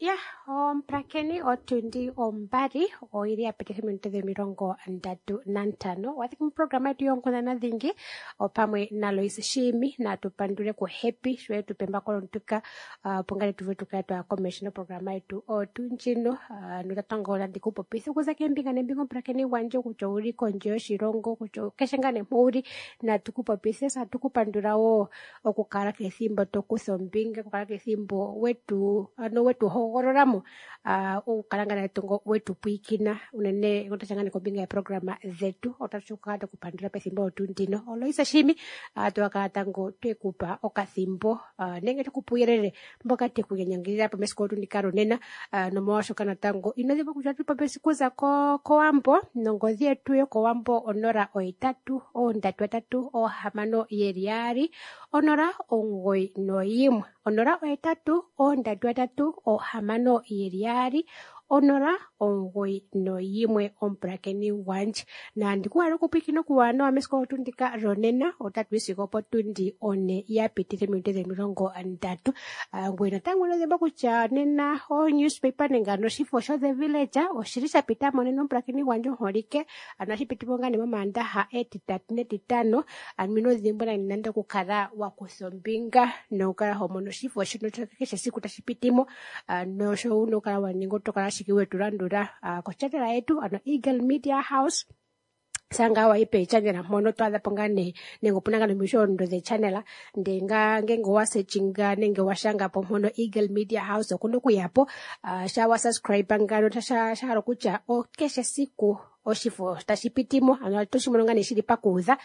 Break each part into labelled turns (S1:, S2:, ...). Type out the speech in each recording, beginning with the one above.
S1: Ya omupulakeni, otundi ombali oili ya pititha ominute dho35. Wathiki moprograma yetu yoonkundana dhingi opamwe naLois Shiimi. Natu pandule ku Happy sho etu pe embako lontuka, opo ngaa tu vule tukale twaya komeho noprograma yetu otu ndjino. Notatango otandi ku popitha okuza keembinga nembinga, omupulakeni gwandje, kutya owuli kondje yoshilongo, kutya keshe ngaa nee mpo wuli, natu ku popithe. Tatu ku pandula wo okukala kethimbo to kutha ombinga, okukala kethimbo wetu ano wetu hogololamo, okukala ngaa natango wetu pwiikina unene otasha ngaa nee kombinga yeeprograma dhetu. Otatu kala tweku pandula pethimbo otu ndino. Oloisa Shiimi, twakala tango twekupa okathimbo, nenge twekupa uuyelele mboka teku nyanyangidhila po mesiku otu ndika lonena. Nomolwashoka natango ino dhimbwa kutya otatu popi okuza kOwambo, nongodhi yetu yokOwambo 083 336 2 091, 083 336 2 091. Omupulakeni gwandje, nandi ku hala okupwiikina okuwanawa mesiku otu ndika lonena. Otatu yi sigo opotundi 4 ya pititha ominute 30. Ngoye natango ino dhimbwa kutya nena o newspaper nenge ano oshifo sho The Villager oshili sha pita mo nena, omupulakeni gwandje omuholike. Ano ohashi piti po ngaa nee momaandaha, etitatu netitano. Ano ino dhimbwa nande nande okukala wa kutha ombinga nokukala ho mono oshifo shino keshe esiku tashi piti mo. Nosho wuna okukala wa ninga, oto kala ashike wetu landula kochannel yetu, ano Eagle Media House. Sanga wa ipe channel mpono to adha po ngaa nee nenge opuna ngaa nomishondo dhe channel, ndee ngaa ngenge owa sechinga nenge wa shanga po mpono Eagle Media House, okuna okuya po. Sha wa subscribe ngano, sha hala okutya keshe esiku oshifo tashi piti mo, ano oto shi mono ngaa nee shili pakuudha.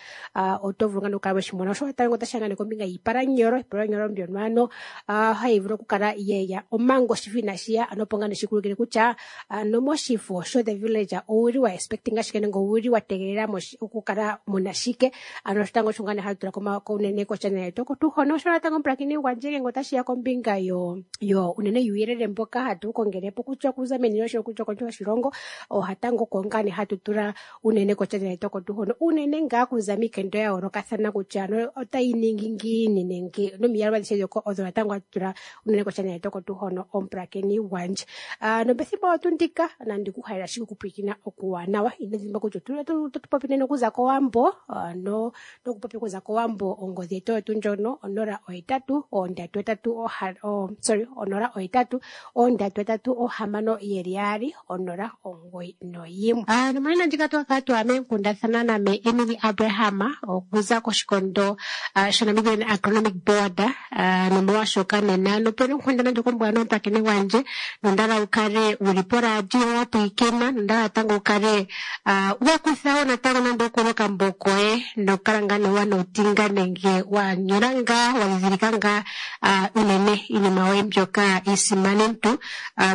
S1: Oto vulu ngaa nokukala weshi mona. Osho natango otashi ya ngaa nee kombinga yiipalanyolo, iipalanyolo mbyono ano hayi vulu okukala yeya omanga oshifo inashi ya, ano opo ngaa nee shikulukile kutya ano moshifo sho The Villager owuli wa expecting shike nenge owuli wa tegelela okukala muna shike. Ano shotango osho ngaa nee hatu tula unene kochannel yetu oko tuu hono. Osho natango omupulakeni gwandje, ngele otashi ya kombinga yo unene yuuyelele mboka hatu kongele po kutya okuza meni lyoshilongo, kutya kondje yoshilongo, ohatango oko ngaa nee hatu tula unene kochannel yetu oko tuu hono, unene ngaa kuza miikendo ya yoolokathana kutya ano otayi ningi ngiini nenge nomiyalu adhihe odho natango hatu tula unene kochannel yetu oko tuu hono, omupulakeni gwandje. Nopethimbo otu ndika nandi ku halela ashike okupwiikina okuwanawa. Ino dhimbwa kutya otatu popi nena okuza kOwambo, nokupopi okuza kOwambo ongodhi yetu oyo tuu ndjono 083 3 sorry 083 336 2 091. Nomonena ndjika twakala twa meenkundathana name Emily Abraham okuza koshikondo shaNamibian Agronomic Board. Nomolwashoka nena nopena onkundana ndjoka ombwanawa, omupulakeni gwandje, nondala wu kale wuli poradio wa pwiikina, nondala natango wu kale wa kutha wo natango nande okuli okambo koye nokukala ngaa nee wa notinga nenge wa nyola ngaa wa dhidhilika ngaa unene iinima yoye mbyoka iisimanentu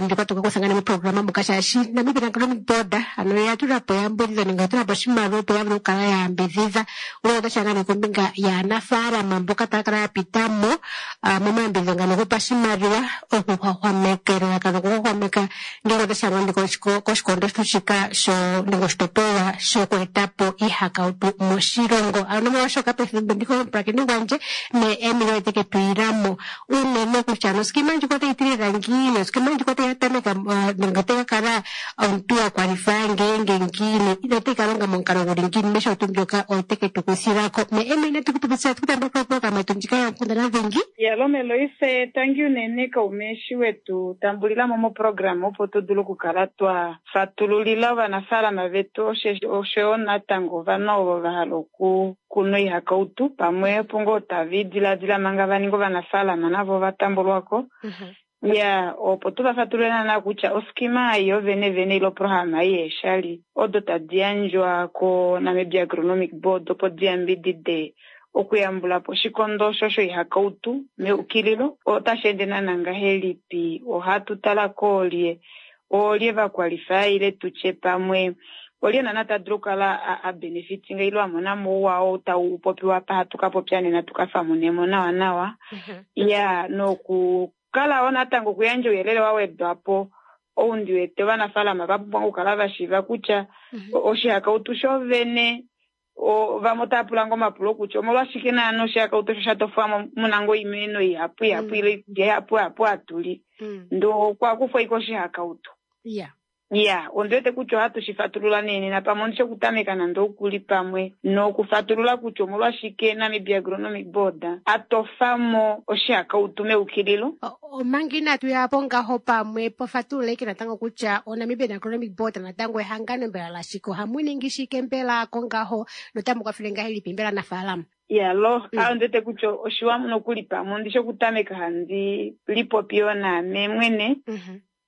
S1: mbyoka toka kutha ngaa nee moprograma muka, shaashi Namibian Agronomic Board ano oya tula po eyambidhidho nenge oya tula po oshimaliwa opo ya vule okukala ya yambidhidha unene otashi ya ngaa nee kombinga yaanafaalama mboka taya kala ya pita mo momayambidhidho ngano gopashimaliwa okuhwahwameka, elalakano okuhwahwameka ngele otashi ya ngaa koshikondo shika sho nenge oshitopolwa shoku eta po iihakautu moshilongo. Ano nomolwashoka pethimbo ndika omupulakeni gwandje me Emily oye teke tu ilamo unene kutya noskima ndjika otayi ti lela ngiini, oskima ndjika otayi ka tameka nenge otayi ka kala omuntu wa kwalifaya ngeenge ngiini, otayi ka longa momukalo guli ngiini, mesho tuu mbyoka oye teke tu kuthilako. Me Emily, natu ku popitha tu kutambula koprograma yetu ndjika yoonkundana dhingi.
S2: Yalome Loise, tangi unene kaume eshi wetu tambulilamo moprograma opo tu dule okukala twa fatululila ovanafaalama vetu oshoyo natango ovanhu ovo va hala okukuna oihakautu pamwe opo ngoo tava idiladila manga va ninga ovanafaalama navo ova tambulwako. Ya opo tu va fatulule naana kutya oskima ei yo vene vene ile oprograma ei yeeshali odo tadi yandjwa ko Namibia Agronomic Board opo di yambidide okuyambula po oshikondo osho shoihakautu meukililo otashi ende naana ngahelipi, ohatu tala koolye, oolye va kwalifaya ile tutye pamwe olye naana ta dulu okukala a benefitinga ile a mona mo ouwa oo tau popiwa apa hatu ka popya nena tu ka famunemo nawa nawa. Ya nokukala wo natango okuyandja ouyelele wa wedwa po ou ndi wete ovanafaalama va pumbwa okukala va shiiva kutya oshihakautu sho vene Vamwe otava pula ngo omapulo kutya omolwashike naana oshihakautu osho sha tofwamo muna ngo oimeno ihapu ihapu ile oikulya ihapu ihapu hatu li, ndee okwa kufwa ashike oshihakautu. Ya, ondi wete kutya ohatu shi fatulula nee nena pamwe ondi shi okutameka nande okuli pamwe nokufatulula kutya omolwashike Namibia Agronomic Board a tofa mo oshihakautu meukililo.
S1: Omanga inatu ya po ngaho pamwe pofatulula ashike natango kutya oNamibian Agronomic Board natango ehangano mbela lashike, ohamu ningi shike mbela kongaho notamu kwafele ngahelipi mbela anafaalama?
S2: Ya, lo, ondi wete kutya oshiwa nokuli pamwe ondi shi okutameka handi lipopi yo naame mwene.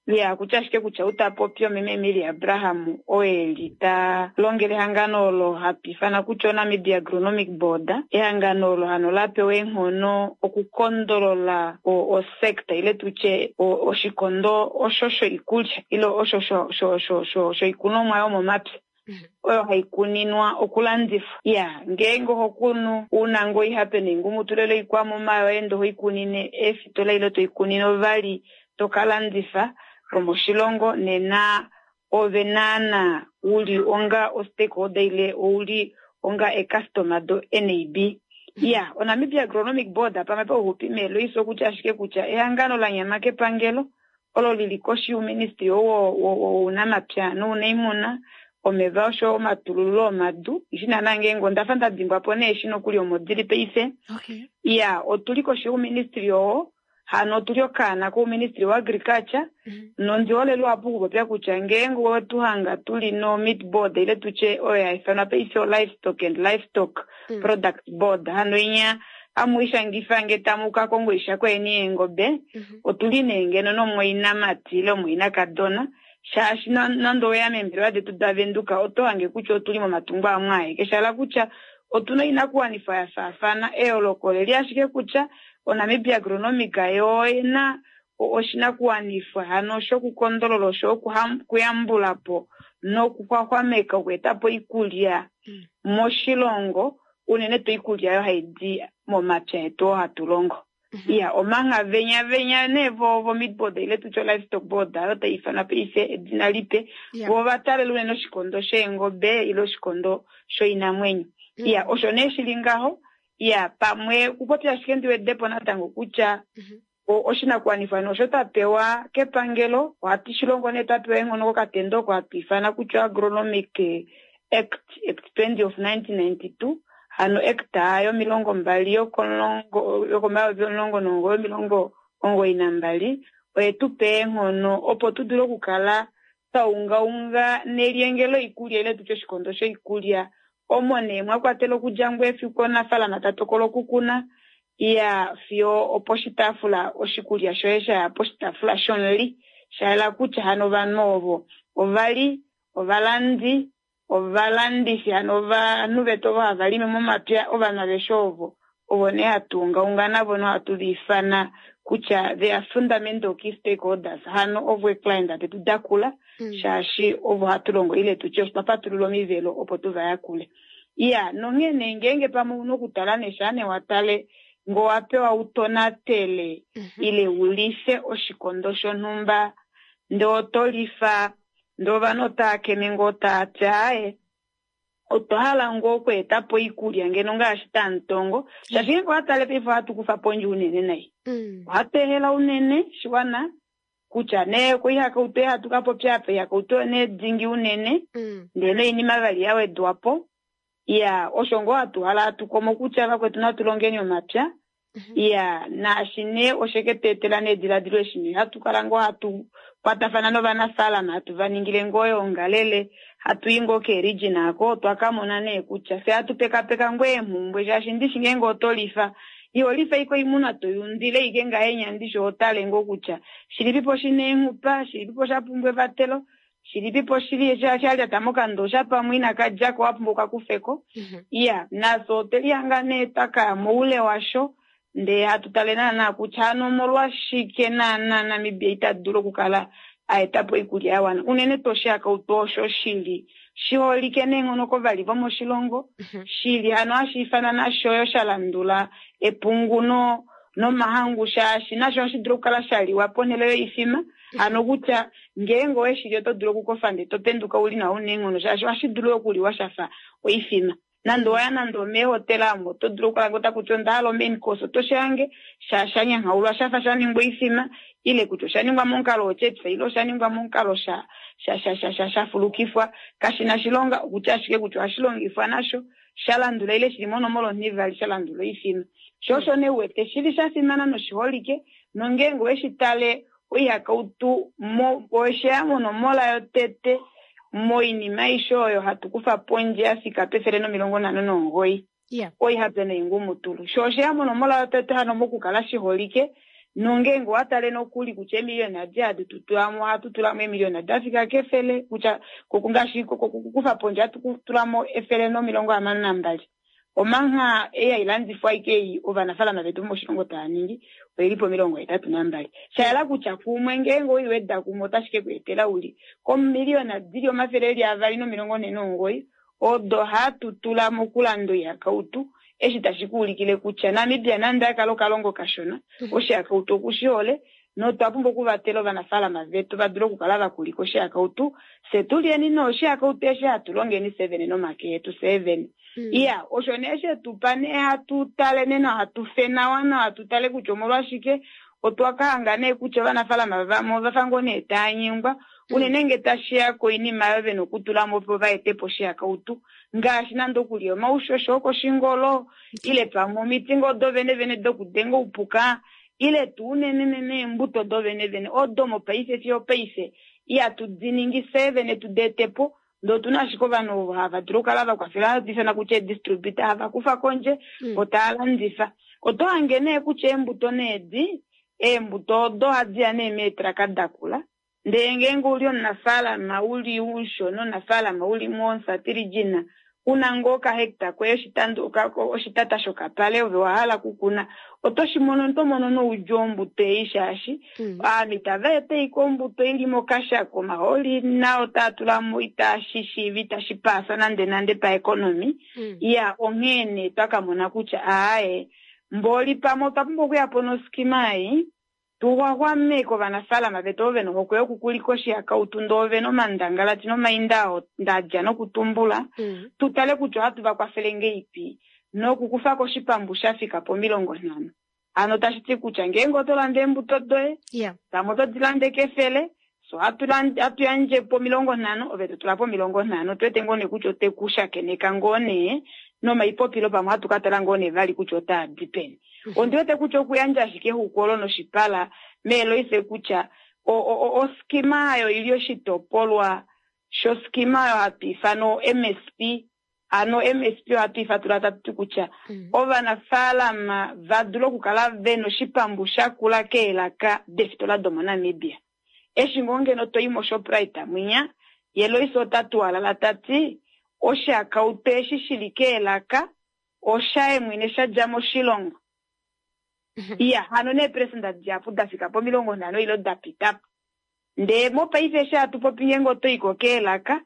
S2: Ya, kutya ashike kutya ou ta popi omeme Emilia Abraham, oo e li ta longele ehangano olo hatu ifana kutya oNamibia Agronomic Board, ehangano olo hano la pewa eenghono okukondolola osekta ile tutye oshikondo osho shoikulya ile osho shoikunomwa yomomapya oyo hai kuninwa okulandifwa. Ya, ngeenge oho kunu una ngoo oihape noingumutulu ile oikwamuma yoye ndee oho i kunine eefitola ile to i kunine ovali to ka landifa vomoshilongo, nena ove naana uli onga o-stakeholder ile ouli onga e-customer do-NAB. Ya, oNamibia Agronomic Board pamwe pauxupi meeloiso okutya ashike kutya ehangano la nyama kepangelo olo li li koshi youministry wounamapya nounaimuna, omeva osho omatulululo omadu. Ishi naana ngeenge onda fa nda dimbwa po nee eshi nokuli omo dili paife. Ya, otu li koshi youministry oo, hano otu li okaana kouministry woagriculture, nondi hole luhapu okupopya kutya ngeenge owetu hanga tu li no meat board ile tutye oyo ya ifanwa paife o livestock and livestock product board, hano inya amu ishangifa nge tamu ka konga oishako yeni yeengobe, otu li nee ngeno nomumwainamati ile omumwainakadona, shaashi nande oweya meembelewa detu daVenduka oto hange kutya otu li momatungo amwe aeke, sha hala kutya otu na oinakuwanifwa ya faafana. Eyooloko oleli ashike kutya oNamibia Agronomic yo oyena oshinakuwanifwa hano shokukondolola osho okuyambula po nokuxwaxwameka okweeta po oikulya moshilongo, unene tuu oikulya oyo hai di momapya etu oo hatu longo. Ya, omanga venya venya nee vo meat board ile tutye livestock board oyo tai ifanwa paife edina lipe, vo va talela unene oshikondo sheengobe ile oshikondo shoinamwenyo. Ya, osho nee shili ngaho. Ya, pamwe kupopya ashike ndi wedepo natango kutya oshinakuwanifwa nosho twa pewa kepangelo, ohatu shi longo nee twa pewa eenghono kokatendo oko hatu ifana kutya Agronomic Act, Act 20 of 1992, hano Act yomilongo mbali yokomayovi omulongo nomugoyi omilongo omugoyi nambali, oye tu pa eenghono opo tu dule okukala twa ungaunga nelyenge loikulya ile tutye oshikondo shoikulya, omo nee mwa kwatela okudja ngoo efiku omunafaalama ta tokola okukuna, ya fiyo oposhitaafula oshikulya shoye sha ya poshitaafula shomuli, sha yela kutya hano ovanhu ovo ovali ovalandi, ovalandifi, hano ovanhu vetu ovo hava limi momapya, ovanhu aveshe ovo ovo nee hatu ungaunga navo nohatu va ifana kutya they are fundamental key stakeholders, hano ovo eeclient detu dakula, shaashi ovo hatu longo ile tutye otwa patulula omivelo opo tu va yakule. Ya, nonghee nee ngeenge pamwe una okutala neshaa nee wa tale ngoo wa pewa u tonatele ile u life oshikondo shonhumba, ndee oto lifa, ndee ovanhu otava keme ngoo tava ti aaye, otwa hala ngoo okweeta po oikulya ngeno ngaashi tamutongo, shaashi ngeenge owa tale paife ohatu kufa pondje unene nai. Ohatu ehela unene shiwana kutya nee koihakautu ei hatu ka popya apa, oihakautu oyo nee dingi unene, ndee noinima vali ya wedwa po. Ya, osho ngoo hatu hala hatu komo kutya vakwetu natu longeni omapya. Ya, naashi nee oshe ke tu etela neediladilo eshi nee hatu kala ngoo hatu kwatafana novanafaalama, hatu va ningile ngoo oyoongalele, hatu i ngoo keeregion ako, otwa ka mona nee kutya fye hatu pekapeka ngoo eemhumbwe, shaashi ndishi ngeenge oto lifa, iho lifa ashike oimuna to yundile ashike ngahenya, ndishi oho tale ngoo kutya shilipipo shina eenghupa, shilipipo sha pumbwa evatelo, shilipipo shili sha lyata mokandosha pamwe inaka djako wa pumbwa ukakufeko. Ya, nafye otwe lihanga nee twa kaya moule washo, ndee hatu tale naana kutya hano omolwashike naana Namibia ita dulu okukala a eta po oikulya ya wana, unene tuu oshihakautu osho shili shiholike neenghono kovali vomoshilongo, shili hano hashi ifanwa nasho yo sha landula epungu nomahangu, shaashi nasho ohashi dulu okukala sha liwa ponhele yoifima, hano kutya ngeenge owe shili oto dulu okukofa ndee to penduka uli nawa una eenghono, shaashi ohashi dulu okuliwa shafa oifima. Nande oya nande omeehotela omo oto dulu okulanga ota kutya onda hala omain course oto shange sha shanyanhaulwa shafa sha ningwa oifima ile kutya osha ningwa momukalo wochips ile osha ningwa momukalo sha sha sha sha sha shafulukifwa kashina shilonga okutya ashike kutya ohashi longifwa nasho sha landula ile shili monomola onhivali sha landula oifima. Sho osho nee uwete shili sha fimana noshiholike nongeenge oweshi tale oihakautu osheya monomola yotete moinima aishe oyo hatu kufa pondje ya fika pe159. Oihape noingumutulu. Sho osheya monomola yotete hano mokukala shiholike nongeenge owa tale nokuli kutya eemiliyona adi hadi tu tulamo ohatu tulamo eemiliyona da fika kefele kutya ngaashi kukufa pondje ohatu tulamo 162. Omangha ei hailandifwa aike ei ovanafaalama vetu vomoshilongo tava ningi oili po 82. Sha yela kutya kumwe ngeenge oiweda kumwe otashi ke ku etela uli komiliyona dili 249 odo hatu tula mokulanda oihakautu eshi tashi ku ulikile kutya Namibia nande akala okalongo kashona oshihakautu okushihole notwa pumbwa okuvatela ovanafaalama vetu va dule okukala va kulika oshihakautu fye tulyeni noshihakautu eshi hatu longeni fye vene nomake etu fye vene. Iya, osho nee shetupa nee hatu tale nena hatu fe nawa nawa tu tale kutya omolwashike otwa ka hanga nee kutya ovanafaalama vamwe ovafa ngoo nee tava nyengwa unene nge tashiya koinima oyo vena okutula mo opo va ete po oshihakautu ngaashi nande okulya omaushosho okoshingolo ile pamwe omiti ngoo do vene vene dokudenga oupuka ile tuu unene nene eembuto do vene vene odo mopaife fiyo paife ihatu di ningi fye vene tu di ete po ndee otuna ashike ovanhu ovo hava dulu okukala va kwafela hatu ifana kutya eedistributor hava kufa kondje vo tava landifa. Oto hange nee kutya eembuto needi eembuto odo ohadi ya nee meetraka dakula ndee ngeenge uli omunafaalama uli umushona omunafaalama uli momusatirijina una ngoo okahecta koye oshitata shokapale ove wa hala okukuna oto shi mono oto mono noudjuu ombuto ei shaashi ovanhu itava eta ashike ombuto ili mokashako omahooli nao taa tula mo itashi shiiva itashi paasa nande nande paeconomy. Iya onghee nee twa ka mona kutya aaye mboli pamwe otwa pumbwa okuya po noskima ei tuxwaxwameke ovanafaalama vetu ovo vena ohokwe yokukulika oshihakautu ndee ovena omandangalati nomainda oo ndadja nokutumbula tu tale kutya ohatu va kwafele ngeipi nokukufa ko oshipambu sha fika po 50. Hano tashi ti kutya ngeenge oto lande eembuto doye pamwe oto di lande kefele so hatu yandje po 50 ove to tula po 50 tu wete ngoo nee kutya ote ku shakeneka ngoo nee nomaipopilo pamwe ohatu ka tala ngoo nee vali kutya otaa di peni. Ondi wete kutya okuyandja ashike exuku olo noshipala meeloife kutya oskima ayo ili oshitopolwa shoskima oyo hatu ifana o-MSP. Ano MSP ohatu ifatula tatu ti kutya ovanafaalama va dule okukala vena oshipambu shakula keelaka deefitola domoNamibia. Eshi ngoo ngeno toi moShoprite mwinya ye Loise ota tuwalala tati oshihakautu eshi shili keelaka oshaye mwene sha dja moshilongo. Iya hano neeperesenda dihapu da fika po 50 ile da pita po. Ndee mopaife eshi hatu popi ngeenge oto iko keelaka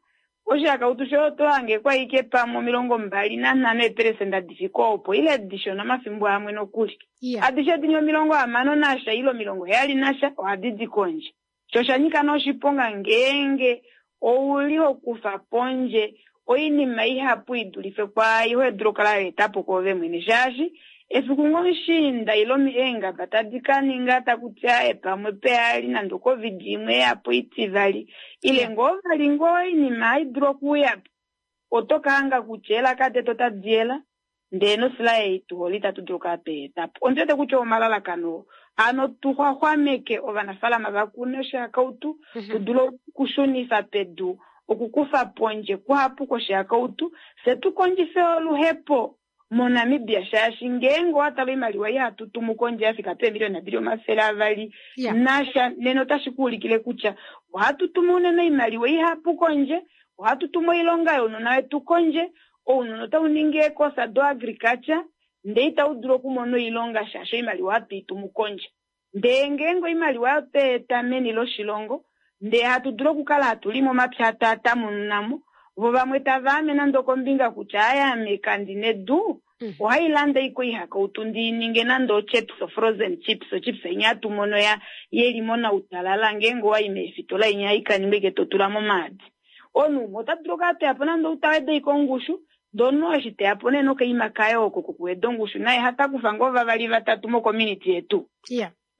S2: oshihakautu shoye oto hange kwa ike pamwe 25 eeperesenda difika opo ile dishona omafimbo amwe nokuli. Adishe dini 60 nasha ile 70 nasha ohadi di kondje. Sho osha nyika nee oshiponga ngeenge ouli hokufa pondje oinima ihapu idulife kwaai ho dulu okukala wa eta po kwoove mwene shaashi efiku ngoo mushiinda ile eengaba tadi ka ninga takuti aaye pamwe pehali nande oCovid imwe yapo itivali ile ngoo vali ngoo oinima hai dulu okuuyapo oto ka hanga kutya elaka detu otadi yela ndee nosila ei tuhole itatu dulu okukala twai eta po. Ondi wete kutya omalalakano ano tuxwaxwameke ovanafaalama va kune oshihakautu tu dule okushunifa pedu okukufa pondje kuhapu kwoshihakautu fye tu kondjife oluhepo moNamibia shaashi ngeenge owa tala oimaliwa ei hatu tumu kondje ya fika peemiliyona dili 200 nasha nena otashi ku ulikile kutya ohatu tumu unene oimaliwa ihapu kondje ohatu tumu oilonga younona wetu kondje ounona otau ningi eekosa do agriculture ndee itau dulu okumona oilonga shaashi oimaliwa ohatu i tumu kondje. Ndee ngeenge oimaliwa otwa eta meni loshilongo ndee hatu dulu okukala hatu limi omapya taa tamununamo vo vamwe tava ame nande okombinga kutya aaye ame kandina edu ohailande ashike oihakautu ndi ninge nande ochips frozen chips ochips inya hatu mono ya yeli monautalala ngeenge owayi meefitola inya haikaningwa ike to tula momaadi. Omunhu umwe ota dulu okukala toyapo nande outaweda ashike ongushu Dono eshi teya po nee nokaima kaye oko kokuweda ongushu naye hatakufa ngoo vavali vatatu mocommunity yetu.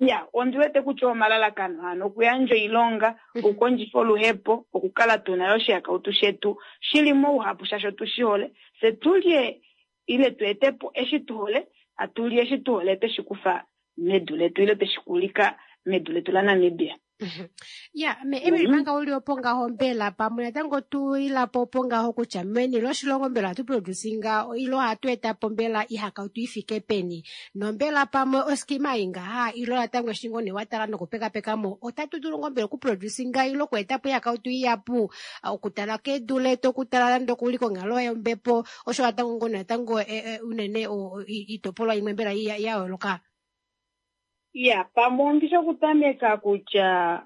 S2: Ya, ondi wete kutya omalalakano hano okuyandja oilonga, okukondjifa oluhepo, okukala tuna yo oshihakautu shetu shili mouhapu shaashi otu shi hole, fye tulye ile tu ete po eshi tu hole, hatu li eshi tu hole tweshi kufa medu letu ile tweshi kulika medu letu laNamibia.
S1: Ya, me Emily manga uli opo ngaho mbela pamwe natango tu ilapo opo ngaho kutya meni loshilongo mbela ohatu producinga ilo ohatu eta po mbela ihakautu ifike peni nombela pamwe oskima ingaha ilo natango eshi ngoo nee watala nokupekapeka mo otatu dulu ngoo mbela okuproducinga ilo okueta po ihakautu iyapu okutala kedu letu okutala nande okuli konghalo yombepo osho natango ngoo natango unene itopolwa imwe mbela ya yooloka.
S2: Ya, pamwe ondishi okutameka kutya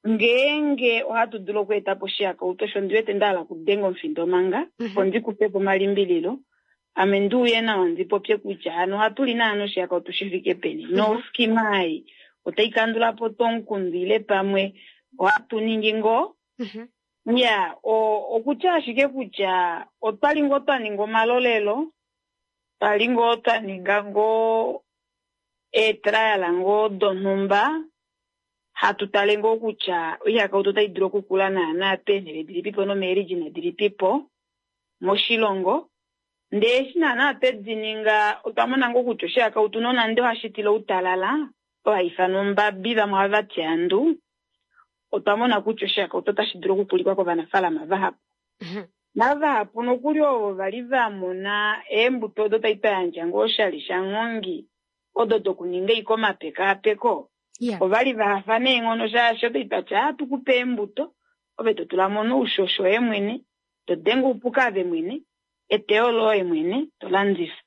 S2: ngeenge ohatu dulu okweeta po oshihakautu osho ndi wete nda hala okudenga omufindo manga opo ndi kufe po omalimbililo ame ndi uye nawa ndi popye kutya hano ohatu li naana oshihakautu shi fike peni noskima ei otai kandula po tuu omukundu ile pamwe ohatu ningi ngoo. Ya, okutya ashike kutya otwali ngoo twa ninga omalolelo, twali ngoo twa ninga ngoo eetrial ngoo donhumba hatu tale ngoo kutya oihakautu otai dulu okukula naana peenhele dilipipo nomeerijina dilipipo moshilongo. Ndee eshi naana twedi ninga otwa mona ngoo kutya oshihakautu nonande ohashi tila outalala oyo hai ifanwa ombabi vamwe ohava ti andu, otwa mona kutya oshihakautu otashi dulu okukulikwa kovanafaalama vahapu. Navahapu nokuli ovo vali va mona eembuto odo tai twa yandja ngoo oshali shanghongi odo dokuninga iko omapekaapeko ovali va hafa neenghono shaashi otai twatya ohatu kupe eembuto ove to tula mo noushosho woye mwene, to denge oupuka ave mwene, eteyo loye mwene to landifa.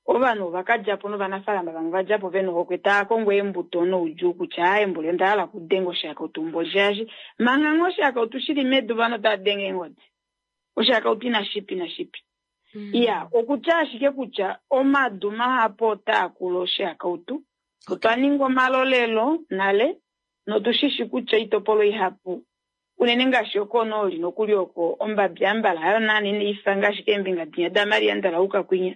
S2: Ovanhu ova ka dja po novanafaalama vamwe va dja po ve nohokwe tava kongo eembuto noudjuu kutya aaye mboli onda hala okudenga oshihakautu mboli shaashi manga ngoo oshihakautu shili medu ovanhu otava denge eengodi. Oshihakautu inashi pi inashi pi. Ya, okutya ashike kutya omadu mahapu otaa kulu oshihakautu. Otwa ninga omalolelo nale notu shishi kutya oitopolwa ihapu unene ngaashi okonooli nokuli oko ombabi ambala hayo naana inai fa ngaashi keembinga dinya daMaria Ndalauka kwinya.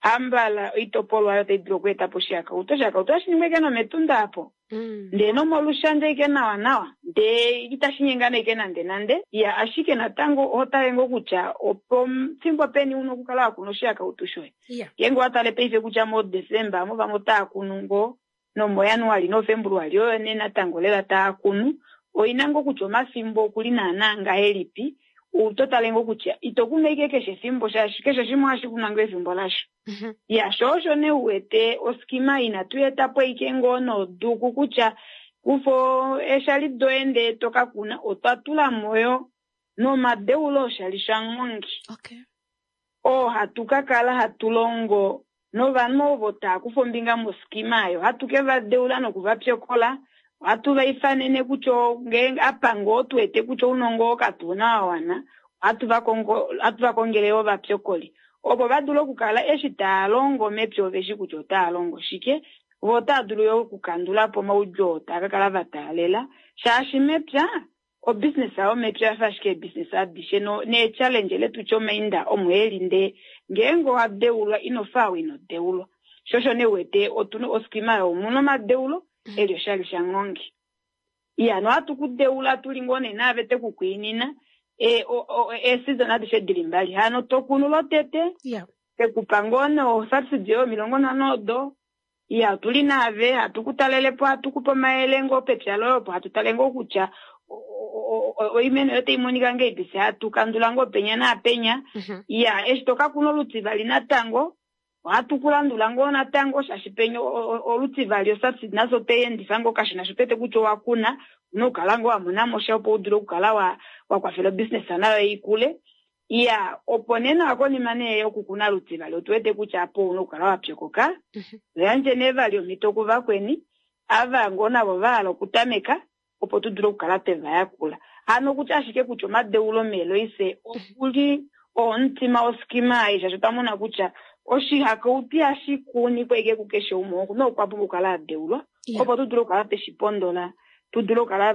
S2: Ambala oitopolwa oyo tai dulu okweeta po oshihakautu. Oshihakautu ohashi ningwa ike nometunda apo. Ndee nomolushandja ike nawa nawa. Ndee itashi nyengana ike nande nande. Ya, ashike natango oho tale ngoo kutya opo fimbo peni una okukala wa kuna oshihakautu shoye. Ngeenge owa tale paife kutya moDesemba amo vamwe otaa kunu ngoo nomoJanuali noFebruali oyo nee natango lela taa kunu. Oina ngoo kutya omafimbo okuli naana ngahelipi. Oto tale ngoo kutya ito kunu ike keshe efimbo shaashi keshe shimwe ohashi kunwa ngoo efimbo lasho. Ya, sho osho nee uwete oskima inatu eta po ike ngoo noduku kutya kufa eeshali doye ndee to ka kuna, otwa tula mo yo nomadeulo oshali shanghongi. Oo hatu ka kala hatu longo novanhu ovo taa kufa ombinga moskima oyo, hatu ke va deula noku va pyokola. Ohatu va ifanene kutya ngeenge apa ngoo tu wete kutya ounongo oo katu na wa wana, ohatu va kongele yo ovapyokoli opo va dule okukala eshi taa longo mepya ove shi kutya otaa longo shike, vo otaa dulu yo okukandula po omaudjuu oo taa ka kala va taalela shaashi mepya obusiness yomepya oya fa ashike eebusiness adishe neechallenge ile tutye omainda omo eli ndee ngeenge owa deulwa ino fa ou ino deulwa. Sho osho nee uwete otuna oskima oyo omuna omadeulo eli oshali shanghongi. Iya, nohatu ku deula tuli ngoo nee naave twe ku kwiinina eeseason adishe dili mbali. Hano to kunu lotete, twe ku pa ngoo nee osubsidy yoye 50 odo. Iya, otuli naave, hatu ku talele po, hatu ku pe omayele ngoo pepya loye opo hatu tale ngoo kutya oimeno yoye otai monika ngahelipi, fye hatu kandula ngoo penya naapenya. Iya, eshi to ka kuna olutivali natango, ohatu ku landula ngoo natango shaashi penya olutivali osubsidy nasho otwe endifa ngoo kashona sho twete kutya owa kuna, una okukala ngoo wa mona mo sha opo u dule okukala wa kwafela obusiness nayo ikule. Iya, opo nee nawa konima nee yokukuna lutivali otu wete kutya apo una okukala wa pyokoka. Yandje nee vali omhito kuvakweni ava ngoo navo va hala okutameka opo tu dule okukala twe va yakula. Hano okutya ashike kutya omadeulo meeloise okuli omutima woskima ei shaashi otwa mona kutya oshihakautu ihashi kunikwa ike kukeshe umwe, nokwa pumbwa okukala a deulwa opo tu dule okukala twe shi pondola, tu dule okukala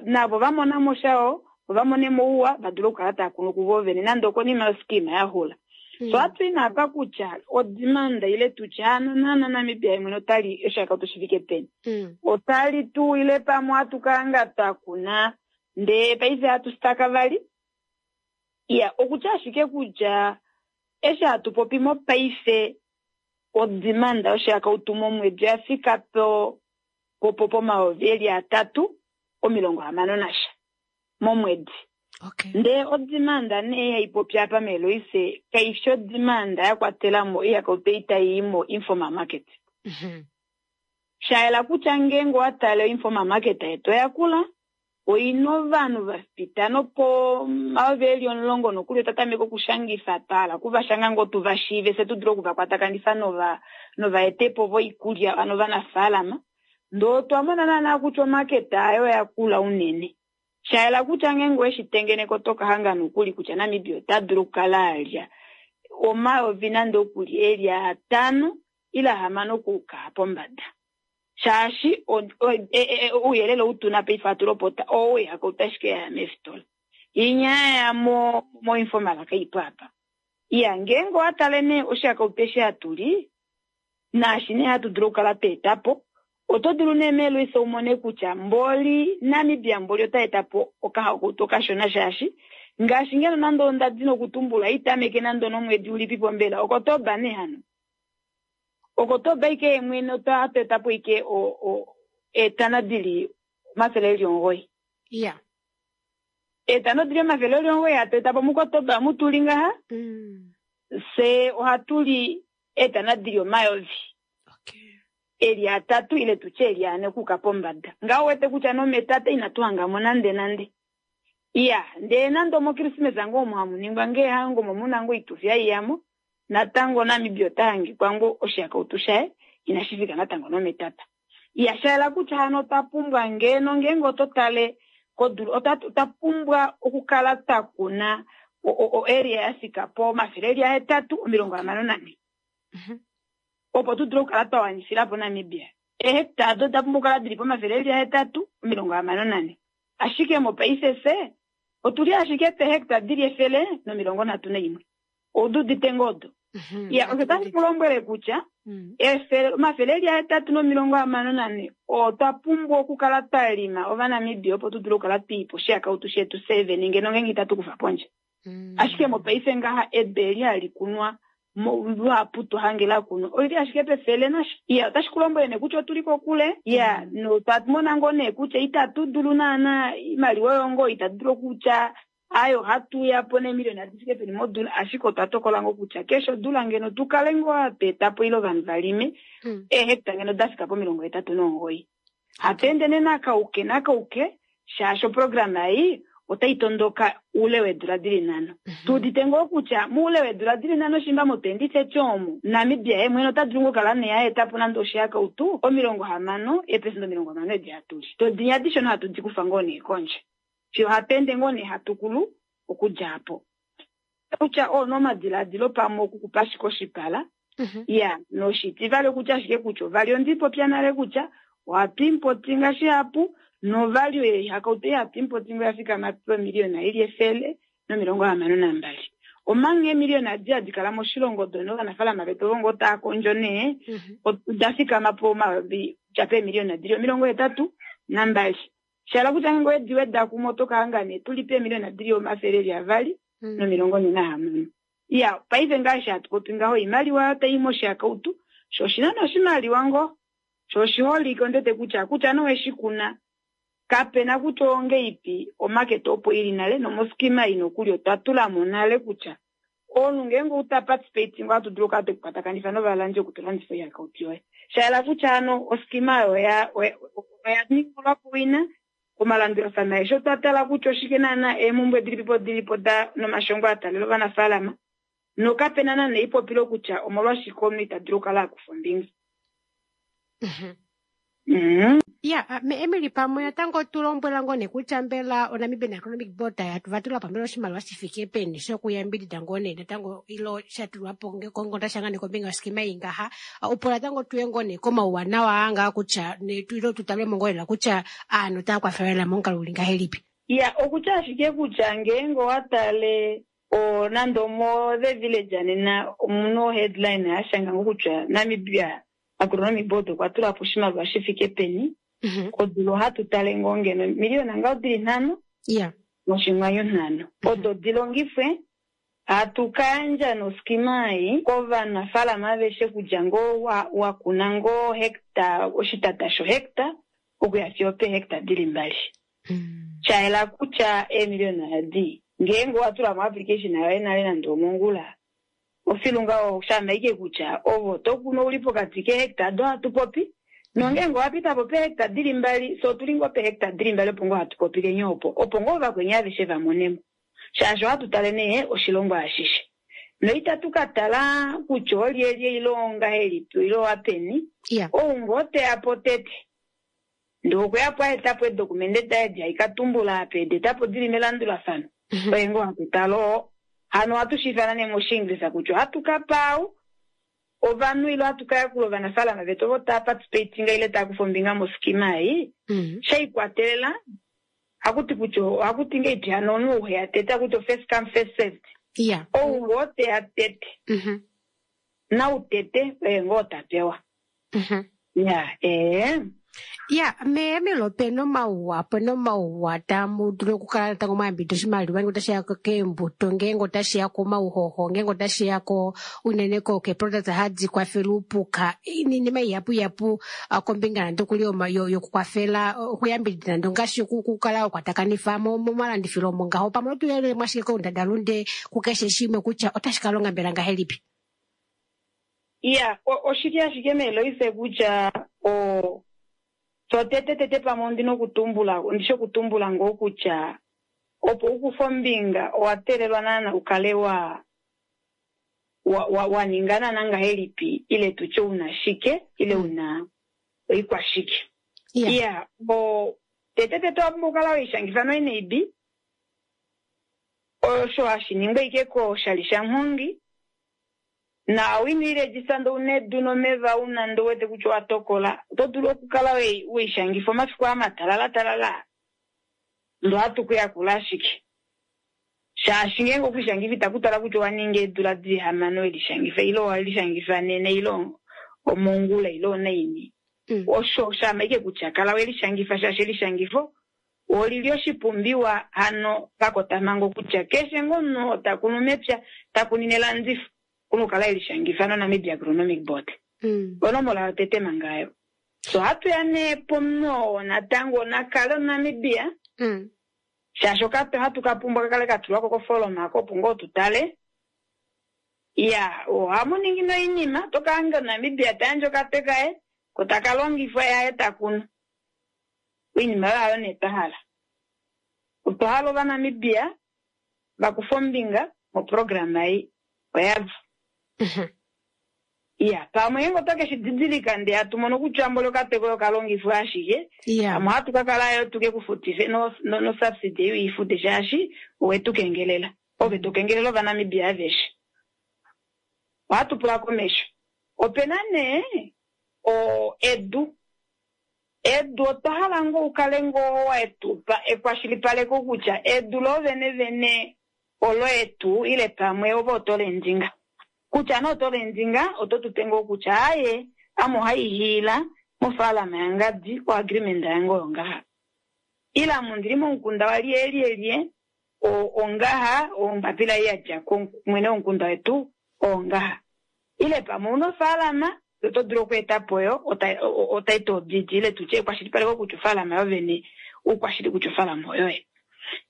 S2: navo va mona mo sha vo va mone mo ouwa, va dule okukala tava kunu kuvo vene nande okonima yoskima ya xula. So hatu i apa kutya odimanda ile tutye hano naana Namibia yemwene otali oshihakautu shi fike peni. Otali tu ile pamwe hatu kala twa kuna ndee paife hatu staka vali. Iya, okutya ashike kutya eshi hatu popi mopaife odimanda yoshihakautu momwedi oya fika pomayovi eli 360 nasha momwedi. Ndee odimanda nee haipopi apa meeloise kaifi odimanda ya kwatela mo oihakautu ei tai i mo informal market. Shayela kutya ngeenge owa tale oinformal market yetu oya kula, oina ovanhu va pita nopo mayovi eli 10 nokuli otwa tameka okushangifa twa hala okuvashanga ngoo tu va shiive fye tu dule okuvakwatakanifwa novaetepo voikulya ano ovanafaalama. Ndee otwa mona naana kutya omaketa ayo oya kula unene. Shayela kutya ngeenge oweshi tengeneka oto ka hanga nokuli kutya Namibia ota dulu okukala alya omayovi nande okuli eli 5 ile 6 okuuka pombada. Shaashi ouyelele ou tuna paife hatu lopota oo oihakautu ashike yaya meefitola. Inya yaya moinformal kaipo apa. Iya, ngeenge owa tale nee oshihakautu eshi hatu li, naashi nee hatu dulu okukala twa eta po, oto dulu nee meeloisa u mone kutya mboli Namibia mboli ota eta po okahakautu okashona shaashi ngaashi ngeno nande onda dina okutumbula itameke nande onomwedi ulipipo mbela Okotoba nee hano. Okotoba ike yemwene otwa eta po ike eetana dili 900.
S1: Iya.
S2: Eetana dili 900 hatu eta po muKotoba mutuli ngaha. Se ohatu li eetana dili omayovi. Eli 3 ile tutye eli 4 okuuka pombada. Ngaho wete kutya nometate inatu hanga mo nande nande. Iya, ndee nande omokrismesa ngoo omo hamu ningwa ngee hango omo muna ngoo oitufi haiyamo, natango Namibia ota hangikwa ngoo oshihakautu shaye inashi fika natango nometata. Iya, shayela kutya hano otwa pumbwa ngeno ngeenge oto tale kodulu, otwa pumbwa okukala twa kuna o-area ya fika po 864. Opo tu dule okukala twa wanifila po Namibia. Eehectare ado oda pumbwa okukala dili po 864. Ashike mopaife fye otuli ashike pehectare dili 131. Oududite ngoo odo. Iya, osho tashi ku lombwele kutya 864 otwa pumbwa okukala twa lima Ovanamibia opo tu dule okukala twa ipa oshihakautu shetu sevene ngeno ngeenge itatu kufa pondje. Ashike mopaife ngaha edu eli hali kunwa luhapu twa hange la kunwa oili ashike pefele nasha. Iya, otashi ku lombwele nee kutya otuli kokule. Iya, notwa mona ngoo nee kutya itatu dulu naana imaliwa oyo ngoo itatu dulu okutya ayo hatu ya po neemiliona di fike peni modula, ashike otwa tokola ngoo kutya keshe odula ngeno tu kale ngoo hatu eta po ile ovanhu va lime eehecta ngeno da fika po 89. Hatu ende nee nakauke nakauke shaashi oprograma ei otai tondoka oule weedula dili 5. Tu udite ngoo kutya moule weedula dili 5 shimba mo 2030 omo Namibia ye mwene ota dulu ngoo kala nee a eta po nande oshihakautu 60, eepesenda 60 edi hatu li. Todinya adishe hatu di kufa ngoo nee kondje. Fiyo hatu ende ngoo nee hatu kulu okudja apo. Kutya oo nomadiladilo pamwe okukupa ashike oshipala. Iya, noshitivali okutya ashike kutya ovali ondi popya nale kutya ohatu importinga shihapu novalue yoihakautu ei hatu importinga oya fikama pomiliyona ili 162. Omanga eemiliyona adi hadi kala moshilongo dono ovanafaalama vetu ovo ngoo tava kondjo nee, oda fikama po omayovi dja peemiliyona dili 82. Shala kutya ngeenge owedi weda kumwe oto ka hanga nee tuli peemiliyona dili 246. Iya, paife ngaashi hatu popi ngaho oimaliwa tai moshihakautu, sho oshina nee oshimaliwa ngoo, sho oshiholike ondete kutya kutya noweshi kuna kapena kutya ongeipi omaketa opo ili nale nomoskima ei nokuli otwa tula mo nale kutya omunhu ngeenge outa participate ngoo hatu dulu okukala tweku kwatakanifa novalandi okutulandifa oihakautu yoye. Shayela kutya hano oskima oyo oya ningilwa po wina omalandulafano aeshe otwa tala kutya oshike naana eemhumbwe dilipipo dilipo da nomashongo a taalela ovanafaalama nokapena naana eipopilo kutya omolwashike omunhu ita dulu okukala a kufa ombinga.
S1: Ya, me Emily pamwe natango tu lombwela ngoo nee kutya mbela oNamibian Agronomic Board va tula po mbela oshimaliwa shi fike peni shokuyambidida ngoo nee natango ilo sha tulwa po kongonda shanga nee kombinga yoskima ei ngaha, opo natango tuye ngoo nee komauwanawa aa ngaa kutya ilo tu talwe mo ngoo lela kutya aanhu otava kwafelwa lela momukalo uli ngahelipi.
S2: Ya, okutya ashike kutya ngeenge owa tale Nande omo The Village nena omuno headline yashanga ngo kutya Namibia Agronomic Board okwa tula po oshimaliwa shi fike peni. Kodula ohatu tale ngoo ngeno miliyona ngaho dili 5 noshinghwanyu 5. Odo dilongifwe hatu kayandja noskima ei kovanafaalama aveshe kudja ngoo wa kuna ngoo hekta oshitata shohekta okuya fiyo pehekta dili 2. Shayela kutya eemiliyona adi ngeenge watula mo application yoye nale nande omongula ofilunga oshamaike kutya ovo to kunu uli pokati kehekta do hatu popi nongeenge wapita po pehekta dili 2 so tuli ngoo pehekta dili 2 opo ngoo hatu popile nye opo opo ngoo vakweni aveshe vamonemo shaashi ohatu tale nee oshilongo ashishe noitatu katala kutya olyelye ile ongahelipi ile owapeni ou ngoo teya po tete ndee okweya po aetapo edokumende daye di haikatumbula apa edetapo dili melandulafano oye ngoo hatu tala oo hano ohatu shiifana nee moshiingilisa kutya ohatu kapa au ovanhu ile ohatu kayakula ovanafaalama vetu ovo taa participatinga ile taa kufa ombinga moskima ei shaikwatelela hakuti kutya ohakuti ngeipi hano omunhu ouheya tete hakuti first come first served ou ngoo teya tete nautete oye ngoo tapewa
S1: Ya meyamelo opena omauwa opena omauwa tamu dulu okukala natango mwayambidida oshimaliwa ngeenge otashiya keembuto ngeenge otashiya komauhoho ngeenge otashiya ko unene keeproduct hadi kwafele uupuka iinima ihapu ihapu kombinga nande okuli yokukwafela okuyambidida nande ongaashi okukala wakwatakanifa momalandifilo omo ngaho pamwe otuyelele mwashike koundadalunde kukeshe shimwe kutya otashi ka longa mbela ngahelipi.
S2: Iya oshili ashike meeloise kutya o so tete tete pamwe ondina okutumbula ondishe okutumbula ngoo kutya opo ukufa ombinga owa teelelwa naana ukale wa waninga naana ngahelipi ile tutye una shike ile una oikwashike. Iya o tete tete owa pumbwa okukala weishangifa noNAB osho hashi ningwa ike koshali shamuhongi na owino ndee una edu nomeva una ndee uwete kutya owa tokola oto dulu okukala weishangifa omafiku amatalala talala ndee ohatu kuyakula ashike shaashi ngeenge okwishangifa itakutala kutya owaninga eedula dili 6 welishangifa ile owelishangifa nene ile omongula ile onaini osho shamaike kutya kala welishangifa shaashi elishangifo olili oshipumbiwa hano pakotamhango kutya keshe ngoo omunhu otakunu mepya takunine elandifo kunukala elishangifa noNamibia Agronomic Board. Onomola yotete mangayo. So hatu ya nee pomunhu oo natango nakale omuNamibia shaashi okape hatu kapumbwa kakale katulwako kofoloma ako opo ngoo tutale. Iya ohamu ningi noinima tokahange omuNamibia tayandje okape kaye ko taka longifwa yaye takunu. Oinima oyo hayo nee twahala. Otwa hala ovaNamibia vakufa ombinga moprograma ei oyavo. Iya pamwe ngeenge otoke shididilika ndee hatu mono kutya mboli okape koye okalongifwa ashike pamwe ohatu kakala yo tuke kufutife no subsidy ei uifute shaashi owetu kengelela ove tokengelela ovanamibia aveshe. Ohatu pula komesho. Opena nee edu edu otwa hala ngoo ukale ngoo wetupa ekwashilipaleko kutya edu loovene vene olo etu ile pamwe ove oto lendinga kutya nee oto lendinga oto tupe ngoo kutya aaye ame ohaihiila mofaalama yangadi o agreement yange oyo ngaha ile ame ondili momukunda walyelyelye ongaha ombapila ei yadja kumwene womukunda wetu ongaha ile pamwe una ofaalama oto dulu okweetapo yo otitle deed ile tutye ekwashilipaleko kutya ofaalama yovene oukwashili kutya ofaalama oyoye.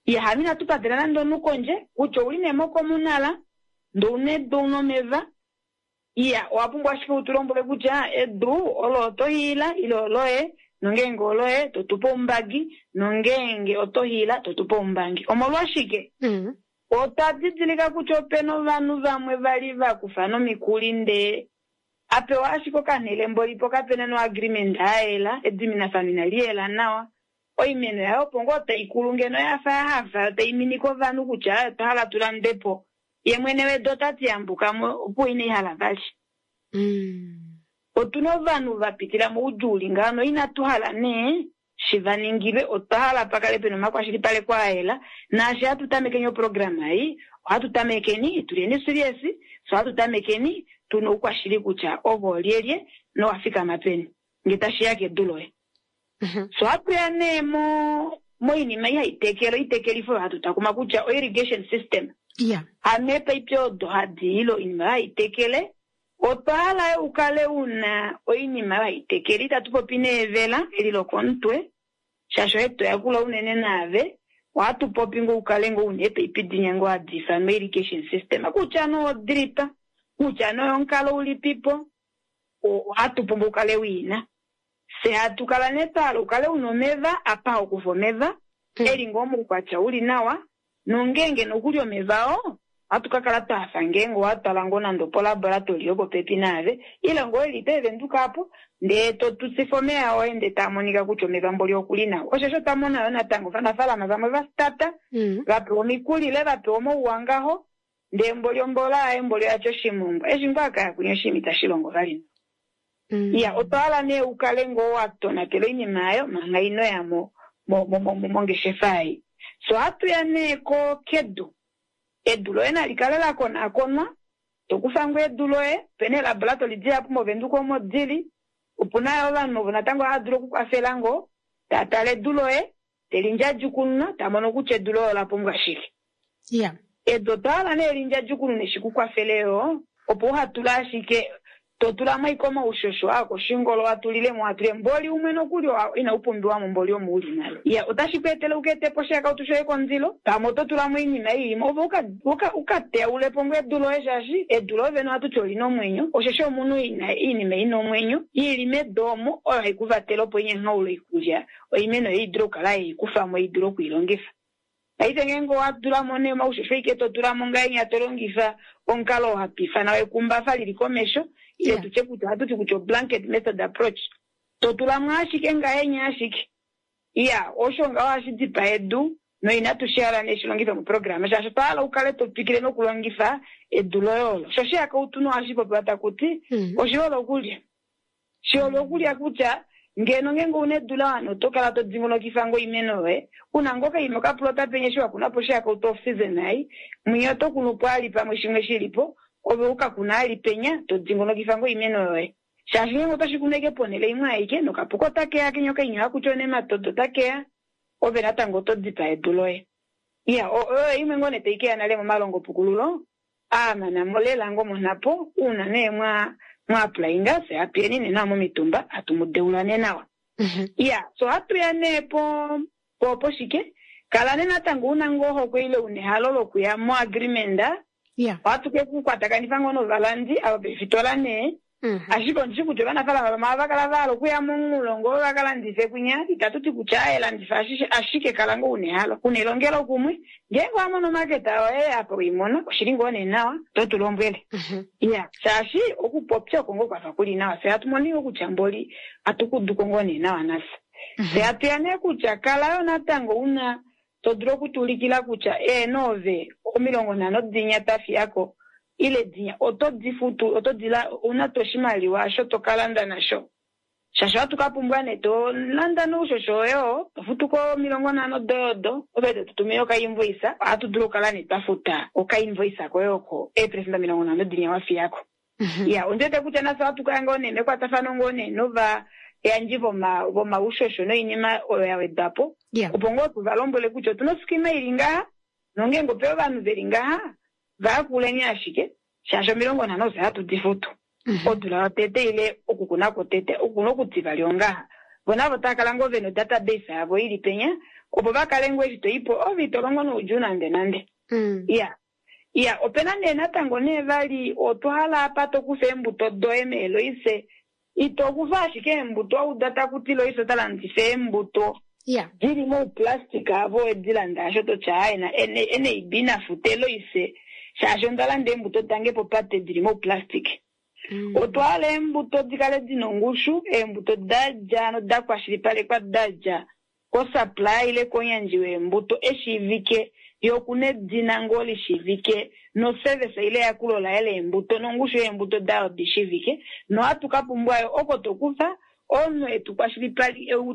S2: Iya hano inatu patela nande omunhu kondje kutya ouli nee mokomunala ndee ouna edu ouna omeva iya owa pumbwa ashike utulombwele kutya edu olo oto hiila ile oloye nongeenge oloye totupe oumbangi nongeenge oto hiila totupe oumbangi. Omolwashike? Otwa didilika kutya opena ovanhu vamwe vali vakufa nomikuli ndee apewa ashike okanhele mbolipo kapena no agreement ayela ediminafano inali yela nawa oimeno yayo opo ngoo taikulu ngeno yafa yahafa taiminike ovanhu kutya otwa hala tulandepo ye mwene wedu otati yambukamo opo inaihala vali. Otuna ovanhu vapitila moudjuu uli ngaho noinatu hala nee shi va ningilwe. Otwa hala pa kale pena omakwashilipaleko a yela, naashi hatu tamekeni oprograma ei, ohatu tamekeni tuleni serious, so ohatu tamekeni tuna oukwashili kutya ovo olyelye nowa fikama peni nge tashiya kedu loye. So ohatu ya nee moinima ei hai tekele, oitekelifo oyo hatu takuma kutya o-irrigation system. Hano eepaipi odo hadi ile oinima oyo hai tekele, otwa hala yo ukale una oinima oyo hai tekele. Itatu popi neevela eli lokomutwe, shaashi oye to yakula unene naave. Ohatu popi ngoo ukale ngoo una eepaipi dinya ngoo hadi ifanwa irrigation system, kutya nee odrip, kutya nee oyomukalo ulipipo, ohatu pumbwa ukale wiina. Fye hatu kala nee twa hala ukale una omeva, apa hokufa omeva, eli ngoo moukwatya uli nawa, nongeenge nokuli omeva oo, ohatu ka kala twa hafa ngeenge owa twala ngoo nande opolaboratory yopopepi naave, ile ngoo eli peevenduka apo, ndee to tutsifa omeva oye ndee taa monika kutya omeva mboli okuli nawa. Osho osho twa mona yo natango ovanafaalama vamwe va stata, va pewa omikuli ile va pewa omauwa ngaho, ndee mboli ombola yaye mboli oyatya oshimongwa. Eshi ngoo akaya kunya oshinima itashi longo vali nawa. Iya, otwa hala nee ukale ngoo wa tonatela oinima ayo manga ino ya mongeshefa ei. So ohatu ya nee kedu. Edu loye nali kale la konakonwa, to kufa ngoo edu loye, opena eelaboratori dihapu moVenduka omo dili, opuna yo ovanhu ovo natango hava dulu okukwafela ngoo, ta tale edu loye, te li ndjadjukununa, ta mono kutya edu loye ola pumbwa shike. Edu otwa hala nee lindjadjukunune shi ku kwafele yo, opo uha tule ashike to tula mo ashike omaushosho aa koshingolo wa tulile mo, wa tulile mboli umwe nokuli inau pumbiwa mo, mboli omo uli nale. Iya, otashi ku etele uka ete po oshihakautu shoye komundilo, pamwe oto tula mo oinima ei imwe, ove uka teyaule po ngoo edu loye, shaashi edu loye vene ohatu ti olina omwenyo, osheshi omunhu ina oinima ina omwenyo ili medu omo, oyo hai ku vatele opo inyangaule oikulya, oimeno yoye i dule okukala ye i kufa mo, i dule oku i longifa. Paife ngeenge owa tula mo nee omaushosho ike to tula mo ngahenya to longifa omukalo oo hatu ifana wekumbafa lili komesho, ile tutye kutya ohatu ti kutya o-blanket method approach, to tula mo ashike ngahenya ashike. Iya, osho ngaho ohashi dipaa edu, noinatu shi hala nee shi longifwe moprograma, shaashi otwa hala ukale to twikile nokulongifa edu loye olo. Sho shihakautu nohashi popiwa taku ti, oshihole okulya. Shihole okulya kutya ngeno ngeenge ouna edu la wana oto kala to dingonokifa ngoo oimeno yoye, una ngoo kaima okaplota penye eshi wa kuna po oshihakautu off season ei, mwinya oto kunu po ali pamwe shimwe shilipo, ove uka kuna ali penya to dingonokifa ngoo oimeno yoye. Shaashi ngeenge oto shi kunu ashike ponhele imwe aike, nokapuka otakeya kenya okainyo hakuti onematodo otakeya, ove natango oto dipaa edu loye. Iya, oyo imwe ngoo nee tai keya nale momalongopukululo aa mana mo lela ngoo monhapo, uuna nee mwa applyinga, fye hatu yeni nee nawa momitumba, hatu mu deula nee nawa. Iya, so ohatu ya nee po poshike, kala nee natango una ngoo ohokwe ile una ehalo lokuya mo agreement, ohatu ke ku kwatakanifa ngoo novalandi ava veefitola nee, ashike ondishi kutya ovanafaalama vamwe ohava kala va hala okuya momulongo va ka landife kwinya, itatu ti kutya aye landifa ashike kala ngoo una ehalo, una elongelo kumwe, ngeenge owa mono omaketa oye apa weimona, oshili ngoo nee nawa, to tu lombwele. Iya, shaashi okupopya oko ngoo kwafa kuli nawa, fye hatu mono ngoo kutya mboli hatu kuduko ngoo nee nawa nafye. Fye hatu ya nee kutya kala yo natango una to dulu okutuulikila kutya eeno ove 50 dinya tafiyako ile dinya oto di futu, oto di la, ouna to oshimaliwa osho to ka landa nasho. Shaashi ohatu ka pumbwa nee to landa noushosho woye oo, to futu ko 50 doye odo, ove to tutumine okainvoice, ohatu dulu okukala nee twa futa okainvoice koye oko 50% dinya wa fiyako. Iya, ondi wete kutya nafye ohatu kaya ngoo nee mekwatafano ngoo nee novayandji vomaushosho noinima oyo ya wedwa po, opo ngoo tu va lombwele kutya otuna oskima ili ngaha, nongeenge ope ovanhu veli ngaha, va yakuleni ashike, shaashi 50 ofye hatu di futu. Odula yotete ile okukuna kwotete, okukuna okutivali ongaha. Vo navo tava kala ngoo vena odatabase yavo ili penya, opo va kale ngoo eshi to i po, ove ito longo noudjuu nande nande. Iya. Iya, opena nee natango nee vali otwa hala apa to kufa eembuto doye meeloise. Ito kufa ashike eembuto, wa uda taku ti Loise ota landifa eembuto dili mouplastic avo we di landa asho to tya aaye na NAB na fute Loise shaashi onda landa eembuto dange popate dili mouplastic. Otwa hala eembuto di kale dina ongushu, eembuto da dja noda kwashilipalekwa da dja kosupply ile komuyandji weembuto eshiivike, ye okuna edina ngoo lishiivike noservice ile eyakulo laye leembuto nongushu yeembuto dayo di shiivike, nohatu ka pumbwa yo oko to kufa. Omunhu etu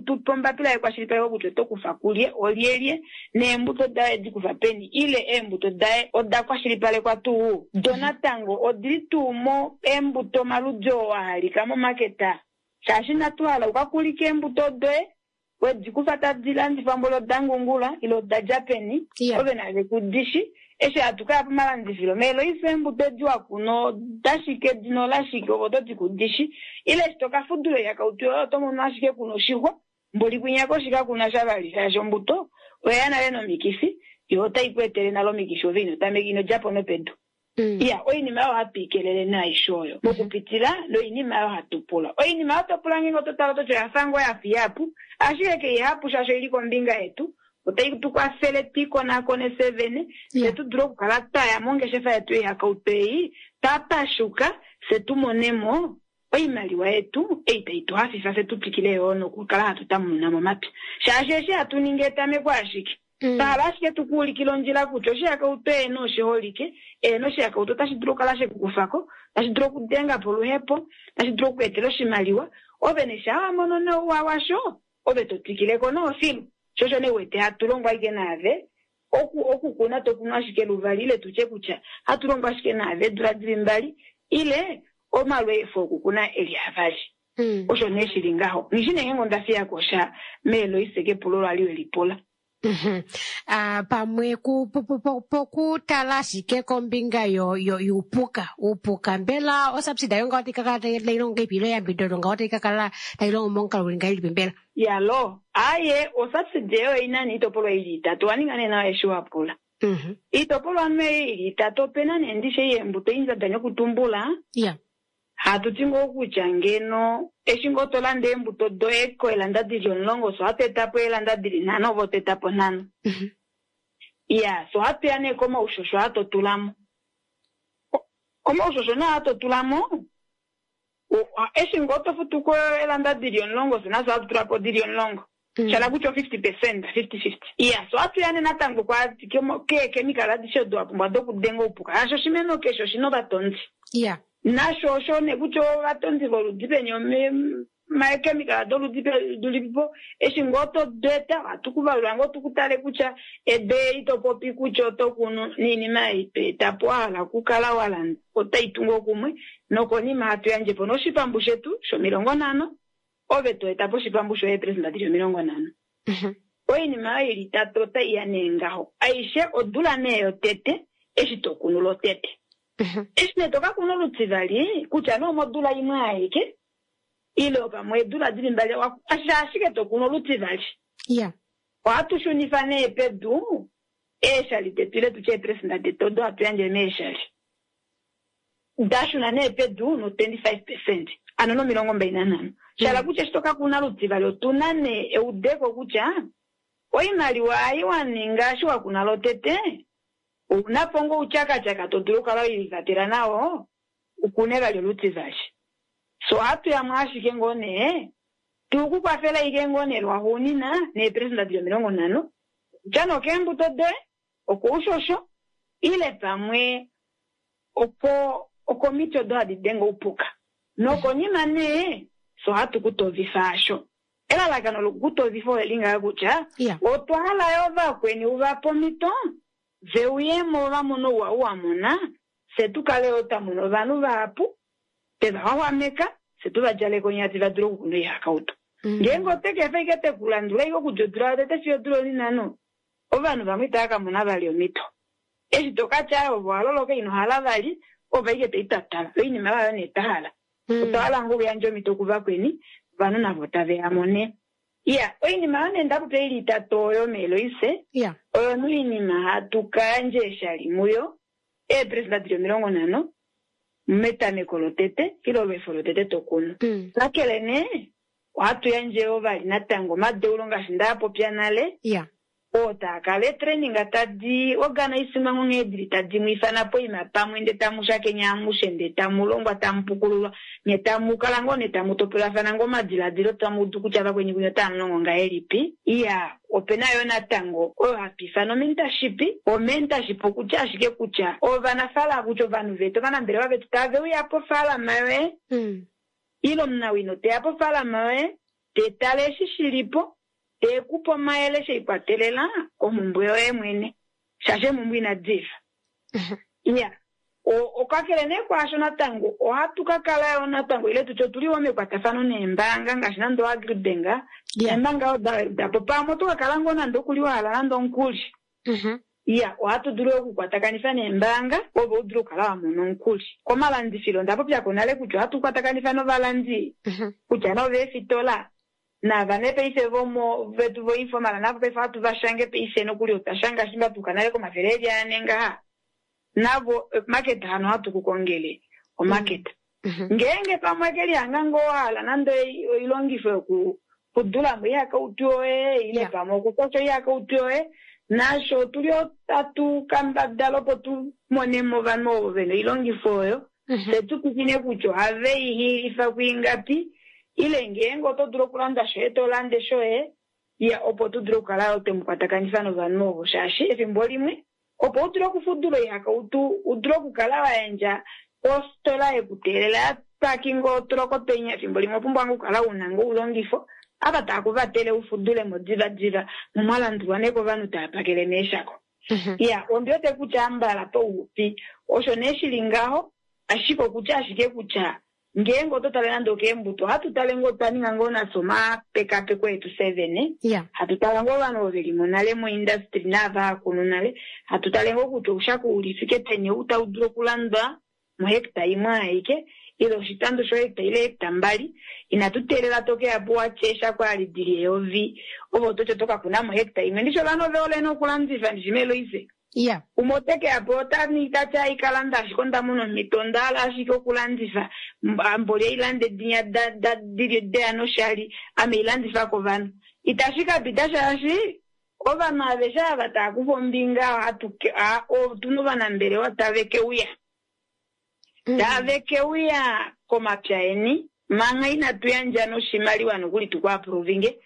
S2: tupe ombapila yekwashilipaleko kutya oto kufa kulye, olyelye, neembuto daye edi kufa peni, ile eembuto daye oda kwashilipalekwa tuu. Do natango odili tuu mo eembuto omaludi oo a halika momaketa. Shaashi inatu hala uka kulike eembuto doye, wedi kufa tadi landifwa mboli oda ngungula, ile oda dja peni, ove nave kudishi. Eshi hatu kaya pomalandifilo, meeloise eembuto edi wakuno dashike dino lashike ovo toti kudishi, ile eshi toka fudula yakautu yoye oto mono ashike kuna oshixwa, mboli kwinya koshika kuna sha vali, shaashi ombuto oya nale nomikifi, yo otai ku etele nale omikifi ove ino tameka ino djapo nopedu. Iya, oinima oyo hatu ikelele naisho oyo mokupitila noinima oyo hatu pula. Oinima oyo to pula ngeenge oto tala ototi oya fa ngoo ya fiyapu, ashike keihapu shaashi oili kombinga yetu. Otai tu kwafele twiikonakone fye vene, fye tu dule okukala twaya mongeshefa yetu yoihakautu ei, twa pashuka, fye tu monemo oimaliwa yetu ei tai tu hafifa, fye tu twikile yoo nokukala hatu tamununa momapya. Shaashi eshi hatu ningi etameko ashike. Twa ashike tukuulikile ondjila kutya oshihakautu eeno oshiholike, eeno oshihakautu otashi dulu okukala shekukufako, tashi dulu okudenga po oluhepo, tashi dulu okuetela oshimaliwa, ove nesha wa mono nouwa washo, ove to twikileko noofilu. Shosho nee wete hatu longo ashike naave, okukuna to kunu ashike luvali, ile tutye kutya hatu longo ashike naave eedula dili mbali, ile omalweefo okukuna eli avali. Osho nee shili ngaho. Nghishi nee ngeenge onda fiyako sha meeloise kepulo lwali welipula.
S1: Pamwe pokutala ashike kombinga yuupuka, uupuka mbela osubsidy ayo ngaho otayi ka kala tayi longo ngahelipi, ile eyambidido ngaho otayi ka kala tayi longo momukalo uli ngahelipi mbela?
S2: Yalo, aye, osubsidy eyo oina nee iitopolwa ili itatu, wa ninga nee nawa eshi wa pula. Iitopolwa nee ili itatu, opena nee ndishe yeembuto ei nda danya okutumbula. Hatu ti ngoo kutya ngeno eshi ngoo to landa eembuto doye koelanda dili 10, so ohatu eta po eelanda dili 5, ove oto eta po 5. Iya, so ohatu ya nee komaushosho aa to tula mo. Komaushosho nee aa to tula mo, eshi ngoo to futu ko eelanda dili 10, so nafye ohatu tula po dili 10. Shala kutya 50%, 50-50. Iya, so ohatu ya nee natango keekemikala adishe odo wa pumbwa dokudenga oupuka. Shaashi oshimeno keshe oshina ovatondi. Nasho osho nee kutya ovatondi voludi peni, omakemikala doludi lulipipo, eshi ngoo to deta, ohatu ku valula ngoo tu tale kutya edo eli to popi kutya oto kunu noinima ei to eta po wa hala okukala wa landa, otai tu ngoo kumwe, nokonima hatu yandje po noshipambu shetu sho50, ove to eta po oshipambu shoye eeperesenda dili 50. Oinima oyo ili itatu otai ya nee ngaho. Aishe odula nee yotete eshi to kunu lotete. Eshi nee to ka kuna olutivali, kutya nee omodula imwe aike, ile pamwe eedula dili mbali, ashike to kunu olutivali. Ohatu shunifa nee pedu eeshali detu, ile tutye eeperesenda detu odo hatu yandje meeshali. Da shuna nee pedu no 25%, ano no 25. Shala kutya eshi to ka kuna olutivali, otu na nee eudeko kutya oimaliwa ei wa ninga eshi wa kuna lotete, ouna po ngoo outyakatyaka to dulu okukala welivatela nao, ukune vali olutivali. So ohatu yamwe ashike ngoo nee, tu ku kwafela ike ngoo nee lwaxuunina neeperesenda dili 50, kutya nee okeembuto doye, okoushosho, ile pamwe okomiti odo hadi denge oupuka. Nokonima nee, so ohatu ku tovifa asho. Elalakano lokukutovifa ole li ngaha kutya, otwa hala yo vakweni uva pomhito, ve uyemo va mone ouwa ou wa mona, fye tu kale yo twa mona ovanhu vahapu, twe va xwaxwameka, fye tu va djaleke onyati va dule okukuna oihakautu. Ngeenge ote ke efa ike te ku landula ike okudja odula yotete fiyo odula onhinhano, ovanhu vamwe itava ka mona vali omhito. Eshi to ka tya ove owa loloka ino hala vali, ove ike to i twatala. Oinima oyo nee twa hala. Otwa hala ngoo okuyandja omhito kuvakweni, ovanhu navo tave ya mone. Iya, oinima oyo nee nda popya ili itatu oyo meeloise, oyo nee oinima hatu ka yandja eeshali muyo, eeperesenda dili 50 metameko lotete, ile olweefo lotete to kunu. Kakele nee, ohatu yandje yoo vali natango omadeulo ngaashi nda popya nale, oo taa kala eetraining tadi organisimwa nghee dili tadi mu ifana poima pamwe, nde tamu shakenya amushe, nde tamu longwa, tamu pukululwa, nye tamu kala ngoo nee tamu topolafana ngoo omadiladilo, tamu udu kutya vakweni kunye otamu longo ngahelipi. Iya, opena yoo natango oyo hatu ifana omentorship. Omentorship okutya ashike kutya ovanafaalama, kutya ovanhu vetu, ovanambelewa vetu tave uya pofaalama yoye. Ile omunawino teya pofaalama yoye, te tale eshi shilipo, te kupe omayele sheikwatelela komhumbwe yoye mwene, shaashi eemhumbwe inadi fa. Iya, okakele nee kwaasho natango ohatu ka kala yo natango ile tutye otuli wo mekwatafano neembaanga ngaashi nande oAgribank, neembaanga odo dapo pamwe oto ka kala ngoo nande okuli wa hala nande omukuli. Iya, ohatu dulu okukwatakanifa neembaanga opo u dule okukala wa mona omukuli. Komalandifilo onda popya ko nale kutya ohatu kwatakanifa novalandi kutya noveefitola nava nee paife vomo vetu voinformal navo paife ohatu va shange paife nokuli otwa shanga shimba tuka nale komafele eli ane ngaha. Navo market hano ohatu ku kongele omarket. Ngeenge pamwe ke lihanga ngoo hala nande oilongifo yoku kudula mo ihakautu yoye ile pamwe okukosha ihakautu yoye, nasho otuli otatu kambadala opo tu mone mo ovanhu ovo vena oilongifo oyo, fye tu kukine kutya ohave i hiilifa kuingapi, ile ngeenge oto dulu okulanda shoye to lande shoye, ya opo tu dule okukala yo twemu kwatakanifa novanhu ovo, shaashi efimbo limwe opo u dule okufudula oihakautu, u dule okukala wa yandja kofitola yekuteelela ya pakinga otuloko penya, efimbo limwe opumbwa ngoo okukala una ngoo oulongifo ava tava ku vatele u fudule mo divadiva, mo mwa landulwa nee kovanhu tava pakele meeshako. Iya, ondi wete kutya ambala pauxupi osho nee shili ngaho, ashike okutya ashike kutya ngeenge oto tale nande okeembuto, ohatu tale ngoo twa ninga ngoo nafye omapekapeko etu fye vene, hatu tala ngoo ovanhu ovo veli mo nale moindustry naava hakunu nale, hatu tale ngoo kutya oushako uli fike peni ou tau dulu okulandwa mohecta imwe aike, ile oshitando shohecta ile hecta 2. Inatu teelela to keya po watye eshako ali dili eyovi, ove oto ti oto ka kuna mohecta imwe. Ndishi ovanhu ove hole nee okulandifa, ndishi meeloise. Umwe ote ke ya po ota ningi ta ti ai ka landa ashike onda mona omhito onda hala ashike okulandifa, mboli ei lande dinya dili deya noshali, ame i landifa kovanhu. Itashi ka pita shaashi ovanhu aveshe ava tava kufa ombinga otuna ovanambelewa tave ke uya. Tave ke uya komapya eni manga inatu yandja noshimaliwa nokuli tu ku aprovinge,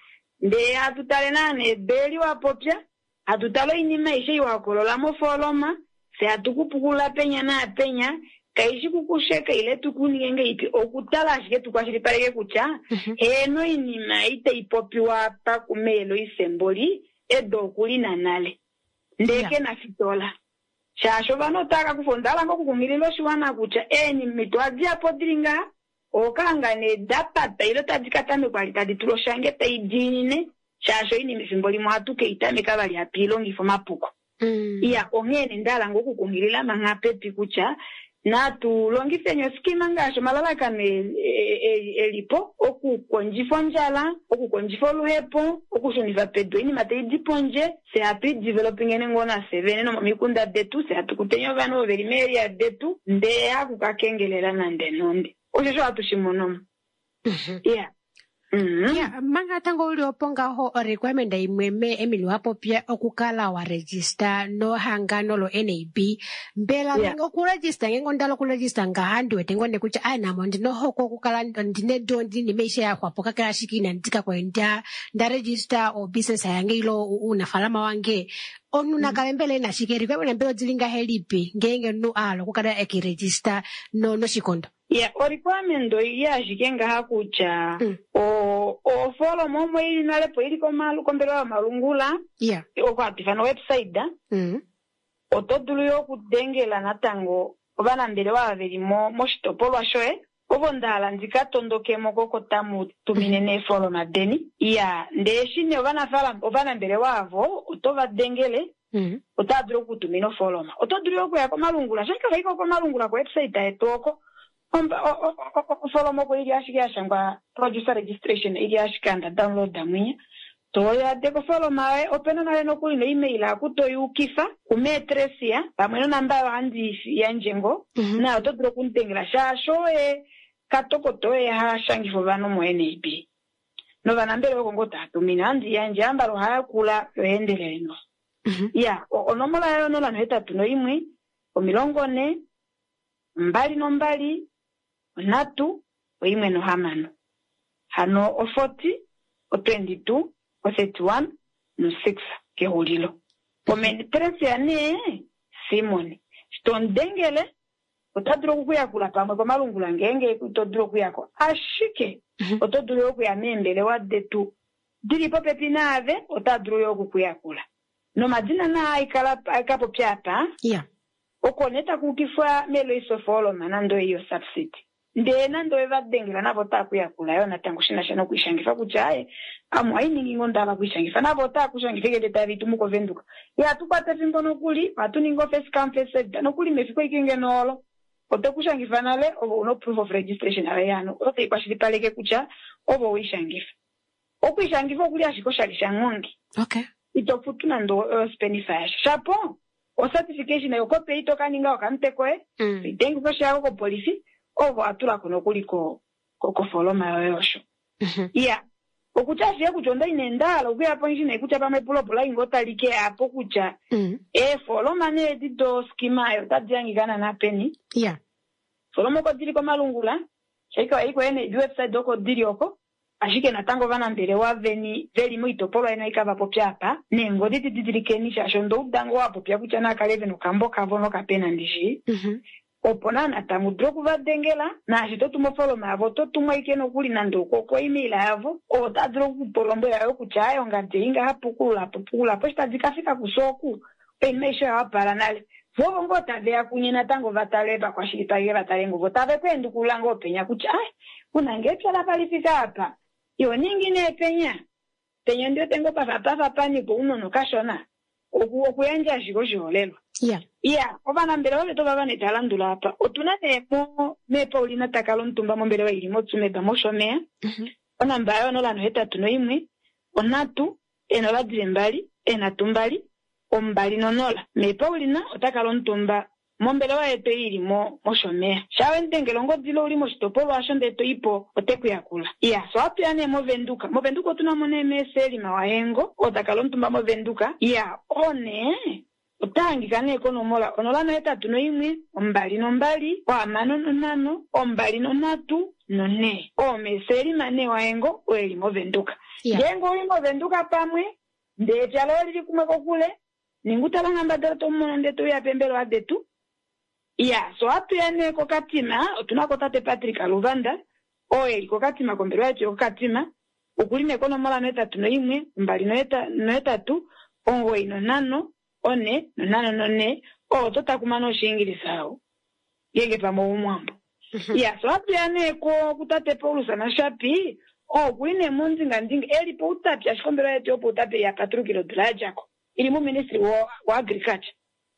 S2: ndee hatu tale naana ebeeli wa popya, hatu tale oinima aishe iwa hokolola mofooloma, fye hatu ku pukulula penya naapenya, kaishi kukusheka ile tu ku ninge ngeipi, okutala ashike tu kwashilipaleke kutya heeno oinima ei tai popiwa apa kumeeloisemboli edo okulina nale, ndee ke na fitola. Shaashi ovanhu otava ka kufa, onda hala ngoo okukunghilila oshiwana kutya eenimito ohadi ya po dili ngaha, okanga nee da pata ile tadi ka tamekwa vali tadi tulwa oshange tai diinine, shaashi oinima efimbo limwe ohatu ke i tameka vali hatu i longifa omapuko. Iya, onghee nee nda hala ngoo okukunghilila manga pepi kutya natu longifeni oskima ngaashi omalalakano elipo okukondjifa ondjala, okukondjifa oluhepo, okushunifa pedu oinima tai di pondje, fye hatu i developingeni ngoo nafye vene nomomikunda detu, fye hatu kuteni ovanhu ovo veli meeria detu, ndee haku ka kengelela nande nonde. Osho osho hatu shi mono mo. Iya.
S1: Ya, manga tango uli opo ngaho requirement imwe me Emily wa popya okukala wa register nohangano lo NAB. Mbela okuregister ngeenge onda hala okuregister ngaha ndi wete ngoo nee kutya ai namo ndina ohokwe okukala ndina edu ndina aishe ya xwapo kakele ashike inandi ka kwali nda register o business yange ile uunafaalama wange. Omunhu nakale mbela ena shike, requirement mbela odili ngahelipi ngeenge omunhu a hala okukala eke register noshikondo?
S2: Ya, o requirement oili ashike ngaha kutya ofooloma omo ili nale po ili kombelewa yomalungula, oko hatu ifana website. Oto dulu yo okudengela natango ovanambelewa ava veli moshitopolwa shoye, ovo nda hala ndi ka tondokemo koko tamu tumine neefoloma deni. Ya, ndee eshi nee ovanambelewa avo oto va dengele, otava dulu okutumina ofooloma. Oto dulu yo okuya komalungula, shaashi kavaiko komalungula ko-website yetu oko. Ofooloma oko ili ashike ya shangwa producer registration, ili ashike anda download mwinya. Toya de kofooloma yoye, opena nale nokuli no-email aku toyukifa kumeetresia pamwe nonamba oyo handi yandje ngo, nayo oto dulu okumudengela shaashi oye katokoto oye ha shangifa ovanhu mo-NAB. Novanambelewa oko ngoo tava tumine, handi yandje ambala ohaya kula yo eendelele no. Ya, onomola yayo 081 40 22 3 16. Hano o 40, o 22, o 31 no 6 kexulilo. Omeni Tresia nee Simon. Shi tomudengele, Ota dulu okukuyakula pamwe komalungula ngeenge ito dulu okuyako, ashike oto dulu okuya meembelewa detu dili popepi naave, ota dulu yo okukuyakula. Nomadina naa aika popya apa, oko nee taku ukifwa meloiso forum nande oyo subsidy. Ndee nande ove va dengela navo otaa kuyakula yo natango shi na sha nokuishangifa kutya aye ame ohainingi ngoo ndahala okuishangifa, navo otaa kushangifa eke tave itumu koVenduka. Ihatu kwata efimbo nokuli, ohatu ningi o-first come first served nokuli mefiku eke ngeno olo oto kushangifa nale ovo una proof of registration yaye hano oyo tai kwashilipaleke kutya ovo weishangifa. Okuishangifa okuli ashike oshali shanghongi. Ito futu nande ospenifa yasha. Shapo o-certification yokope ito ka ninga okamutwe koye, oitengifa oshiyako kopolifi, ovo atulako nokuli kofoloma yoye osho. Iya, okutya ashike kutya onda ine ndahala okuya pondje nee kutya pamwe epulo ingo tali ke apo kutya eefoloma nee edi doskima ayo otadi hangika naana peni. Foloma oko dili komalungula, shaika iko ene website oko dili oko, ashike natango ovanambelewa veni veli moitopolwa yeni oika vapopya apa, neengodi dididilikeni shaashi ondouda ngoo wapopya kutya nakale vena okambo kavo nokapena ndishi. Opo naa natango dulu okuvadengela, naashi to tumu ofoloma yavo oto tumwa ike nokuli nande oko email yavo, ota dulu okukulombwela yo kutya ayo ngadi ei ngaha pukulula po eshi tadi ka fika kusooku, oinima aishe oya wapala nale. Vovo ngoo taveya kunye natango vatale vakwashilipaleke vatale ngoo vo tave ku endukulula ngoo penya kutya ai una ngee epya lapa lifika apa, iho ningi nee penya. Penya ndi wete ngoo pafa panikwa ounona kashona. Okuyandja ashike oshiholelwa. Iya, ovanambelewa vetu ovava nee tava landula apa. Otuna nee meePaulina takala omutumba mombelewa ili moTsumeb mOshomeya. Onamba yayo 081 3 022 32 20. MeePaulina ota kala omutumba mombelewa yetu ili mOshomeya. Sha wendengela ongodi uli moshitopolwa osho ndee to ipo ote kuyakula. Iya, so atuya nee moVenduka. MoVenduka otuna mo nee meeSelima Wahengo, oo takala omutumba moVenduka. Iya, oo nee ota hangika nee konomola 081 22 65 23 4. Oo meeSelima nee Wahengo oo eli moVenduka. Ngeenge uli moVenduka pamwe, ndee epya loye lili kumwe kokule, ninga utala ngambadala tomumono ndee touya pembelewa detu. Iya, so atuya nee koKatima, otuna ko tate Patrick Aluvanda, oo eli koKatima kombelewa yetu yokoKatima, okuli nee konomola 81 28 95 4 54, oo oto takumana Oshiingilisa ao, ngeenge pamwe oumwambo. Iya, so atuya nee kutate Paulus Nashapi, oo okuli nee mondingandinga, eli poutapi, ashike ombelewa yetu yopoutapi ya patulukile odula ya djako, ili muministry wa agriculture.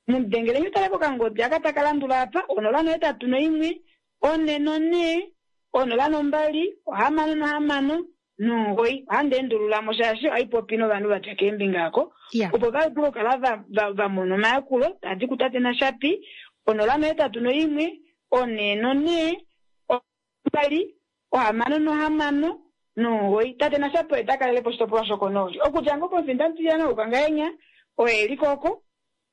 S2: Mudengele utale kokangodi aka taka landula apa, 081 4 4 02 66 9. Ohandi endulula mo shaashi ohaipopi novanhu vadja keembinga ako, opo va dule okukala va mona omayakulo tadi kutate Nashapi, 081 4 4 2 66 9. Tate Nashapi oye ta kalele po oshitopolwa shokonooli. Okudja ngoo pomufinda mutilyana wOukangahenya, oye eli koko,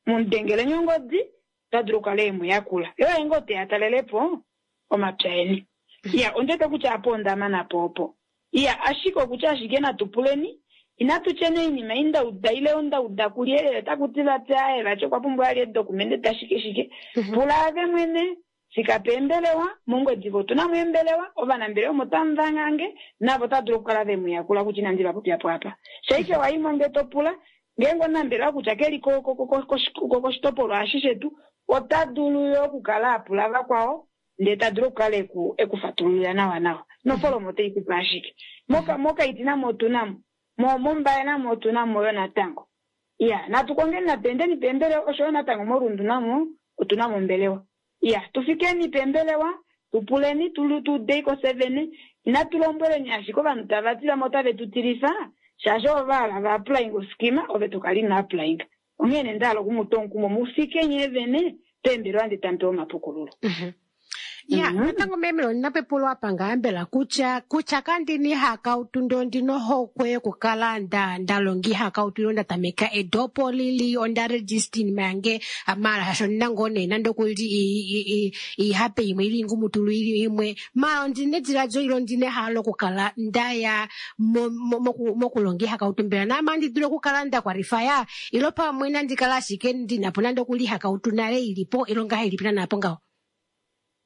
S2: mudengele ongodi, ota dulu okukala e mu yakula. Ye oye ngoo teya talele po omapya eni. Iya, ondete kutya apo onda mana po opo. Iya, ashike okutya ashike natu puleni, inatu tyeni oinima indauda ile ondauda kulyelele taku ti vati aye vati okwa pumbwa ali edokumente tashike shike. Pula ave mwene, fika peembelewa, mOngwediva otuna mo eembelewa, ovanambelewa omo tamu vangange, navo otava dulu okukala ve mu yakula kutya inandi va popya po apa. Shaike waimo ndee to pula, ngeenge omunambelewa kutya keli koshitopolwa eshi shetu, ota dulu yo okukala a pula vakwao, ndee ta dulu okukala ekufatululila nawa nawa. Nofolomo otai kupe ashike. Mokaiti namo otuna mo, mOmbaye namo otuna mo yo natango. Iya, natu kongeni natu endeni peembelewa, osho yo natango moRundu namo otuna mo ombelewa. Iya, tufikeni peembelewa, tupuleni, tudeiko 7, inatu lombweleni ashike ovanhu tava ti vamwe otave tu tilifa, shaashi ovo va hala va applying oskima, ove to kala ino applying. Onghee nee ndahala okumuta omukumo, mufike nyee vene peembelewa ndee tamu pewa omapukululo.
S1: Ya, natango meme ondina pepulo apa ngaambela kutya kandina ihakautu ndee ondina ohokwe yokukala nda longa ihakautu ile nda tameka edopo lili onda register iinima yange maala shaashi ondina ngoo nee nande okuli iihape imwe ili ingumutulu ili imwe, maala ondina ediladilo ile ondina ehalo lokukala ndaya mokulonga ihakautu, mbela naame andi dulu okukala nda kwalifaya ilo pamwe nandi kala ashike ndina po nande okuli ihakautu nale ilipo ilo ngahelipi naana po ngaho?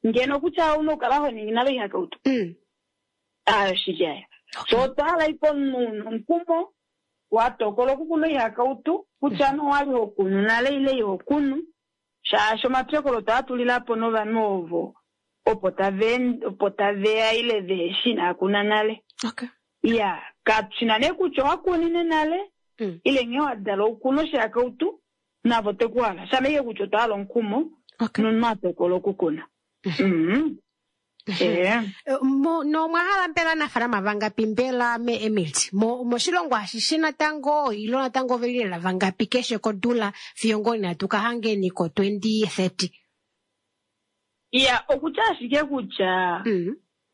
S2: Ngeno kutya ouna okukala ho ningi nale oihakautu. Ayo shili aya. So otwa hala iko omunhu omukumo wa tokola okukuna oihakautu kutya nowali ho kunu nale ile iho kunu, shaashi omapyokolo otwaa tulilapo novanhu ovo opo taveya ile veheshi inaa kuna nale. Iya, katushina nee kutya owa kunine nale ile nghee wa dala okukuna oshihakautu navo tekuhala. Shama ike kutya otwa hala omukumo nomunhu a tokola okukuna.
S1: Nomwa hala mbela aanafaalama vangapi mbela me Emily? Moshilongo ashishe natango ilo natango oveli lela vangapi keshe kodula fiyo ngoo inatu ka hangeni ko 2030?
S2: Iya, okutya ashike kutya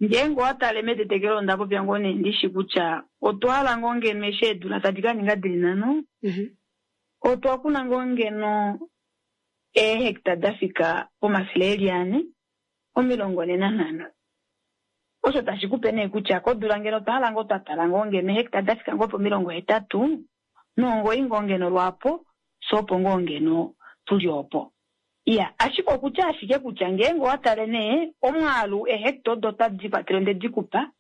S2: ngeenge owa tale metetekelo onda popya ngoo nee ndishi kutya otwa hala ngoo ngeno eshi eedula tadi ka ninga dili nhano, otwa kuna ngoo ngeno eehecta da fika pomafele eli ane 45. Osho tashi kupe nee kutya kodula ngeno otwa hala ngoo twa tala ngoo ngeno eehecta da fika ngoo po 89 ngoo ngeno lwaapo, so opo ngoo ngeno tuli opo. Iya, ashike okutya ashike kutya ngeenge owa tale nee omwaalu eehecta odo otadi kwatele onde di kupa,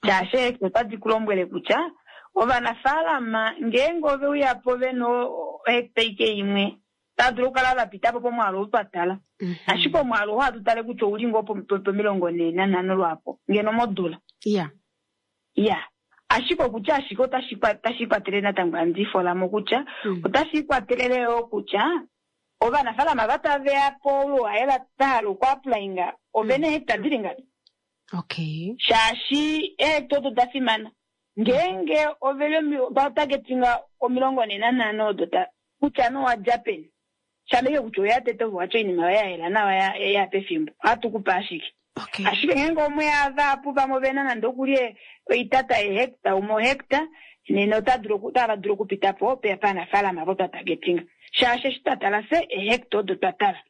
S2: shaashi eehecta otadi ku lombwele kutya ovanafaalama ngeenge ove uya po vena ohecta ike imwe, otava dulu okukala va pita po pomwaalu ou twa tala. Ashike omwaalu oo ohatu tale kutya ouli ngoo po45 lwaapo ngeno modula. Iya, ashike okutya ashike otashi kwatele natango handi folamo kutya otashi kwatelele yoo kutya ovanafaalama va taveya po oluhaela va hala okuapplyinga ovena eehecta dili ngapi. Shaashi eehecta odo da fimana. Ngeenge oveli va targetinga 45 odo kutya nowa dja peni. Shameke kutya oya tete ovo watya oinima yoye ya yela nawa ya pefimbo. Ohatu kupa ashike. Ashike ngeenge omwe ava vamwe ovena nande okulye oitata yehecta, umwe ohecta, nena otava dulu okupita po paanafaalama vo twa targetinga. Shaashi eshi twa tala fye eehecta odo twa tala.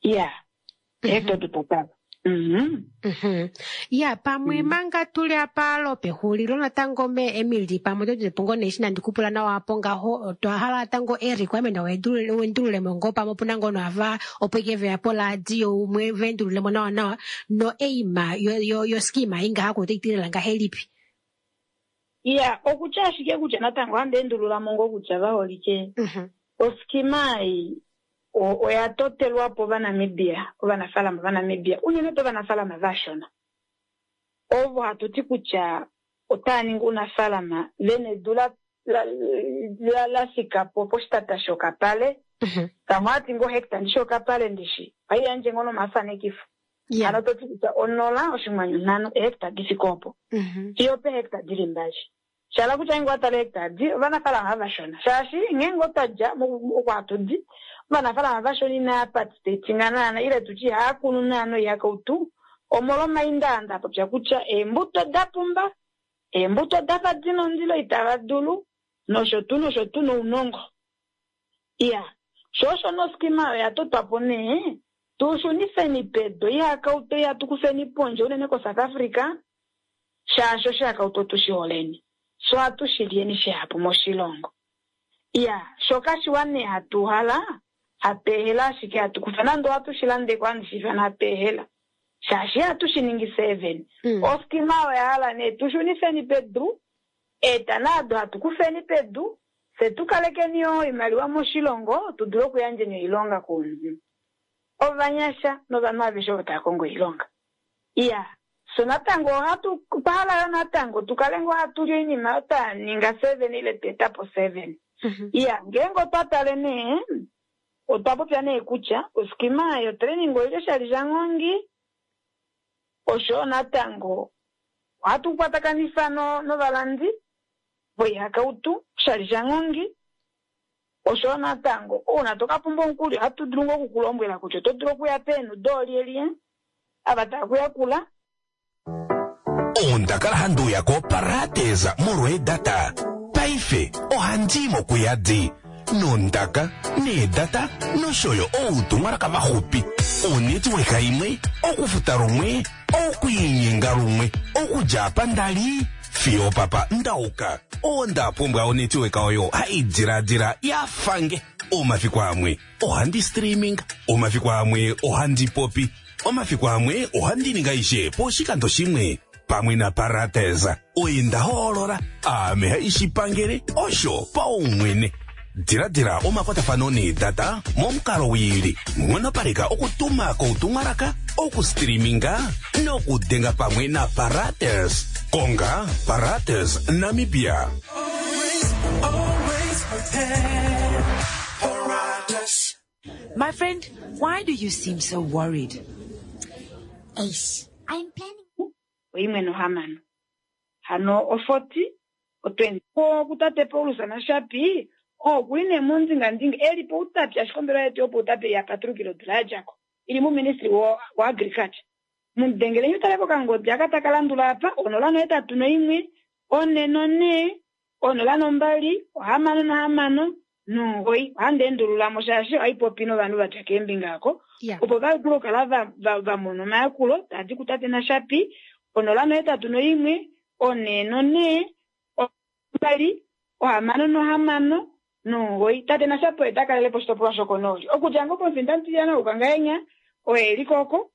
S2: Iya, eehecta odo twa tala.
S1: Iya, pamwe manga tuli apa lopexulilo natango me Emily, pamwe oto tupe ngoo nee eshi nandi kupula nawa apo ngaho, otwa hala natango e-requirement wendululemo ngoo pamwe opuna ngoo noava opo ike veya poladio umwe vendululemo nawa nawa no aim yo scheme ingaha ko otai tilela ngahelipi?
S2: Iya, okutya ashike kutya natango handi endululamo ngoo kutya vaholike. Oskima ei oya totelwa po vaNamibia, ovanafaalama vaNamibia, unene tuu ovanafaalama vashona. Ovo hatu ti kutya otava ningi ounafaalama vena edu la fika po poshitata shokapale. Vamwe ohava ti ngoo hecta ndishi okapale ndishi, ohai yandje ngoo nomafanekifo. Hano to ti kutya 0.5 ehecta di fike opo. Fiyo pehecta dili 2. Shala kutya ngeenge owa tala ehecta di, ovanafaalama vashona. Shaashi ngeenge otwa dja oko hatu di, ovanafaalama vashona inava participatinga naana, ile tutye ihava kunu naana oihakautu, omolwomaindaanda a popya kutya eembuto da pumba, eembuto dafa dina ondilo itava dulu, nosho tuu nosho tuu nounongo. Iya, sho osho noskima oya totwa po nee, tu shunifeni pedu oihakautu ihatu kufeni pondje unene koSouth Africa, shaashi oshihakautu otu shi holeni, so ohatu shi lyeni shihapu moshilongo. Iya, sho kashiwa nee hatu hala, hatu ehela ashike hatu kufa nande ohatu shi landeko handi shi ifana hatu ehela. Shaashi ihatu shi ningi 7. Oskima oya hala nee tu shunifeni pedu, eta nado hatu kufeni pedu, fye tu kalekeni yoo oimaliwa moshilongo, tu dule okuyandjeni oilonga komunhu. Ovanyasha novanhu aveshe ovo tava kongo oilonga. Iya, so natango ohatu hala yo natango tu kale ngoo hatu li oinima oyo twa ninga 7 ile twa eta po 7. Iya, ngeenge otwa tale nee, otwa popya nee kutya oskima yotraining oili oshali shanghongi, osho natango ohatu kwatakanifa novalandi voihakautu oshali shanghongi, osho natango ouna toka pumbwa omukuli ohatu dulu ngoo okukulombwela kutya oto dulu okuya peenhu doolyelye ava tava kuyakula.
S3: Onda kala handi uya koParadise molwa eedata. Paife ohandi mokuyadi nondaka needata nosho yo outumwalaka vaxupi. Onetwork imwe, okufuta lumwe, okwiinyenga lumwe, okudja apa ndali fiyo papa ndauka. Onda pumbwa onetwork oyo hai diladila ya fange. Omafiku amwe ohandi streaming, omafiku amwe ohandi popi. Omafiku amwe ohandi ningi aishe poshikando shimwe pamwe naParates oye nda hoolola aame haishi pangele osho paumwene. Diladila omakwatafano needata momukalo wiili, nghonopaleka okutuma koutumwalaka, okustreaminga nokudenga pamwe naParates. Konga Parates Namibia.
S4: Always prepared. Paratus.
S5: My friend, why do you seem so worried?
S6: Ace, I'm planning.
S2: Oimwe nohamano. Hano ofoti otwendi ko kutate Paulus naShapi oo kuli nee mondingandinga eli poutapi ashike ombelewa yetu yopoutapi ya patulukile odula ya djako ili muministry wa agriculture. Mudengele utale kokangodi aka taka landula apa 081 444 02 66 9. Ohandi endululamo shaashi ohai popi novanhu va dja keembinga oko opo va dule okukala va mona omayakulo tadi kutate naShapi 081 444 2 66 9. Tate naShapi oye ta kalele po oshitopolwa shokonooli okudja ngoo pomufinda mutilyana wokangahenya oye eli koko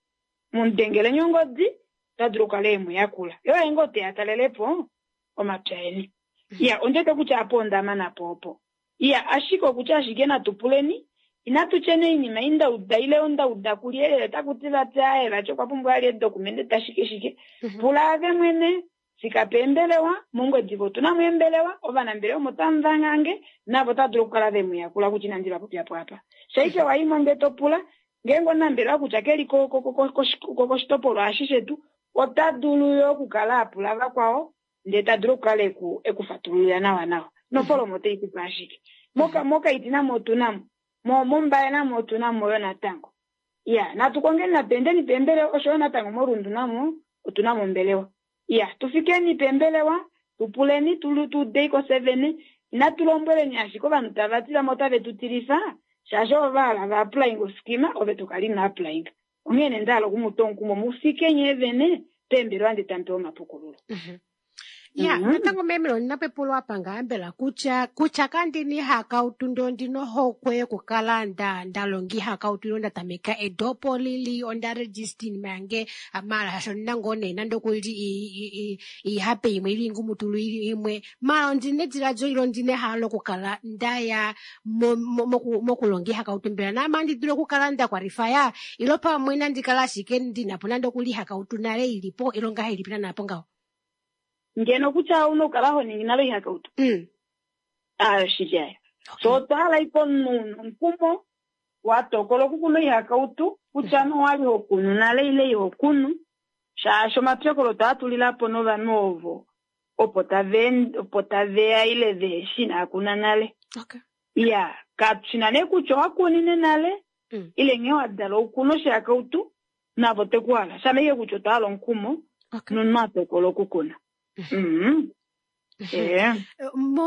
S2: mudengele ongodi ota dulu okukala e mu yakula yo oye ngoo teya talelepo omapya eni. Iya ondete kutya apo ondamana po opo. Iya ashike okutya ashike natu puleni inatu tyeni oinima indauda ile ondauda kulyelele taku ti vati aaye vati okwa pumbwa ali edokumente tashike shike. Pula ave mwene fika peembelewa mOngwediva otuna mo eembelewa ovanambelewa omo tamu vangange navo otava dulu okukala ve mu yakula kutya inandi va popya po apa. Shaike waimo ndee to pula ngeenge omunambelewa kutya keli koshitopolwa eshi shetu ota dulu yo okukala a pula vakwao ndee ta dulu okukala ekufatululila nawa nawa. Nofolomo otai kupe ashike. Mokaiti namo otuna mo, mOmbaye namo otuna mo yo natango. Iya, natu kongeni natu endeni peembelewa osho yo natango moRundu namo otuna mo ombelewa. Iya, tufikeni peembelewa, tupuleni tuudeiko 7, inatu lombweleni ashike ovanhu tava ti vamwe otave tu tilifa, shaashi ovo va hala va applying oskima ove to kala ino applying. Onghee nee nda hala oku mu twa omukumo mufike nyee vene peembelewa ndee tamu pewa omapukululo.
S1: Ya, natango meme ondina po epulo apa ngaa mbela kutya kandina ihakautu ndee ondina ohokwe yokukala nda longa ihakautu ile nda tameka edopo lili onda register iinima yange maala shaashi ondina ngoo nee nande okuli iihape imwe ile iingumutulu imwe maala ondina ediladilo ile ondina ehalo lokukala ndaya mokulonga ihakautu mbela naame andi dulu okukala nda kwalifaya ilo pamwe nandi kala ashike ndinapo nande okuli ihakautu nale ilipo ilo ngahelipi naana po ngaho.
S2: Ngeno kutya ouna okukala ho ningi nale oihakautu ayo shili ayo. So otwa hala iko omunhu omukumo wa tokola okukuna oihakautu kutya nowali ho kunu nale ile iho kunu shaashi omapyokolo taa tulilapo novanhu ovo opo taveya ile veheshi inaa nale. Iya, katushina nee kutya owa kunine nale ile nghee wa dala okukuna oshihakautu navo tekuhala shama ike kutya otwa hala omukumo nomunhu a tokola okukuna.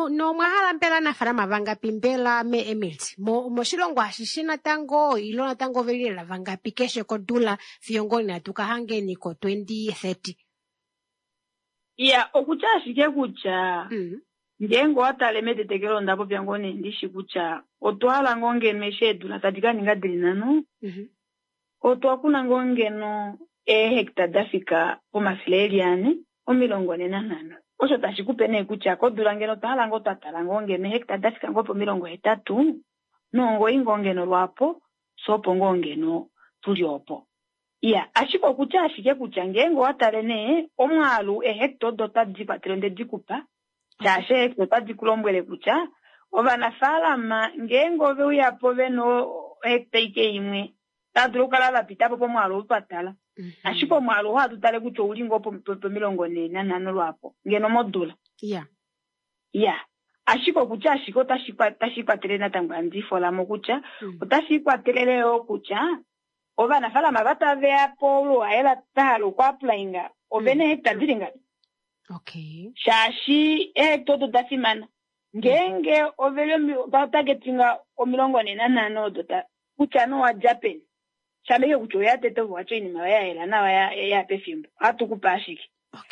S1: Nomwa hala mbela aanafalama vangapi mbela me Emily moshilongo ashishe natango ilo natango oveli lela vangapi keshe kodula fiyo ngoo natu ka hangeni ko 2030.
S2: Iya, okutya ashike kutya ngeenge owa tale metetekelo onda popya ngoo nee ndishi kutya otwa hala ngoo ngeno eshi eedula tadi ka ninga dili nhano otwa kuna ngoo ngeno eehecta da fika pomafele eli ane 45. Osho tashi kupe nee kutya kodula ngeno otwa hala ngoo twa tala ngoo ngeno eehecta da fika ngoo po 89 ngoo ngeno lwaapo so opo ngoo ngeno tuli opo. Iya, ashike okutya ashike kutya ngeenge owa tale nee omwaalu eehecta odo otadi kwatele onde di kupa shaashi eehecta otadi ku lombwele kutya ovanafaalama ngeenge ove uyapo vena ohecta ike imwe otava dulu okukala va pita po pomwaalu oo twa tala. Ashike omwaalu oo ohatu tale kutya ouli ngoo po45 lwaapo ngeno modula. Iya, ashike okutya ashike otashi kwatele natango handi folamo kutya otashi ikwatelele yoo kutya ovanafaalama va taveya po oluhaela twa hala okuapplyinga ovena eehecta dili ngapi. Shaashi eehecta odo da fimana ngeenge oveli targetinga 45 odo kutya nowa dja peni shama ike kutya oya tete ovo watya oinima yoye ya yela nawa ya pefimbo ohatu kupe ashike.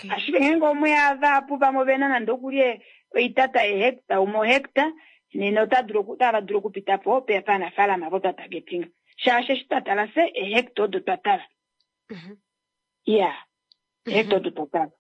S2: Ashike ngeenge omweya vahapu vamwe ovena nande okuli oitata yehecta umwe ohecta nena otava dulu okupita po paanafaalama avo twa targetinga shaashi eshi twa tala fye eehecta odo twa tala. Ya, hekta odo twa tala.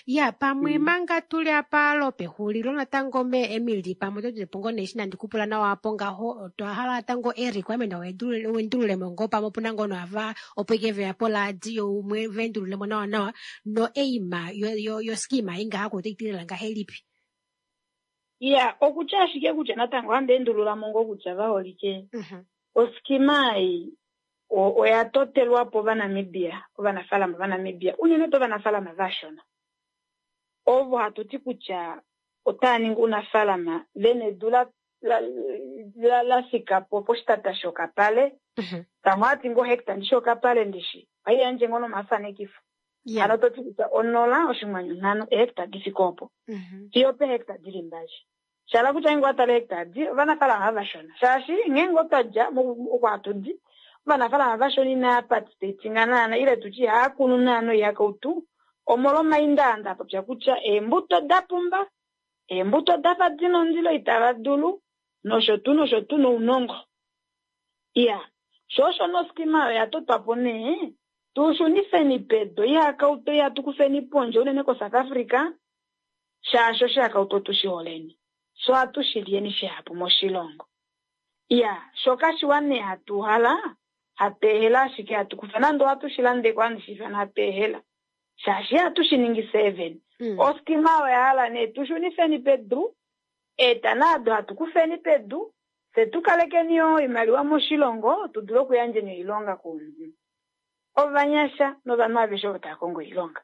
S1: Ya, pamwe manga tuli apa lopexulilo natango me Emily, pamwe oto tulipo ngoo nee eshi nandi kupula nawa apo ngaho, otwa hala natango e-requirement wendululemo ngoo pamwe opuna ngoo noava opo ike veya poladio umwe vendululemo nawa nawa no aim yo scheme ei ngaha otai tilila ngahelipi?
S2: Ya, okutya ashike kutya natango ohandi endululamo ngoo kutya vaholike oskima ei oya totelwa po Ovanamibia, ovanafaalama vaNamibia, unene tuu ovanafaalama vashona. Ovo hatu ti kutya otava ningi ounafaalama vena edu la fika po poshitata shokapale. Pamwe ohati ngoo hectare ndishi okapale ndishi, ohai yandje ngoo nomafanekifo. Hano to ti kutya 0.5 ehectare di fike opo. Fiyo pehectare dili 2. Shala kutya ngeenge owa tala hectare di, ovanafaalama vashona. Shaashi ngeenge otwa dja oko hatu di, ovanafaalama vashona inava participatinga naana, ile tutye ihava kunu naana oihakautu, omolwomaindaanda a popya kutya eembuto da pumba, eembuto dafa dina ondilo itava dulu, nosho tuu nosho tuu nounongo. Iya, sho osho noskima oyo ya totwa po nee, tu shunifeni pedu oihakautu ihatu kufeni pondje unene koSouth Africa, shaashi oshihakautu otu shi holeni, sho ohatu shi lyeni shihapu moshilongo. Iya, sho kashiwa nee hatu hala, hatu ehela ashike hatu kufa nande ohatu shi landeko handi shi ifana hatu ehela, shaashi ihatu shi ningi 7. Oskima oya hala nee tu shunifeni pedu, eetana ado hatu kufeni pedu, fye tu kalekeni yoo oimaliwa moshilongo tu dule okuyandjeni oilonga komunhu. Ovanyasha novanhu aveshe ovo tava kongo oilonga.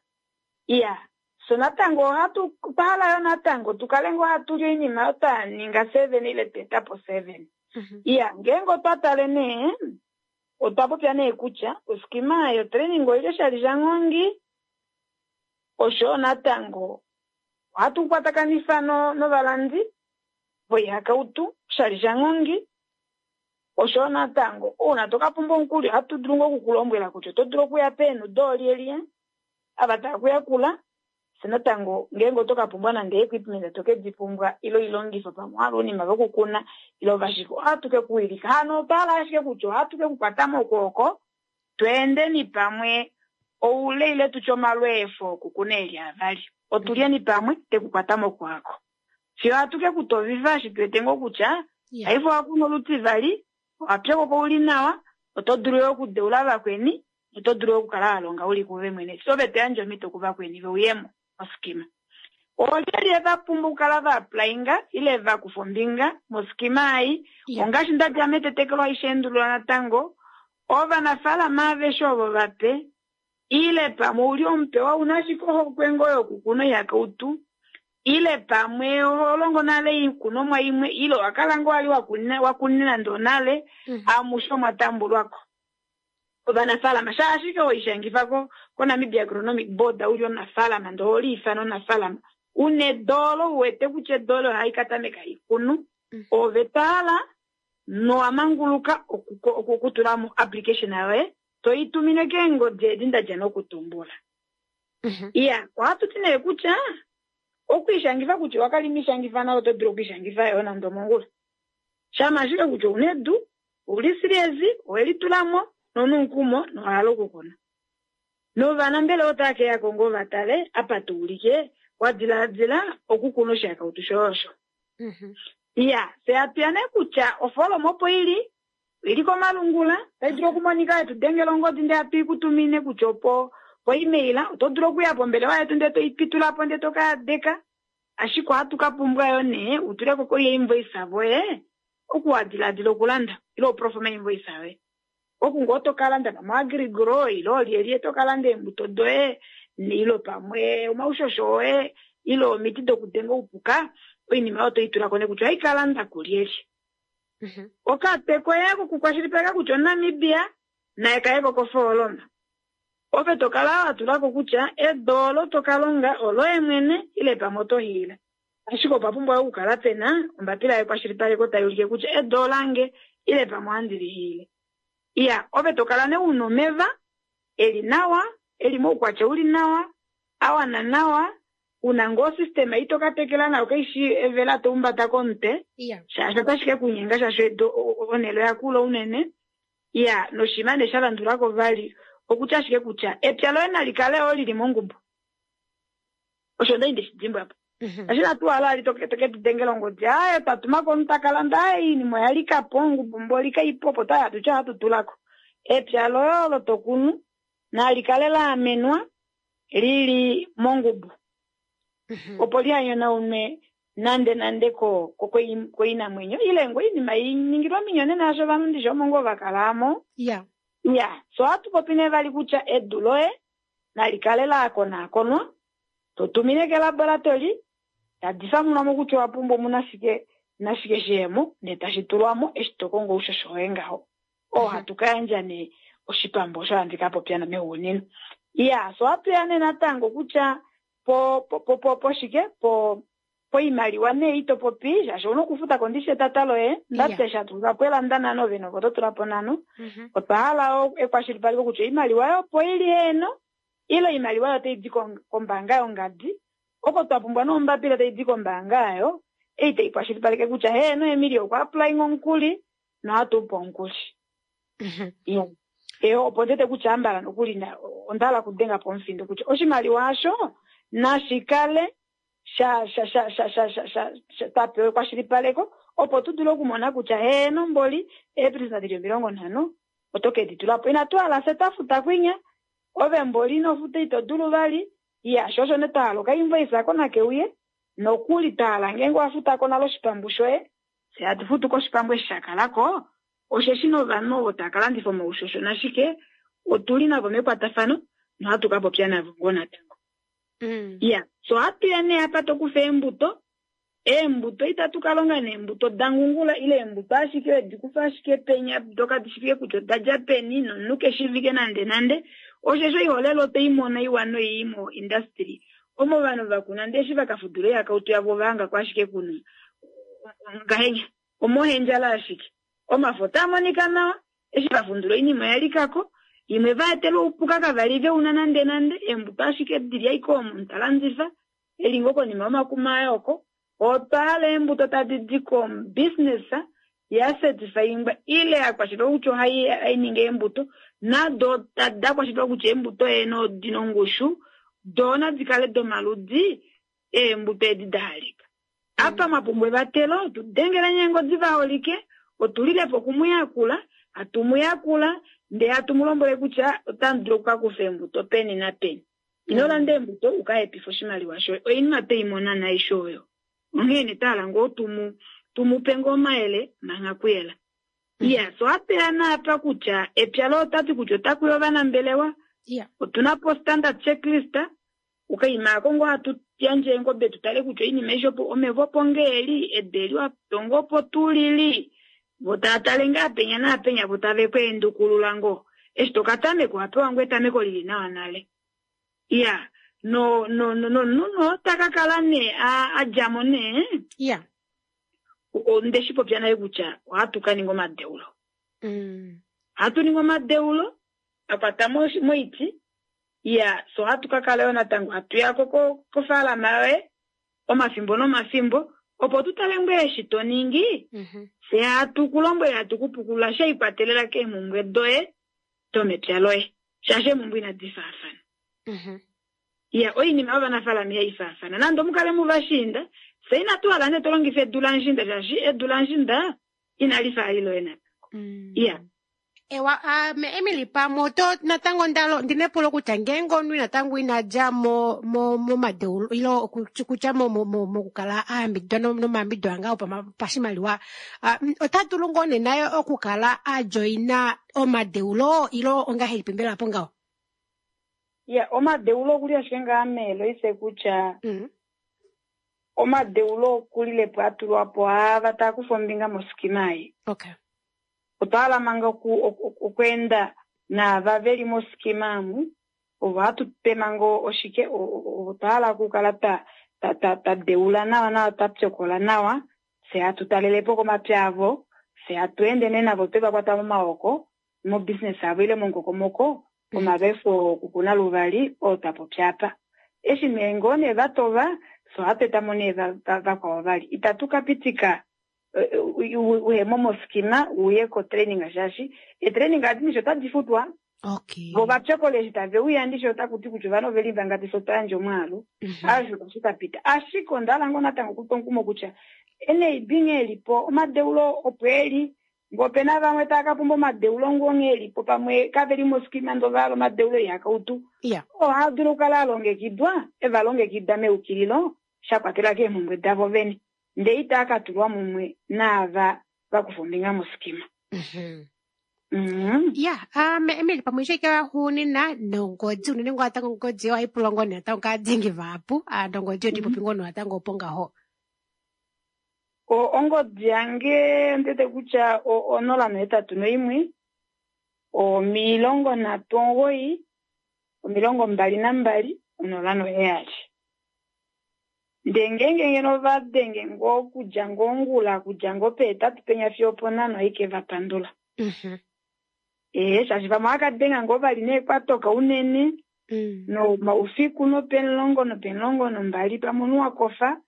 S2: Iya, so natango ohatu otwa hala yo natango tu kale ngoo hatu li oinima oyo twa ninga 7 ile twa eta po 7. Iya, ngeenge otwa tale nee, otwa popya nee kutya oskima yotraining oili oshali shanghongi, osho natango ohatu kwatakanifa novalandi voihakautu oshali shanghongi, osho natango ouna toka pumbwa omukuli ohatu dulu ngoo okukulombwela kutya oto dulu okuya peenhu doolyelye ava tava kuyakula. Se natango ngeenge oto ka pumbwa nande equipment to ke di pumbwa ile oilongifo pamwe owa hala ounima vokukuna ile ovashike, ohatu ke kuwilika. Hano otwa hala ashike kutya ohatu ke kukwata mokwooko tweendeni pamwe oule ile tutye omalweefo okukuna eli avali, otulyeni pamwe tekukwata mokwaako fiyo ohatu ke kutovifa eshi tu wete ngoo kutya paife owa kuna olutivali, owa pyokoka uli nawa, oto dulu yo okudeula vakweni, oto dulu okukala wa longa uli kuve mwene, so ove to yandje omhito kuvakweni veuyemo moskima. Olyelye va pumbwa okukala va applyinga ile va kufa ombinga moskima ei? Ongaashi nda dja metetekelo aishe endulula natango, ovanafaalama aveshe ovo vape ile pamwe ouli omupewa una ashike ohokwe ngoo yokukuna oihakautu, ile pamwe oho longo nale oikunomwa imwe, ile owa kala ngoo wali wakunine nande onale, amushe omwa tambulwako. Ovanafaalama shaashi ashike hoishangifa koNamibia Agronomic Board uli omunafaalama ndee oho liifana omunafaalama una edoolo uwete kutya edoolo ohai ka tameka ikunu, ove twahala nowa manguluka okutula mo application yoye toi tumine keengodi edi ndadja nokutumbula. Iya, ohatu ti nee kutya okwiishangifa kutya owakala ino ishangifa nale oto dulu okwiishangifa yo nande omongula. Shama ashike kutya ouna edu, ouli serious, owelitulamo nonomukumo nowahala okukuna. Novanambelewa otava ke yako ngoo va tale apa to ulike wa dilaadila okukuna oshihakautu shoye osho. Iya, fye hatuya nee kutya ofooloma opo ili, oili komalungula, otai dulu okumonika yetu dengela ongodi ndee hatu i kutumine kutya opo po-email, oto dulu okuya pombelewa yetu ndee toi pitula po ndee to ka yadeka. Ashike ohatu ka pumbwa yo nee utuleko koinvoice voye oku wa dilaadila okulanda ile oprofoma invoice yoye. Oku ngoo to ka landa pamwe Agrigro ile olyelye to ka landa eembuto doye ile pamwe omaushosho oye ile omiti dokudenga oupuka, oinima oyo toi tulako nee kutya ohai ka landa kulyelye. Okatwe koye kokukwashilipaleka kutya oNamibia naye kayeko kofooloma. Ove to kala wa tulako kutya edu olo to ka longa oloye mwene ile pamwe oto hiila. Ashike opa pumbwa okukala pena ombapila yekwashilipaleko tai ulike kutya edu olange ile pamwe ohandi li hiile. Iya, ove to kala nee una omeva eli nawa, eli moukwatya uli nawa, a wana nawa, una ngoo osystema ei to ka tekela nayo kaishi evela to umbata komutwe, shaashi otashi ke kunyenga shaashi edu onhele oya kula unene. Ya, noshinima nee sha landulako vali okutya ashike kutya epya loye nali kale yoo lili mongubu. Osho ndali ndeshi dimbwa po. Ashi natu hala ali toke toke tu dengela ongodi, aaye twa tuma ko omuntu taka landa, aaye iinima oya lika po, ongubu mboli kaipo, opo twali hatu ti ohatu tulako. Epya loye olo to kunu nali kale la amenwa lili mongubu. Opo liha nyonaunwe nande nande ko koinamwenyo ile ngoo oinima i ningilwe ominyonena yasho ovanhu ndishi omo ngoo va kala amo.
S1: Ya.
S2: Ya, so ohatu popi nee vali kutya edu loye nali kale la konaakonwa, to tumine kelaboratori, tadi famunwa mo kutya owa pumbwa omuna shike nashike shiyemo, ndee tashi tulwa mo eshi to kongo oushosho woye ngaho. Oo hatu ka yandja nee oshipambu osho handi ka popya mexuunino. Ya, so ohatu ya nee natango kutya po po po po shike po poimaliwa nee ito popi shaashi ouna okufuta ko ndishi etata loye ndati eshi hatu tula po elanda nhano ove nove oto tula po nhano. Otwa hala ekwashilipaleko kutya oimaliwa oyo opo ili heeno ile oimaliwa oyo otai di kombaanga yongadi oko twa pumbwa nombapila tai di kombaanga ayo ei tai kwashilipaleke kutya heeno Emilia okwa applying omukuli nohatu upa omukuli. Eyo opo ndete kutya ambala nokuli onda hala okudenga po omufindo kutya oshimaliwa osho nashi kale sha sha sha sha sha sha sha sha twa pewa ekwashilipaleko opo tu dule okumona kutya heeno mboli eepresenta dili 50 oto ke di tula po. Inatu hala fye twa futa kwinya ove mboli ino futa ito dulu vali. Ya, sho osho nee twa hala okainvoice ako nake uye nokuli twa hala ngeenge wa futa ko nale oshipambu shoye fye hatu futu koshipambu eshi sha kalako osheshi novanhu ovo tava ka landifa omaushosho nashike otuli navo mekwatafano nohatu ka popya navo ngoo natango. Ya, so ohatu ya nee apa to kufa eembuto. Eembuto itatu ka longa neembuto da ngungula ile eembuto ashike wedi kufa ashike penya doka di shivike kutya oda dja peni nomunhu keshivike nande nande. Osheshi oiholelwa otwe i mona iwa noii mo industry omo ovanhu va kuna ndee eshi va ka fudula oihakautu yavo ova hangako ashike kuna ngahenya omohendjala ashike. Omafo otaa monika nawa eshi va fundula oinima oya likako imwe va etelwa oupuka kavali veuna nande nande eembuto ashike dili ashike omo ta landifa eli ngoo konima yomakuma aye oko. Otwa hala eembuto tadi di kobusiness ya certifyingwa ile ya kwashilipalekwa kutya ohai ningi eembuto nado da kwashilipalekwa kutya eembuto heeno odina ongushu doo nadi kale domaludi eembuto edi da halika. Apa mwa pumbwa evatelo tu dengela eengodi vaholike otulilepo okumuyakula hatu mu yakula ndee hatu mu lombwele kutya otamu dulu okukakufa eembuto peni napeni. Ino landa eembuto uka hepife oshimaliwa shoye oinima tweimona naaishe oyo. Onghee nee twa hala ngoo tumupe ngoo omayele mangha kuyela. Ya, so ohatu ya naapa kutya epya loye otati kutya otakuya ovanambelewa. Otuna po standard checklist ukaima ako ngoo hatu yandje eengobe tu tale kutya oinima aishe opo omeva opo ngee eli edu eli watonga opo tuu lili vo tava tale ngaa penya naapenya vo tave ku endukulula ngoo eshi toka tameka owa pewa ngoo etameko lili nawa nale. Ya, no no no nomunhu ota ka kala nee a djamo nee.
S1: Ya.
S2: Onde shi popya nale kutya ohatu ka ninga omadeulo. Ohatu ningi omadeulo a kwata moiti. Ya, so ohatu ka kala yo natango hatu ya ko kofaalama yoye omafimbo nomafimbo opo tu tale ngoo eshi to ningi. Fye hatu ku lombwele hatu ku pukulula she ikwatelela keemhumbwe doye domepya loye shaashi eemhumbwe inadi faafana. Ya, oinima yovanafaalama ihai faafana nande omukale muvashiinda fye inatu hala nee to longifa edu lamushiinda shaashi edu lamushiinda inali fa ali loye natango. Ya.
S1: Ewa, ame Emily pamwe oto natango ndalo ndine epulo kutya ngeenge omunhu natango ina dja mo mo momadeulo ile okutya mo mo mo mokukala a yambididwa nomayambidido anga opashimaliwa, ota dulu ngoo nee naye okukala a joina omadeulo ile ongahelipi mbela po ngaho?
S2: Ya, omadeulo okuli ashike ngaa meeloise kutya omadeulo okulilepo a tulwa po aava taa kufa ombinga moskima ei.
S1: Okay.
S2: Otwa hala manga okweenda naava veli moskima amu ovo hatu pe manga oshike otwa hala okukala twa deula nawa nawa twa pyokola nawa fye hatu talelepo komapya avo fye hatu ende nee navo twe va kwata momaoko mobusiness avo ile momukokomoko omalweefo okukuna luvali oo twa popya apa. Eshi nee ngoo nee va tova fye ohatu etamo nee vakwao vali. Itatu ka pitika Uhemo moskima uye kotraining shaashi etraining adi nisho otadi futwa.
S1: Okay.
S2: Vo vapyokole eshi tave uya ndisho otaku ti kutya ovanhu oveli vangapi fye otwa yandja omwaalu. Aasho tashi ka pita. Ashike onda hala ngoo natango okutwa omukumo kutya NAB nghee elipo omadeulo opo eli, ngee opena vamwe tava ka pumbwa omadeulo ngoo nghee elipo pamwe kave li moskima ndee ova hala omadeulo ihakautu. Ohaa dulu okukala a longekidwa, e va longekida meukililo sha kwatela keemhumbwe davo vene. Ndee itaa ka tulwa mumwe naava va kufa ombinga moskima.
S1: Ya, Emily pamwe ishike waxuunina nongodi unene ngoo natango ongodi ohayi pulwa ngoo nee natango kaadengi vahapu, nongodi otipopi ngoo natango opo ngaho.
S2: Ongodi yange ondete kutya 081 39 22 07. Ndee ngeenge ngeno ova denge ngoo okudja ngoo ongula, okudja ngoo peetatu penya fiyo oponhano ohaike va pandula. Shaashi vamwe ohava kadenga ngoo vali neekwatoka unene, nomaufiku nopemulongo nopemulongo nombali pamwe omunhu wakofa,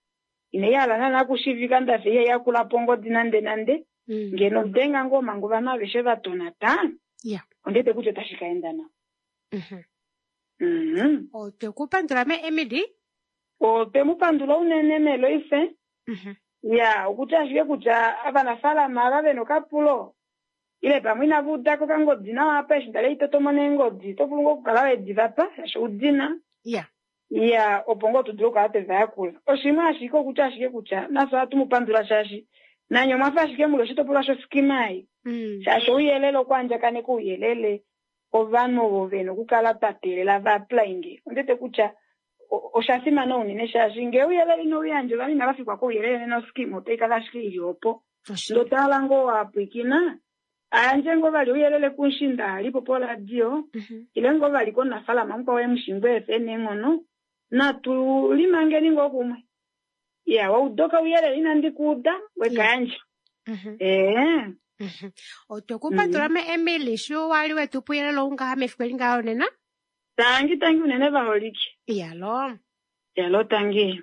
S2: inai hala naana okushivika ndafa ihai yakulapo ongodi nande nande. Ngeno denga ngoo manga ovanhu aveshe va tonata, ondete kutya otashi ka enda nawa.
S1: Otwe ku pandula me Emily.
S2: Otwe mu pandula unene meLoise. Ya, okutya ashike kutya ovanafaalama ava vena okapulo ile pamwe inava udako okangodi nawa apa eshi ndali haitotomo neengodi, oto vulu ngoo okukala wedi vapa shaashi oudina. Ya, opo ngoo tu dule okukala twe va yakula. Oshimwe ashike okutya ashike kutya nafye ohatu mu pandula shaashi nanye omwafa ashike muli oshitopolwa shoskima ei. Shaashi ouyelele okwaandjakaneka ouyelele ovanhu ovo vena okukala twa teelela va applyinge. Ondete kutya osha fimana unene shaashi ngee ouyelele ino uyandja ovanhu inava fikwa kouyelele nena oskima otai kala ashike ili opo. Ndee otwa ngoo wapwikina ayandje ngoo vali ouyelele kumushinda alipo poradio ile ngoo vali komunafaalama mukwao emushingo efe neenghono natu limangeni ngoo kumwe. Ya, waudoka ouyelele inandi kuuda wekayandja.
S1: Otwe ku pandula me Emily sho wali wetu puyelele oungaha mefiku eli ngaho nena.
S2: Tangi tangi unene vaholike.
S1: Yalo.
S2: Yalo tangi.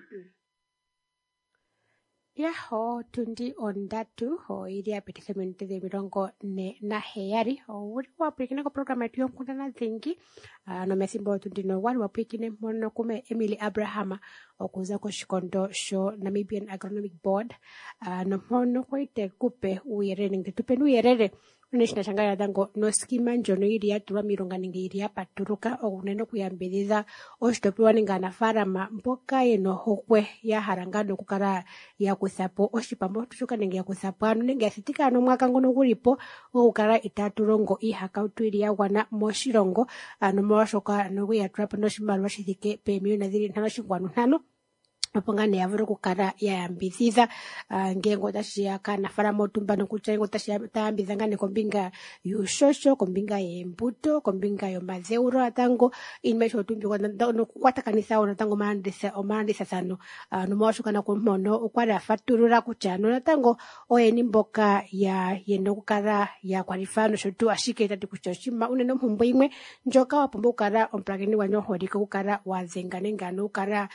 S1: Ya, otundi ondatu oili ya pititha ominute 47. Ouli wapwilikine koprograma yetu yonkundana dhingi. Nomethimbo otundi nowali wapwilikine mpono kume Emily Abraham okuza koshikondo sho Namibian Agronomic Board. Nompono kwali tekupe uuyelele nenge tupeni uuyelele unene shina sha ngaa natango noskima ndjono ili ya tulwa miilonga nenge ili ya patuluka unene okuyambidhidha oshitopolwa nenge aanafaalama mboka yena ohokwe ya hala ngaa nokukala ya kutha po oshipambu shoka nenge ya kutha po ano nenge ya thitika ano omwaka ngono guli po gokukala itaatu longo iihakautu ili ya gwana moshilongo ano molwashoka ano ya tula po noshimaliwa shi thike peemiliyona dhili 5.5 opo ngaa nee ya vule okukala ya yambidhidha ngeenge otashi ya kaanafaalama otumba nokutya ngeenge otashi ya ta yambidhidha ngaa nee kombinga yuushosho, kombinga yeembuto, kombinga yomadheulo natango iinima ayihe oyo tuu nokukwatakanitha wo natango omalandithathano. Nomolwashoka nakumpono okwali a fatulula kutya ano natango oyeni mboka ya yena okukala ya kwalifaya nosho tuu, ashike tati kutya oshinima unene ompumbwe imwe ndjoka wa pumbwa okukala omupulakeni gwandje omuholike okukala wa dhenga nenge ano okukala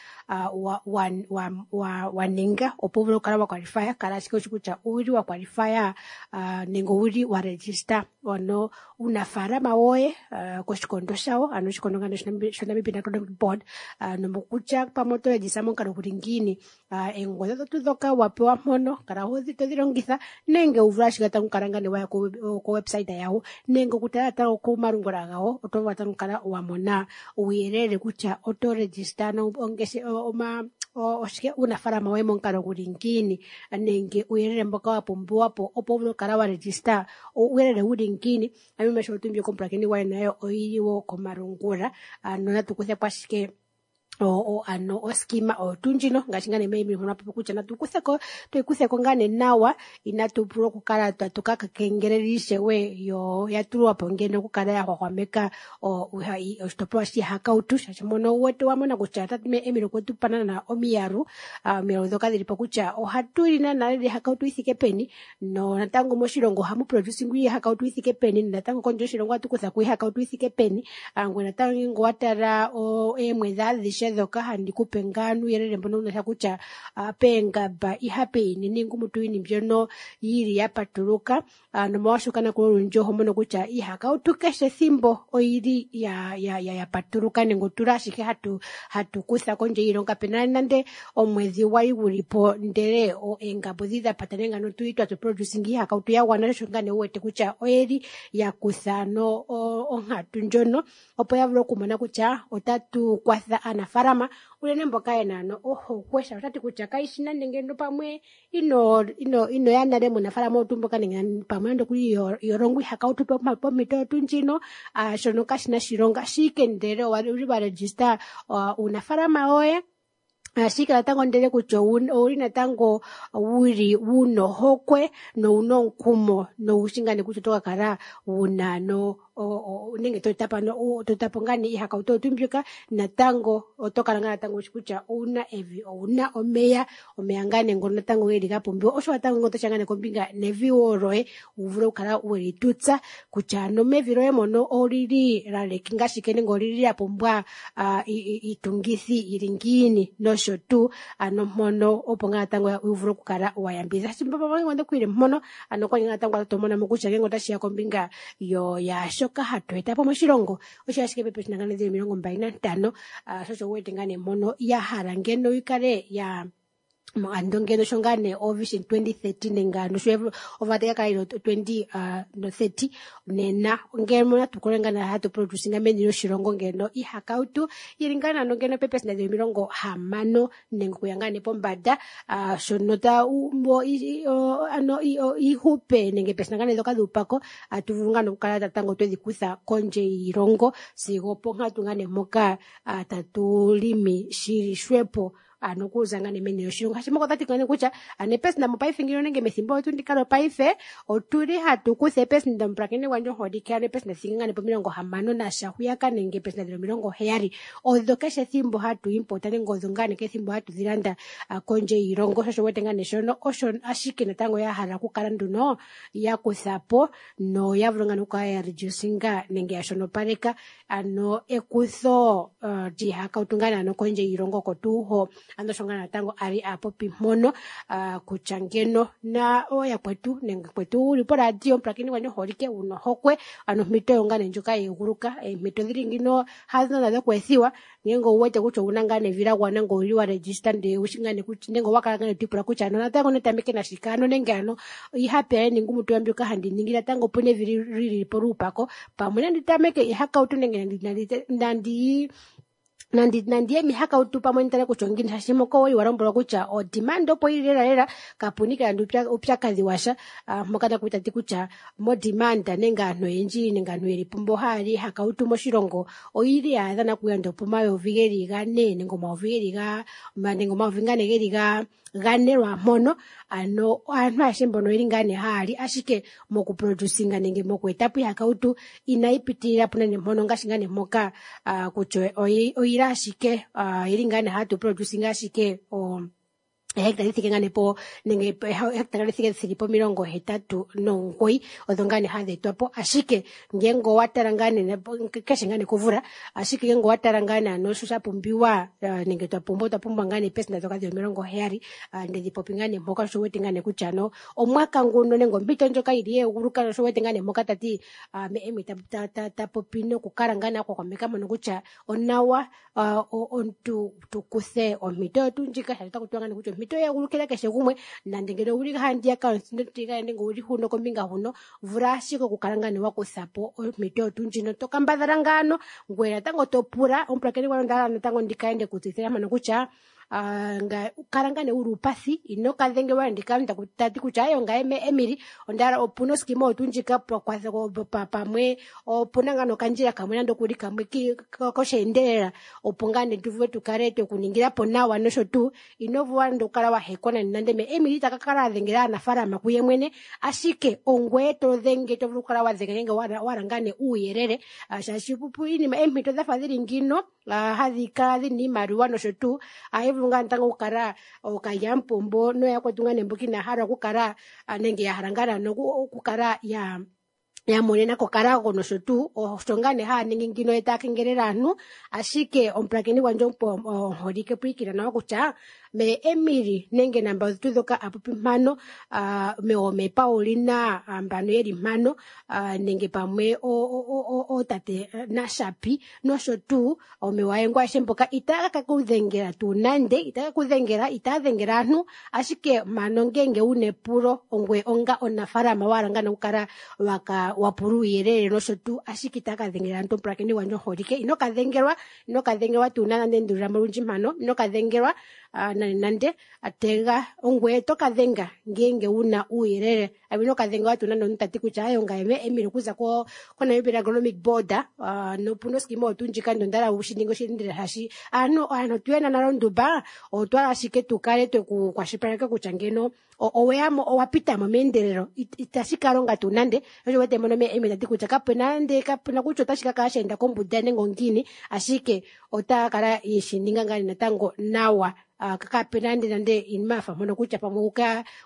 S1: wa ninga opo wu vule okukala wa kwalifaya. Kala ashike wushi kutya owuli wa kwalifaya nenge owuli wa register ono uunafaalama woye koshikondo shawo ano oshikondo ngano shoNamibian Agronomic Board nomokutya pamwe oto register momukalo guli ngiini. Eengodhi odho tuu ndhoka wa pewa mpono kala todhi longitha nenge wu vule ashike natango okukala ngaa nee waya kowebsite yawo nenge okutala natango komalungula gawo oto vulu natango okukala wa mona uuyelele kutya oto register oshike uunafaalama woye momukalo guli ngiini nenge uuyelele mboka wa pumbiwa po opo wu vule okukala wa register uuyelele wuli ngiini. Ano iinima ayihe mbyoka omupulakeni gwaye nayo oyili wo komalungula. Ano natu kuthe po ashike ano oskima oyo tuu ndjino ngaashi ngaa nee Emily mpono a popi kutya natu kutheko tuyi kutheko ngaa nee nawa inatu vula okukala tuka kengelele ishewe yo ya tulwa po ngeno okukala ya hwahwameka oshitopolwa shiihakautu shaashi mono wu wete wa mona kutya tate Emily okwe tu pa naana omiyalu, omiyalu ndhoka dhili po kutya ohatu li naana lela iihakautu yi thike peni no natango moshilongo ohamu producingwa iihakautu yi thike peni natango kondje yoshilongo ohatu kutha ko iihakautu yi thike peni. Ngoye natango ngele owa tala oomwedhi adhishe adhihe dhoka handi kupe ngaa nuuyelele mbono wunasha kutya peengamba ihape yini niingumutulu yini mbyono yili ya patuluka. Nomolwaashoka nakulo olundji oho mono kutya ihakautu keshe ethimbo oyili ya patuluka nenge otuli ashike hatu kutha kondje yiilongo. Kapena nande omwedhi gwali guli po ndele eengamba odhili dha pata nenge ano tuli twatu producing ihakautu ya gwana, sho ngaa nee wu wete kutya oyeli ya kutha ano onkatu ndjono opo ya vule okumona kutya otatu kwatha aanafalama unene mboka yena ano ohokwe. Sha otati kutya kayishi nande ngeno pamwe ino ya nale muunafalama otu mboka nenge pamwe nande okuli yolongo ihakautu pompito otu ndjino, shono kashina shilonga ashike ndele owuli wa register uunafalama woye ashike natango ndele kutya owuli natango wuli wuna ohokwe nowuna omukumo nowushi ngaa nee kutya oto ka kala wuna ano nenge to eta po ano, to eta po ngaa nee ihakautu oyo tuu mbyoka natango oto kala ngaa natango wushi kutya owuna evi, owuna omeya, omeya ngaa nee ngono natango geli ga pumbiwa, osho natango ngono tosha ngaa nee kombinga nevi wo loye wu vule okukala weli tutsa kutya ano mevi loye mono olili la lekinga shike nenge olili la pumbwa iitungithi yili ngiini nosho tuu ano mpono opo ngaa natango wu vule okukala wa yambidhidha. Shimba kwile mpono ano kwali ngaa natango to mona mo kutya ngele otashi ya kombinga yaashoka hatu eta po moshilongo osho ashike pepe shina ngaa dhili 25, sho osho wu wete ngaa nee mpono ya hala ngeno yi kale ya ando ngeno sho ngaa nee o Vision 2030 nenge ano sho ovata ya kala 2030 nena ngeno natu kale ngaa hatu produce nga meni lyoshilongo ngeno ihakautu yili ngaa nano ngeno pepe sina dhili 60 nenge okuya ngaa nee pombanda, shono ta umbo ano iihupe nenge pesina ngaa nee dhoka dhuupako atu vulu ngaa nokukala natango twedhi kutha kondje yiilongo sigo oponkatu ngaa nee mpoka tatu limi shili shwepo ano okuza ngaa nee meni lyoshilongo. Ngaashi mpoka otati ngaa nee kutya ano epesina mopaife ngino nenge methimbo olyo tuu ndika lopaife otuli hatu kutha epesina omupulakeni gwandje omuholike ano epesina thiki ngaa nee pomilongo hamano nasha hwiyaka nenge epesina dhili 70 odho keshe ethimbo hatu impota nenge odho ngaa nee keshe ethimbo hatu dhi landa kondje yiilongo. Sho osho wete ngaa nee shono osho ashike natango ya hala okukala nduno ya kutha po noya vula ngaa nee okukala ya reducinga nenge ya shonopaleka ano ekutho lyiihakautu ngaa nee ano kondje yiilongo oko tuu ho. Ano sho ngaa natango a li a popi mpono kutya ngeno na ooyakwetu nenge kwetu wuli poradio omupulakeni gwandje omuholike wuna ohokwe ano ompito yo ngaa nee ndjoka yeeguluka, eempito dhili ngino hadho nadho kweethiwa ngenge owu wete kutya owuna ngaa nevi la gwana nenge owuli wa register ndele owushi ngaa nee kutya nenge owa kala ngaa nee to ipula kutya ano natango netameke nashike ano nenge ano ihape yaye niingumutulu mbyoka handi ningi natango opuna evi lili po luupako pamwe nandi tameke ihakautu nenge nandi ye mihakautu pamwe nitale kutya ongiini shaashi moka owali wa lombwelwa kutya o demand opo yili lela lela kapuni nande uupyakadhi washa, mpoka naku tati kutya mo demand nenge aantu oyendji nenge aantu yeli po mbo haya li ihakautu moshilongo oyili ya adha nakuya nande opomayovi geli gane nenge omayovi geli ga, nenge omayovi ngaa nee geli gane lwaampono. Ano aantu ayehe mbono oyeli ngaa nee haya li ashike mokuproducinga nenge moku eta po ihakautu inayi pitilila po nande mpono ngaashi ngaa nee mpoka kutya oyili ashike oyili ngaa nee hatu producinga ashike hectare dhi thike ngaa nee po nenge hectare dhi thike dhili po 89 odho ngaa nee hadhi etwa po ashike ngenge owa tala ngaa nee keshe ngaa nee komvula ashike ngenge owa tala ngaa nee ano sho sha pumbiwa nenge twa pumbwa otwa pumbwa ngaa nee pesenda dhoka dhili 70, ndedhi popi ngaa nee mpoka sho wete ngaa nee kutya ano omwaka nguno nenge ompito ndjoka yili yeeguluka sho wete ngaa nee mpoka tati Emi ta popi nokukala ngaa nee akwakwameka mono kutya onawa omuntu tu kuthe ompito yotu ndjika shaashi otaku tiwa ngaa nee kutya ompito yeegulukila keshe gumwe nande ngeno owuli handiyaka nenge owuli huno kombinga huno vula ashike okukala ngaa nee wa kutha po ompito yotu ndjino to kambadhala ngaano ngoye natango to pula omupulakeni gwayo ndahala natango ndikaende kutseyithila mpano kutya kala ngaa nee wuli uupathi ino ka dhengelwa ndika tati kutya ayo nga Emily ondahala opuna oskima otu ndjika pamwe opuna ngaa nokandjila kamwe nande okuli kamwe kosheendelela opo ngaa nee tuvule tukale twekuningila po nawa nosho tuu ino vula nande okukala wa hekwa nande nande me Emily taka kala a dhengela aanafalama kuye mwene ashike ongweye to dhenge to vulu okukala wa dhenga nenge wala ngaa nee uuyelele, shaashi pupu iinima eempito dhafa dhili ngino, hadhi kala dhina iimaliwa nosho tuu ayi vulu ngaa natango okukala okalyamupombo noyakwetu ngaa nee mboka inaya hala okukala, nenge ya hala ngaa naano okukala ya Ya monena kOkarago nosho tuu osho ngaa nee haya ningi ngino ye taya kengelele aantu. Ashike omupulakeni gwandje omuholike pwiikina nawa kutya me Emily nenge namba dhetu ndhoka a popi mpano, me Paulina mbano yeli mpano, nenge pamwe ootate Nashapi nosho tuu omewayengo ayehe mboka itaya ka kudhengela tuu nande, itaya ka kudhengela, itaya dhengela aantu. Ashike mpano ngenge wuna epulo ongwe onga omunafaalama wa hala ngaa nokukala waka wapula uuyelele nosho tuu, ashike itaya ka dhengela aantu. Omupulakeni gwandje omuholike, ino ka dhengelwa, ino ka dhengelwa tuu nande, ndulila mo olundji mpano, ino ka dhengelwa nande nande. Tega ongweye to ka dhenga ngenge wuna uuyelele. Ino ka dhengelwa tuu nande omuntu tati kutya ayo ngaye Emily okuza ko Namibia Agronomic Board, nopuna oskima oyo tuu ndjika ndondala wu shi ninge oshilindile shaashi aantu tuyena nale ondumba, otwala ashike tu kale tweku kwashilipaleka kutya ngeno oweyamo owa pitamo meendelelo, itashi ka longa tuu nande. Osho wete mono me Emily tati kutya kapena nande, kapena kutya otashi ka kala sheenda kombuda nenge ongiini, ashike otaya kala yeshi ninga ngaa natango nawa. Kapena nande nande iinima yafa mpono kutya pamwe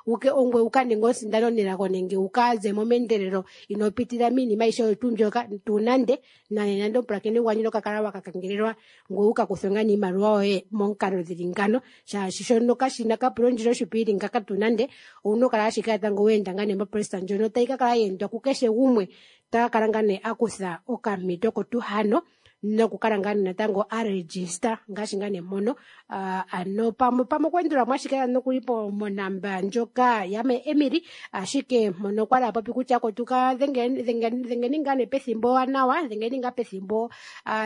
S1: uke ongwe uka ninge omusindano nelago nenge uka zemo meendelelo ino pitila miinima ayihe oyo tuu mbyoka tuu nande. Nande nande omupulakeni gwandje ino ka kala waka kengelelwa ngoye uka kuthwe ngaa niimaliwa yoye momukalo dhili ngano, shaashi shono kashina kapula ondjila oshipu ili ngaka tuu nande. Owuna okukala ashike natango weenda ngaa nee mopresta ndjono tayi ka kala yeendwa kukeshe gumwe, taka kala ngaa nee akutha okampito oko tuu hano nokukala ngaa natango a register ngaashi ngaa nee mono. Ano pamwe pamwe okweendula mo ashike nokuli po monamba ndjoka ya me Emily, ashike mono kwali a popi kutya ko tuka dhengeni ngaa nee pethimbo ewanawa, dhengeni ngaa pethimbo,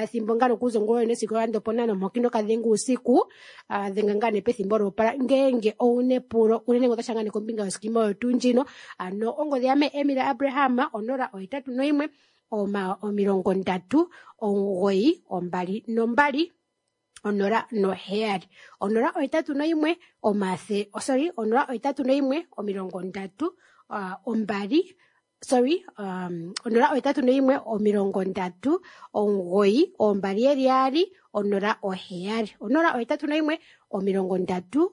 S1: thimbo ngaa nokuza ongula yone sigo ando pona nomoki noka dhenga uusiku, dhenga ngaa nee pethimbo lyoopala ngenge owuna epulo unene ngo otasha ngaa nee kombinga yoskima oyo tuu ndjino. Ano ongodhi ya me Emily Abraham 081 39 922 0 7 081 omathe, oh, sorry, 081 30 2, sorry, 081 39 2 07 081 39 2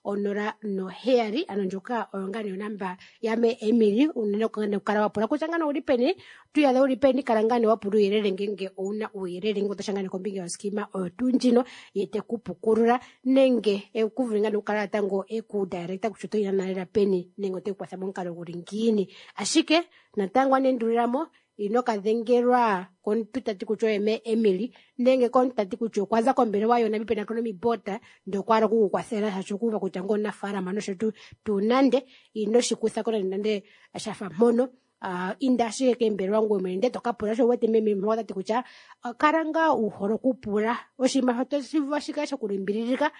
S1: 07. Ano ndjoka oyo ngaa nee onamba ya me Emily, unene okukala wa pula kutya ngano owuli peni, tuyadha wuli peni, kala ngaa nee wa pula uuyelele ngenge owuna uuyelele ngenge otasha ngaa nee kombinga yoskima oyo tuu ndjino, ye teku pukulula nenge ekuvule ngaa nee okukala natango eku directa kutya otoyi nalela peni nenge oteku kwatha momukalo guli ngiini. Ashike natango anendulilamo ino ka dhengelwa komuntu tati kutya oye me Emily nenge komuntu tati kutya okwa za kombelewa yoNamibia Agronomic Board ndele okwa hala oku ku kwathela shaashi okuuva kutya ngo omunafaalama nosho tuu tuu nande ino shi kutha ko nande nande shafa mpono. Inda ashike kembelewa ngoye mwene ndele toka pula sho wete meme mpoka tati kutya, kala ngaa wu hole okupula oshinima otashi vulu ashike shokulimbililika,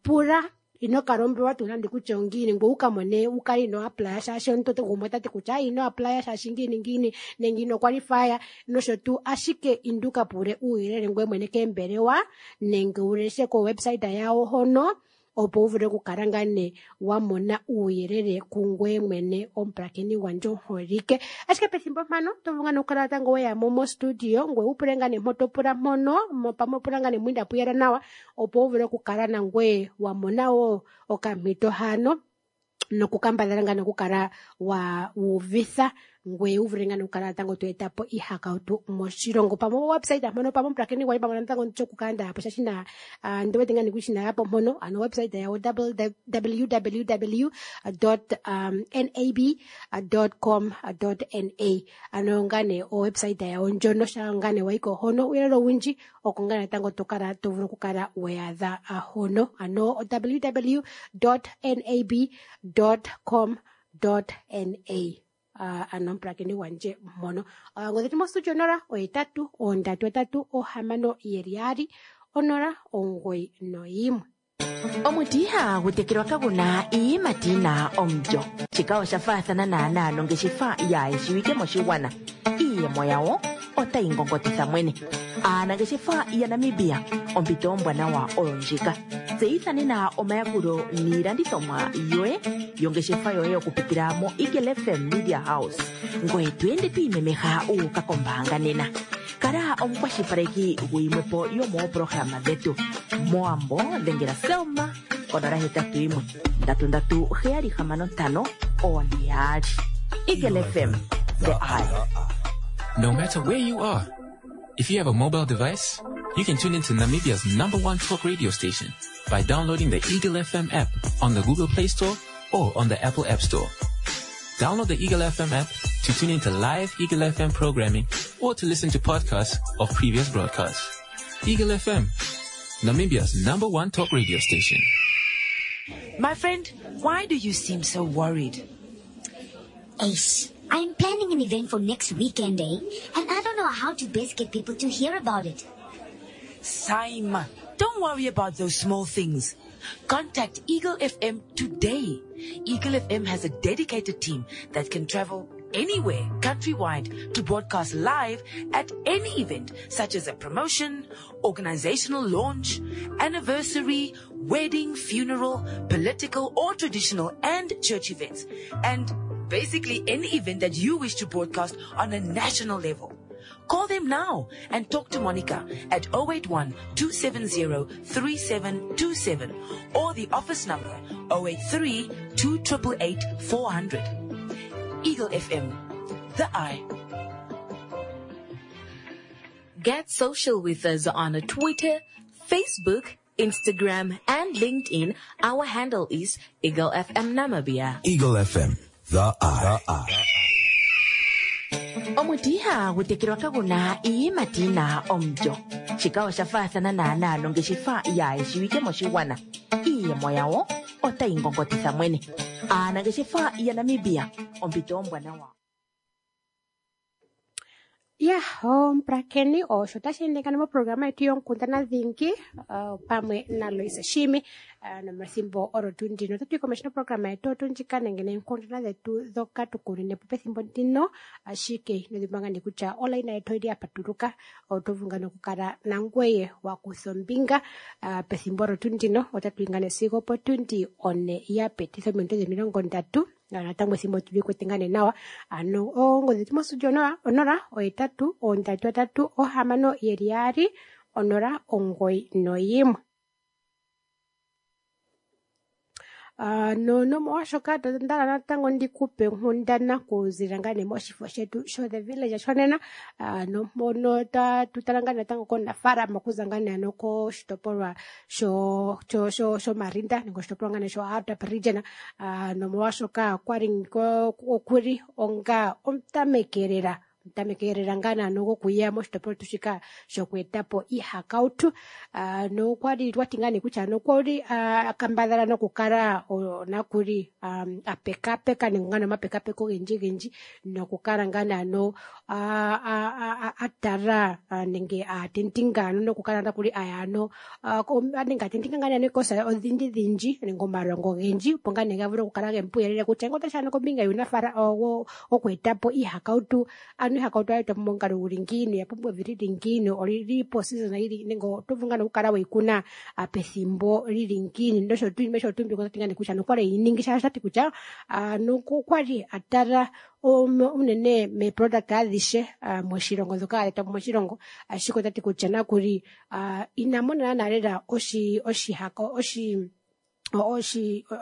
S1: pula ino ka lombwelwa tuu nande kutya ongiini ngoye wuka mone wu kale ino applya shaashi omuntu gumwe otati kutya ino applya shaashi ngiini ngiini nenge ino qualifya nosho tuu, ashike inda wuka pule uuyelele ngoye mwene kembelewa nenge wu leshe ko website yawo hono opo wu vule okukala ngaa nee wa mona uuyelele kungweye mwene omupulakeni gwandje omuholike. Ashike pethimbo mpano oto vulu ngaa nee okukala natango weya mo mostudio ngoye wu pule ngaa nee mpo to pula mpono, pamwe pula ngaa nee mwinda puyela nawa opo wu vule okukala nangweye wa mona wo okampito hano nokukambadhala ngaa nee okukala wa uvitha ngoye wu vule ngaa nee okukala natango to eta po iihakautu moshilongo. Pamwe o website mpono pamwe omupulakeni gwaye pamwe natango nditye okukala nda yapo shaashi na, ndi wete ngaa nee kutya inaya po mpono, ano website yawo w w w dot, n a b dot com dot n a. Ano ngaa nee o website yawo ndjono sha ngaa nee wayiko hono uuyelele owundji oko ngaa natango to kala to vulu okukala weyaadha hono, ano w w dot n a b dot com dot n a. Ano omupulakeni gwandje mpono. Ongodhi yetu mostudio 0 8 3 3 6 2 0 9 1.
S5: Omuti ihagu tekelwa kaguna iiyimati yina omulyo. Shika osha faathana naanaa nongeshefa yaayeshiwike moshigwana. Iiyemo yawo otayi ngongotitha mwene. Aanangeshefa yaNamibia, ompito ombwanawa oyo ndjika. Tseyitha nena omayakulo niilandithomwa yoye yongeshefa yoye okupitila mo Eagle FM Media House. Ngoye to ende to imemeha uuka kombaanga nena. Kala omukwashilipaleki guyimwepo yomoopolohalama dhetu. Moambo dhengela Selma konola hetatu yimwe ndatu ndatu heyali hamano ntano one yaali. Eagle FM, the eye.
S7: No matter where you are, if you have a mobile device, you can tune into Namibia's number one talk radio station by downloading the Eagle FM app on the Google Play Store or on the Apple App Store. Download the Eagle FM app to tune into live Eagle FM programming or to listen to podcasts of previous broadcasts. Eagle FM, Namibia's number one talk radio station.
S5: My friend, why do you seem so worried?
S6: Ace, I'm planning an event for next weekend, eh? And I don't know how to best get people to hear about it.
S5: Saima, don't worry about those small things. Contact Eagle FM today. Eagle FM has a dedicated team that can travel anywhere countrywide to broadcast live at any event such as a promotion, organizational launch, anniversary, wedding, funeral, political or traditional and church events, and basically any event that you wish to broadcast on a national level. Call them now and talk to Monica at 081 270 3727 or the office number 083 2888 400. Eagle FM, the eye.
S8: Get social with us on Twitter, Facebook, Instagram, and LinkedIn. Our handle is Eagle FM Namibia.
S4: Eagle FM, the eye. The eye.
S5: Omuti ihagu tekelwa kaguna iiyimati yina omulyo. Shika osha faathana naanaa nongeshefa yaayeshiwike moshigwana. Iiyemo yawo otayi ngongotitha mwene. Aanangeshefa yaNamibia, ompito ombwanawa.
S1: Ya, omupulakeni osho tashi endekana moprograma yetu yonkundana dhingi pamwe naLoise Shiimi nomathimbo olo tuu ndino. Otatu yi komeho noprograma yetu otu ndjika nenge neenkundana dhetu dhoka tukunine po pethimbo ndino, ashike ino dhimbwa ngaa nee kutya olaina yetu oyili ya patuluka, oto vulu ngaa nee okukala nangweye wa kutha ombinga pethimbo olo tuu ndino. Otatu yi ngaa nee sigo opotundi one ya pititha ominute 30. Natango ethimbo tuli kwete ngaa nee nawa. Ano oongodhi dhetu mostudio 0 8 3 3 6 2 0 9 1. No nomolwashoka ndala natango ndikupe onkundana kuzila ngaa nee moshifo shetu sho The Village shonena nompono tatu tala ngaa natango komunafaalama okuza ngaa nee ano koshitopolwa shoMarinda nenge oshitopolwa ngaa nee sho Hardap region nomolwashoka kwali okuli onga omutamekelela tamekelela ngaa naano gokuya moshitopolwa shetu shika shokweetapo iihakautu nokwali twati ngaa nee kutya nokwali akambadhala nokukala nakuli apekapeka nenge ngaa omapekapeko ogendji gendji nokukala ngaa naano atala nenge atentinga ano nokukala nakuli aya ano nenge atentinga ngaa naano ekosa odhindji dhindji nenge omalongo ogendji opo ngaa nee ga vule okukala gemupuyelele kutya ngo otashi ano kombinga yuunafala wokweetapo iihakautu ano ihakautu oya etwa po momukalo guli ngiini, oya pumbwa evi lili ngiini, olili posizona yili nenge oto vulu ngaa okukala weyi kuna pethimbo lili ngiini nosho tuu nosho tuu mbyoka tati ngaa nee kutya nokwali eyi ningi shaashi otati kutya nokwali atala unene meeproduct adhishe moshilongo dhoka hadhi etwa po moshilongo, ashike otati kutya nakuli ina mona naana lela oshihako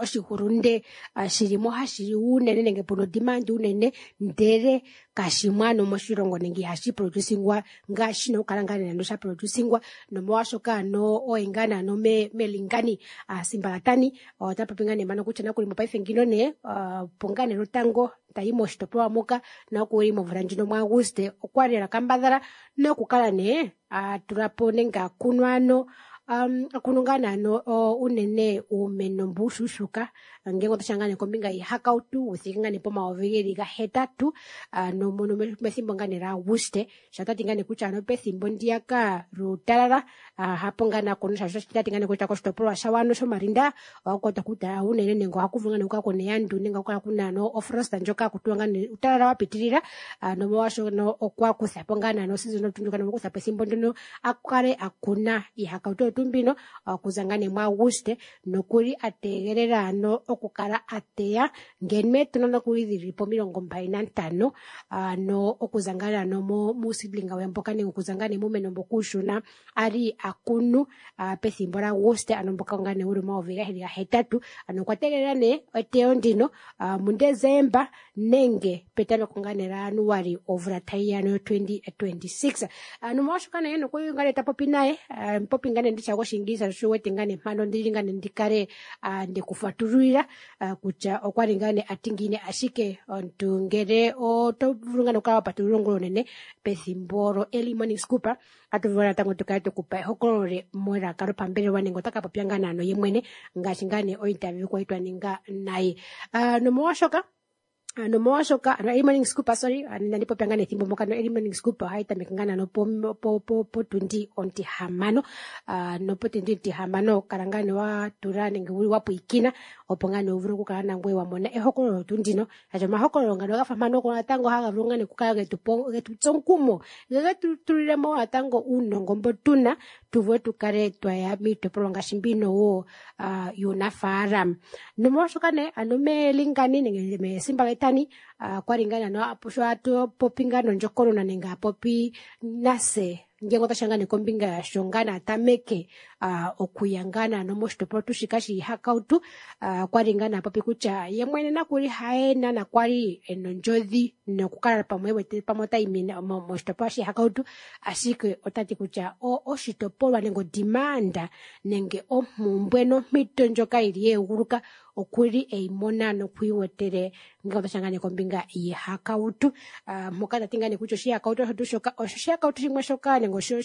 S1: oshihulunde shili mo hashi liwa unene nenge puna odimandi unene ndele kashimo ano moshilongo nenge ihashi producingwa ngaashi shina okukala ngaa nee sha producingwa nomolwashoka ano oye ngaa nee ano melingani Simbalatani ota popi ngaa nee mpano kutya nakuli mopaife ngino nee opo ngaa nee lotango tayi moshitopolwa moka nakuli momvula ndjino muAguste okwali lela kambadhala nokukala nee atulapo nenge akunwa ano akunu ngaa naano unene uumeno mbu uushuushuka ngele otashi ya ngaa nee kombinga yiihakautu wuthike ngaa nee po8 000 nomono methimbo ngaa nee laAguste sho tati ngaa nee kutya ano pethimbo ndiyaka luutalala hapo ngaa nakunu shaashi tati ngaa nee kutya koshitopolwa shawano shoMarinda ohaku kwatwa kuutalala unene nenge ohaku vulu ngaa nee okukala kuna eandu nenge ohaku kala kuna ano ofrost ndjoka haku tiwa ngaa nee uutalala wa pitilila nomolwaashono okwa kutha po ngaa naano season ndjoka nokwa kutha po ethimbo ndyono akale akuna iihakautu oyo tuu. tuu mbino okuza ngaa nee muAguste nokuli a tegelela ano okukala a teya ngeno eetona nokuli dhili po 25 ano okuza ngaa ano muuseedling we mboka nenge okuza ngaa nee muumeno mboka uushona a li a kunu pethimbo lyaAguste ano mboka ngaa nee wuli 2008. Ano okwa tegelela nee eteyo ndino muDesemba nenge petameko ngaa nee laJanuali omvula tayi ya no 2026. Nomolwaashoka nee nokuli ngaa nee ta popi naye popi ngaa nee nditya goshiingilisa sho wete ngaa nee mpano ndili ngaa nee ndikale ndekufatululila kutya okwali ngaa nee ati ngiini, ashike omuntu ngele oto vulu ngaa nee okukala wa patulula ongula onene pethimbo lo early morning scoop, atu vulu natango tukale tukupa ehokololo le melaka lopambelewa nenge otaka popya ngaa naano ye mwene ngaashi ngaa nee ointerview kwali twa ninga naye. Nomolwaashoka ano early morning scoop, sorry, inandi popya ngaa nethimbo moka. No early morning scoop ohayi tameke ngaa naano potundi ontihamano, nopotundi ontihamano kala ngaa nee wa tula nenge wuli wa pwiikina opo ngaa nee wu vule okukala nangoye wa mona ehokololo tuu ndino. Shaashi omahokololo ngano gafa mpano oko natango haga vulu ngaa nee okukala getu tsa omukumo, ge getu tulilemo natango uunongo mbo tuna tu vule tukale twaya miitopolwa ngaashi mbino wo yuunafaalama. Nomolwaashoka nee ano meelingani nenge meesimba getani kwali ngaa nee sho atu popi ngaa nondjokonona nenge apopi nase ngele otashiya ngaa nee kombinga yasho ngaa nee atameke okuya ngaa naano moshitopolwa tuu shika shiihakautu, kwali ngaa nee apopi kutya ye mwene nakuli haye naana kwali ena ondjodhi nokukala pamwe ewete pamwe otayi moshitopolwa shiihakautu, ashike otati kutya oshitopolwa nenge odimanda nenge ompumbwe nompito ndjoka yili yeeguluka okuli eyimona nokwiiwetele ngele otashiya ngaa nee kombinga yiihakautu, mpoka tati ngaa nee kutya oshihakautu osho tuu shoka osho oshihakautu shimwe shoka nenge osho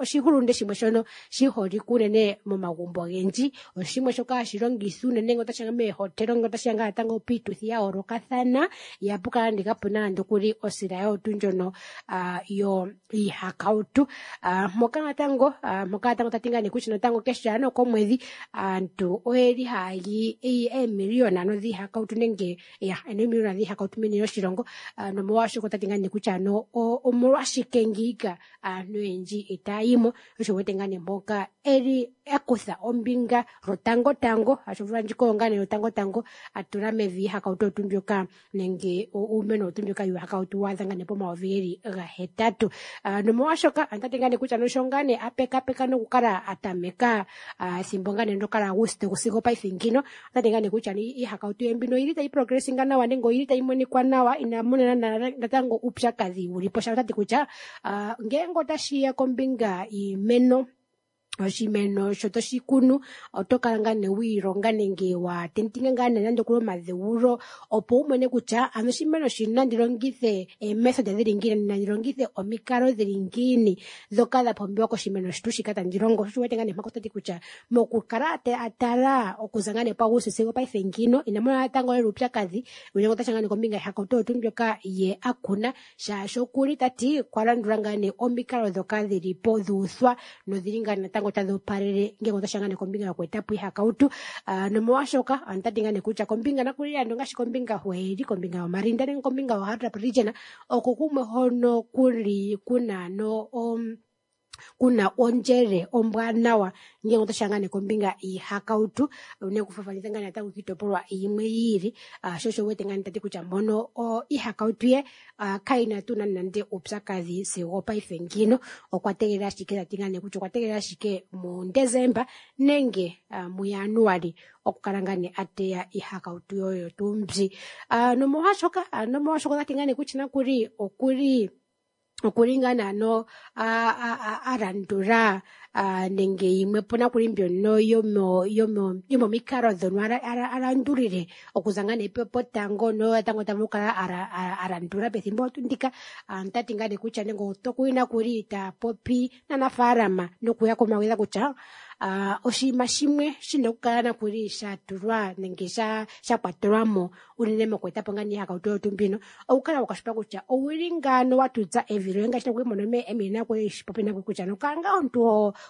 S1: oshihulunde shimwe shono shi holike unene momagumbo ogendji, oshimwe shoka hashi longithwa unene ngele otashiya meehotelo, ngele otashiya ngaa natango piituthi ya yoolokathana, ihapu kala nande kapuna nande okuli osila yotu ndjono yo iihakautu. Mpoka natango tati ngaa nee kutya natango keshe ano komwedhi aantu oyeli haya li eemiliyona ano dhiihakautu nenge ya eemiliyona dhiihakautu meni lyoshilongo, nomolwaashoka otati ngaa nee kutya ano omolwashike ngiika aantu oyendji itaya yimo, osho wete ngaa nee mpoka eli akutha ombinga lwotangotango, asho omvula ndjika oyo ngaa nee lwotangotango atula mevi iihakautu oyo tuu mbyoka nenge uumeno oyo tuu mbyoka yuuhakautu waadha ngaa nee po8 000. Nomolwaashoka otati ngaa nee kutya nosho ngaa nee apekapeka nokukala atameka ethimbo ngaa nee ndyoka laAguste sigo paife ngino, otati ngaa nee kutya iihakautu ye mbino oyili tayi progressinga nawa nenge oyili tayi monikwa nawa, ina mona natango uupyakadhi wuli po. Otati kutya ngele otashiya kombinga yiimeno, oshimeno sho toshi kunu oto kala ngaa nee wiilonga nenge wa tentinga ngaa nee nande okuli omadheulo opo wu mone kutya ano oshimeno shino nandi longithe eemethod dhili ngiini, nandi longithe omikalo dhili ngiini dhoka dha pumbiwa koshimeno shetu shika tandi longo. Sho wete ngaa nee mpaka otati kutya mokukala atala okuza ngaa nee puAguste sigo paife ngino ina mona natango lela uupyakadhi unene otashiya ngaa nee kombinga yiihakautu oyo tuu mbyoka ye a kuna, shaashi okuli tati okwa landula ngaa nee omikalo dhoka dhili po dhuuthwa nodhili ngaa natango tadhi opalele ngele otashiya ngaa nee kombinga yoku etapo iihakautu. Nomolwaashoka otati ngaa nee kutya kombinga nakuli ando ngaashi kombinga hweeli kombinga yoMarinda nenge kombinga yoHardap region oko kumwe hono kuli kuna no kuna ondjele ombwaanawa ngele otashiya ngaa nee kombinga yiihakautu, unene okufaathanitha ngaa natango kiitopolwa yimwe yi ili. Sho osho wete ngaa nee tati kutya mpono iihakautu ye kayina tuu nande nande uupyakadhi sigo paife ngino, okwa tegelela ashike, tati ngaa nee kutya okwa tegelela ashike muDesemba nenge muJanuali okukala ngaa nee ateya iihakautu yoyo tuu mbi. Nomolwaashoka otati ngaa nee kutya nakuli okuli ngaa naano a landula nenge yimwe po nakuli mbyono yomomikalo dhono alandulile okuza ngaa nee potango notango ta vulu okukala a landula pethimbo ndika. Otati ngaa nee kutya nenge otokuli nakuli ta popi naanafaalama nokuya kumagidha kutya Oshinima shimwe shina okukala nakuli sha tulwa nenge sha kwatelwa mo unene mokweeta po ngaa nee iihakautu oyo tuu mbino, okukala wa kwashilipaleka kutya owuli ngaano wa tutsa evi loye ngaashi nokuli mono Emily nakwe eshi popi nakwe kutya nokala ngaa omuntu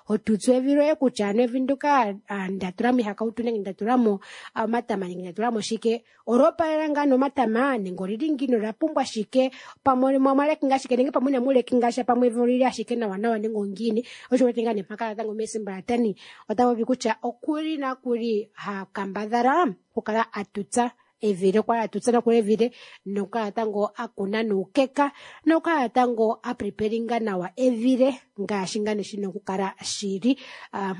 S1: ho tutsu evi loye kutya ano evi ndyoka nda tula mo iihakautu nenge nda tula mo omatama nenge nda tula mo shike, olya opalela ngaa nomatama nenge olili ngiini, olya pumbwa shike, pamwe omwa lekinga shike nenge pamwe inamu lekinga sha, pamwe evi olili ashike nawa nawa nenge ongiini. Osho wete ngaa nee mpaka natango meeSimbalatani ota popi kutya okuli nakuli ha kambadhala okukala a tutsa evi le, okukala a tutsa nakuli evi le nokukala natango a kuna nuukeka nokukala natango a preparinga nawa evi le ngaashi ngaa nee shina okukala shili.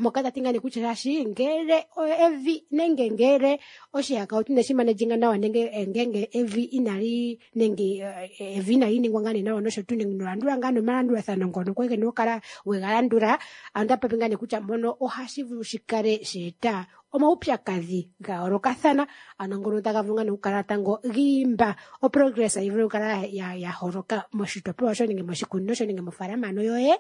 S1: Mpoka ta ti ngaa nee kutya shaashi ngele evi nenge ngele oshihakautu inashi managinga nawa nenge ngenge evi inali nenge evi inali ningwa ngaa nee nawa nosho tuu nenge inolandula ngaa nomalandulathano ngono kwali kena okukala wega landula, ano ota popi ngaa nee kutya mpono ohashi vulu shikale sha eta omaupyakadhi ga yoolokathana, ano ngono taga vulu ngaa nee okukala natango giimba oprogress yi vule okukala ya holoka moshitopolwa shoye nenge moshikunino shoye nenge mofaalama ano yoye.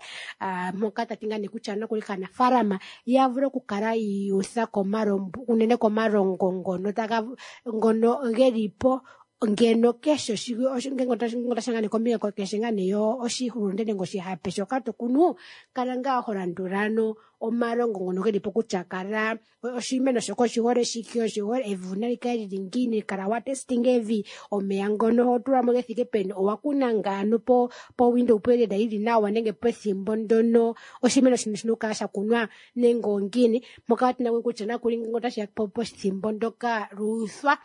S1: Mpoka ta ti ngaa nee kutya nokuli kaanafaalama ya vule okukala yiiyutha komalombo, unene komalongo ngono taga ngono geli po ngeno keshe ngenge otashi ngaa nee kombinga keshe ngaa nee yo oshihulunde nenge oshihape shoka to kunu, kala ngaa ho landula ano omalongo ngono geli po kutya kala oshimeno shoka oshihole shike, oshihole evi nali kale lili ngiini, kala wa testing evi, omeya ngono ho tula mo ge thike peni, owa kuna ngaano po window period yili nawa nenge pethimbo ndono oshimeno shino shina okukala sha kunwa nenge ongiini. Mpoka tuna kutya nakuli ngenge otashi ya pethimbo ndoka luuthwa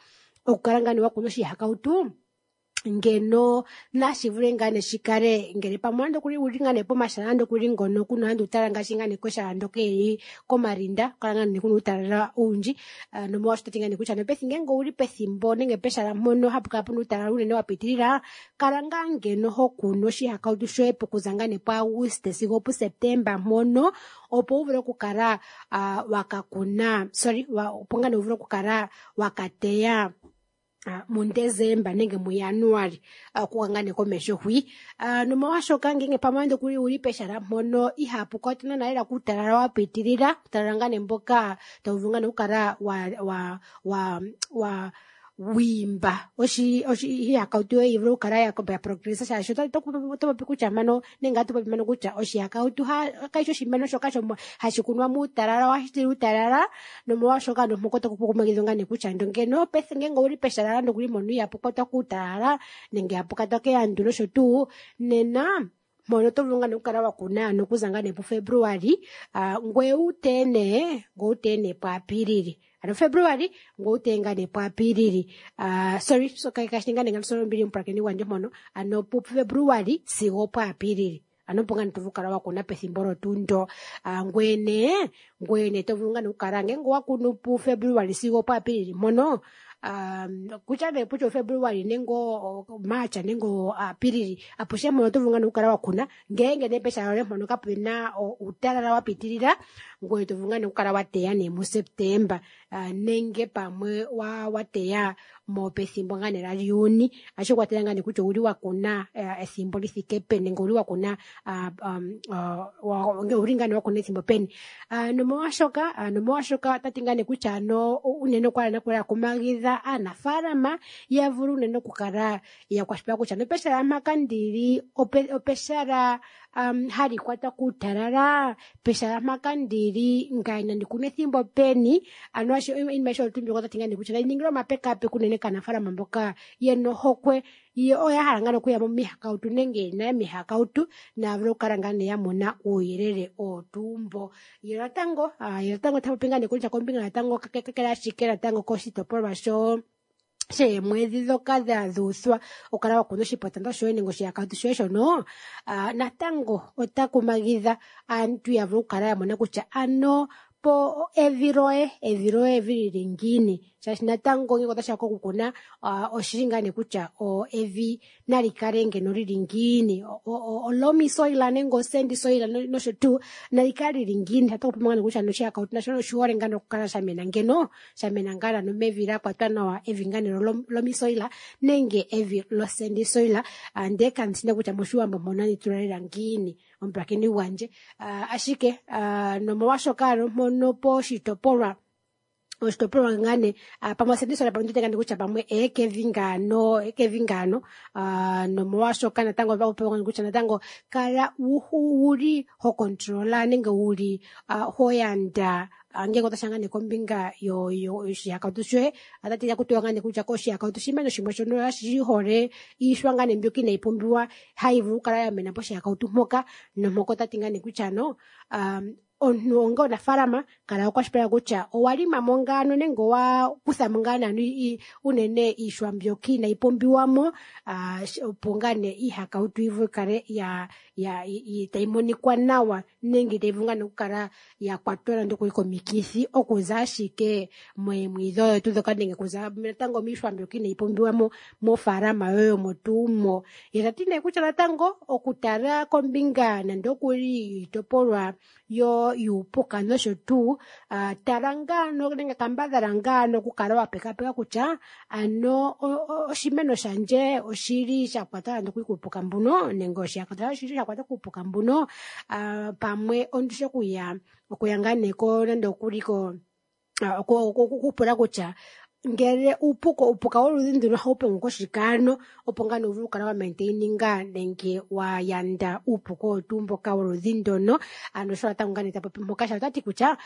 S1: okukala ngaa nee wa kuna oshihakautu, ngeno nashi vule ngaa nee shikale ngele pamwe nande okuli uli ngaa nee pomahala nande okuli ngono kuna nande utalala ngaashi ngaa nee keshala ndoka eli komalinda, kala ngaa nee kuna uutalala owundji. Nomolwaasho tati ngaa nee kutya nopethimbo ngenge owuli pethimbo nenge peshala mpono hapu kala puna uutalala unene wa pitilila, kala ngaa ngeno ho kunu oshihakautu shoye pokuza ngaa nee puAuguste sigo opuSeptemba mpono, opo wu vule okukala, waka kuna, sorry, opo ngaa nee wu vule okukala wakateya muDesemba nenge muJanuali, okuka ngaa nee komesho hwi. Nomolwaashoka ngenge pamwe nande okuli uli peshala mpono ihapu kwatwa naana lela kuutalala wa pitilila, uutalala ngaa nee mboka tawu vulu ngaa nee okukala wa wiimba oshihakautu yoye yi vule okukala ya progressa, shaashi oto popi kutya mpano nenge atu popi mpano kutya oshihakautu kayishi oshimeno shoka hashi kunwa muutalala, ohashi tila uutalala, nomolwaashoka ano mpoka oto kumagidhwa ngaa nee kutya ando ngeno ngenge owuli peshala nande okuli mpono ihapu kwatwa kuutalala nenge ihapu kwatwa keandu nosho tuu, nena mpono oto vulu ngaa nee okukala wa kuna ano okuza ngaa nee puFebruali, ngoye wu teye nee, ngoye wu teye nee puApilili. Ano Februali, ngoye wu teye ngaa nee puApilili. Sorry, so kashi ngaa nee ngano ombili omupulakeni gwandje mpono, ano puFebruali sigo puApilili. Ano opo ngaa nee to vulu okukala wa kuna pethimbo olo tuu ndo. Ngoye nee, ngoye nee to vulu ngaa nee okukala ngenge owa kunu puFebruali sigo puApilili mpono, kutya nee kutya oFebruali nenge March nenge Apilili, apuhe mpono oto vulu ngaa nee okukala wa kuna, ngenge nee peshala loye mpono kapena uutalala wa pitilila, ngoye to vulu ngaa nee okukala wa teya nee muSeptemba, nenge pamwe wa teya mo pethimbo ngaa nee laJuni, ohashi kwatele ngaa nee kutya owuli wa kuna ethimbo li thike peni nenge owuli wa kuna, owuli ngaa nee wa kuna ethimbo peni. Nomolwaashoka ota ti ngaa nee kutya ano unene okwa hala okumagidha aanafaalama ya vule unene okukala ya kwashilipaleka kutya nopeshala mpaka ndili opeshala hali kwatwa kuutalala, peshala mpaka ndili ngaye nandi kune ethimbo peni. Ano iinima ayihe oyo tuu mbyoka ota ti ngaa nee kutya nayi ningilwe omapekapeko unene kaanafaalama mboka yena ohokwe, yo oya hala ngaa okuya momihakautu nenge yena omihakautu, naya vule okukala ngaa nee ya mona uuyelele owo tuu mbo. Ye natango, ye natango ta popi ngaa nee kutya kombinga natango kakele ashike natango koshitopolwa sheemwedhi dhoka dha dhuuthwa okukala wa kuna oshipotando shoye nenge oshihakautu shoye shono, natango ota kumagidha aantu ya vule okukala ya mona kutya ano po evi loye, evi loye evi lili ngiini. Shaashi natango ngenge otashiya kokukuna oshili ngaa nee kutya evi nali kale ngeno lili ngiini, olomi soil nenge osandy soil nosho tuu, nali kale lili ngiini. Otaku popiwa ngaa nee kutya noshihakautu nasho oshihole ngaa nee okukala shamena ngeno, shamena ngaa nee mevi la kwatwa nawa, evi ngaa nee lomi soil nenge evi lo sandy soil. Ndee kandi shi nee kutya moshiwambo mpono nandi tula lela ngiini omupulakeni gwandje. Ashike nomolwashoka ano mpono poshitopolwa oshitopolwa ngaa nee pamwe osandy soil pamwe nditye ngaa nee kutya pamwe ekevi ngaano, ekevi ngaano, nomolwashoka natango otaku kutya natango kala wuli ho controla nenge wuli ho yanda ngenge otashiya ngaa nee kombinga yoshihakautu shoye, otati kutiwa ngaa nee kutya koshihakautu oshimeno shimwe shono shi hole iishwa ngaa nee mbyoka inayi pumbiwa hayi vulu okukala ya mena poshihakautu mpoka, nompoka otati ngaa nee kutya no omuntu onga omunafaalama kala wakwashilipaleka kutya owa lima mo ngaano nenge owa kutha mo ngaa naano unene iishwa mbyoka inayi pumbiwa mo, opo ngaa nee iihakautu yi vule kale tayi monikwa nawa nenge tayi vulu ngaa nee okukala ya kwatwa nande okuli komikithi okuza ashike moomwiidhi odho tuu ndhoka nenge okuza natango miishwa mbyoka inayi pumbiwa mo mofaalama yoye omo tuu mo. Ye tati nee kutya natango okutala kombinga nande okuli iitopolwa yuupuka nosho tuu, tala ngaano nenge kambadhala ngaano okukala wa pekapeka kutya ano oshimeno shandje oshili sha kwatwa nande okuli kuupuka mbuno nenge oshihakautu oshili sha kwatwa kuupuka mbuno, pamwe ondishe okuya ngaa nee ko nande okuli ko okupula kutya ngele uupuka woludhi nduno ohawu pengu koshikano, opo ngaa nee uvule okukala wa maintaininga nenge wa yanda uupuka owo tuu mboka woludhi ndono. Ano sho natango ngaa nee ta popi mpoka, sha otati kutya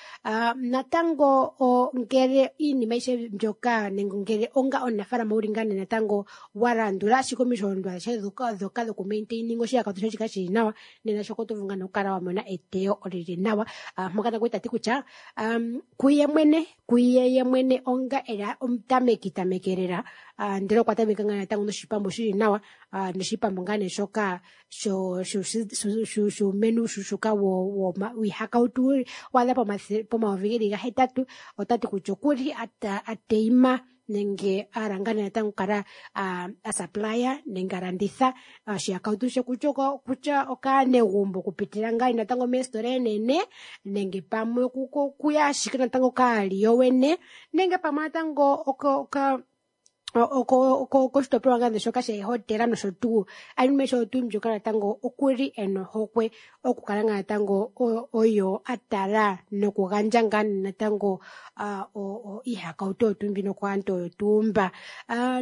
S1: natango ngele iinima ayihe mbyoka nenge ngele onga omunafaalama wuli ngaa nee natango wa landula ashike omisholondondo adhihe ndhoka dhoku maintaininga oshihakautu shoye shikale shili nawa, nena shoka oto vulu ngaa nee okukala wa mona eteyo lili nawa. Mpoka natango tati kutya kuye mwene, kuye ye mwene onga ela omutameki tamekelela, ndele okwa tameka ngaa natango noshipambu shili nawa, noshipambu ngaa nee shoka shuumeno uushuushuka wiihakautu waadha pomayovi geli gahetatu, otati kutya okuli ateima nenge ahala ngaa nee natango okukala asupplya nenge alanditha oshihakautu she kutya okaanegumbo okupitila ngaa natango meesitola eenene nenge pamwe okuya ashike natango kaali yowene nenge pamwe natango koshitopolwa ngaa nee shoka sheehotela nosho tuu. Anuwa osho tuu mbyoka natango okuli ena ohokwe okukala ngaa natango oyo atala nokugandja ngaa natango iihakautu oyo tuu mbino kaantu oyo tuu mba.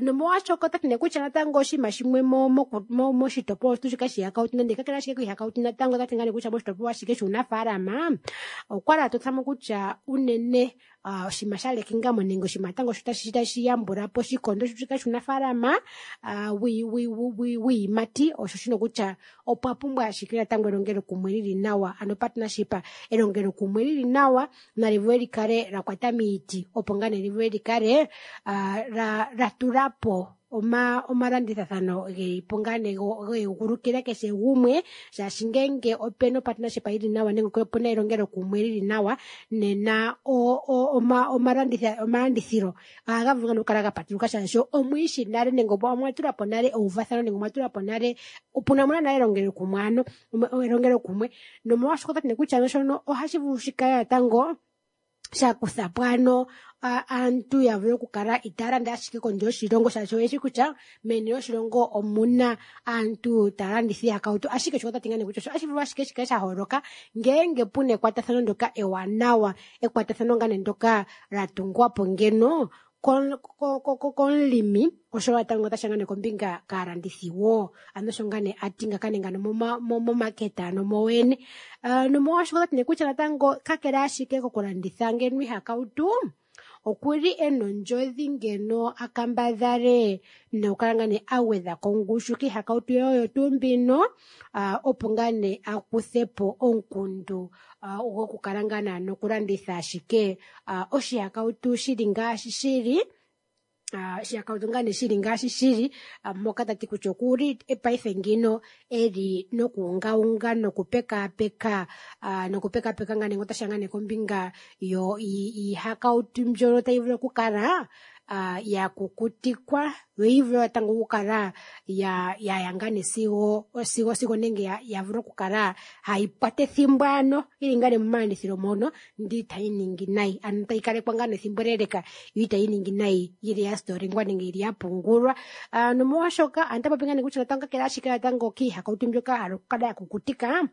S1: Nomolwashoka otati nee kutya natango oshinima shimwe moshitopolwa shetu shika shiihakautu nande kakele ashike kiihakautu natango otati ngaa nee kutya moshitopolwa ashike shuunafaalama okwali atothamo kutya unene oshinima sha lekingamo nenge oshinima natango sho tashi yambula po oshikondo shika shuunafaalama wiiyimati osho shino kutya opwa pumbwa ashike natango elongelokumwe lili nawa, ano partnership, elongelokumwe lili nawa nali vule likale la kwata miiti, opo ngaa nee li vule likale la tula po omalandithathano geli po ngaa nee geegulukila keshe gumwe, shaashi ngenge opena opartnership yili nawa nenge opena elongelokumwe lili nawa, nena omalandithilo ohaga vulu ngaa okukala ga patuluka, shaashi omwiishi nale nenge omwa tula po nale euvathano nenge omwa tula po nale opuna muna nale elongelokumwe, ano elongelokumwe. Nomolwashoka otati nee kutya shono ohashi vulu shikale natango sha kutha po ano aantu ya vule okukala itaya landa ashike kondje yoshilongo, shaashi oyeshi kutya meni lyoshilongo omuna aantu taya landitha iihakautu. Ashike shoka otati ngaa nee kutya ohashi vulu ashike shikale sha holoka ngeenge puna ekwatathano ndyoka ewanawa, ekwatathano ngaa nee ndyoka la tungwa po ngeno komulimi osho natango otashi ngaa nee kombinga kaalandithi wo. Ano osho ngaa nee ati ngaka nenge ano momaketa ano mowene. Nomolwashoka otati nee kutya natango kakele ashike kokulanditha ngeno iihakautu, okuli ena ondjodhi ngeno akambadhale nokukala ngaa nee agwedha kongushu kiihakautu oyo tuu mbino, opo ngaa nee akuthe po omukundu gokukala ngaa nee nokulanditha ashike oshihakautu shili ngaashi shili. Oshihakautu ngaa nee shili ngaashi shili moka tati kutya okuli paife ngino eli nokuungaunga nokupekaapeka nokupekaapeka ngaa nee otashiya ngaa nee kombinga yo iihakautu mbyono tayi vulu okukala ya kukutikwa yo yi vule natango okukala ya ya ngaa nee sigo sigo sigo nenge ya vule okukala hayi kwata ethimbo ano yili ngaa nee momalandithilo mono ndele itayi ningi nayi, ano tayi kalekwa ngaa nee ethimbo eleleka yo itayi ningi nayi yili ya stolingwa nenge yili ya pungulwa. Nomolwashoka aantu popi ngaa nee kutya natango kakele ashike natango kiihakautu mbyoka hala okukala ya kukutika,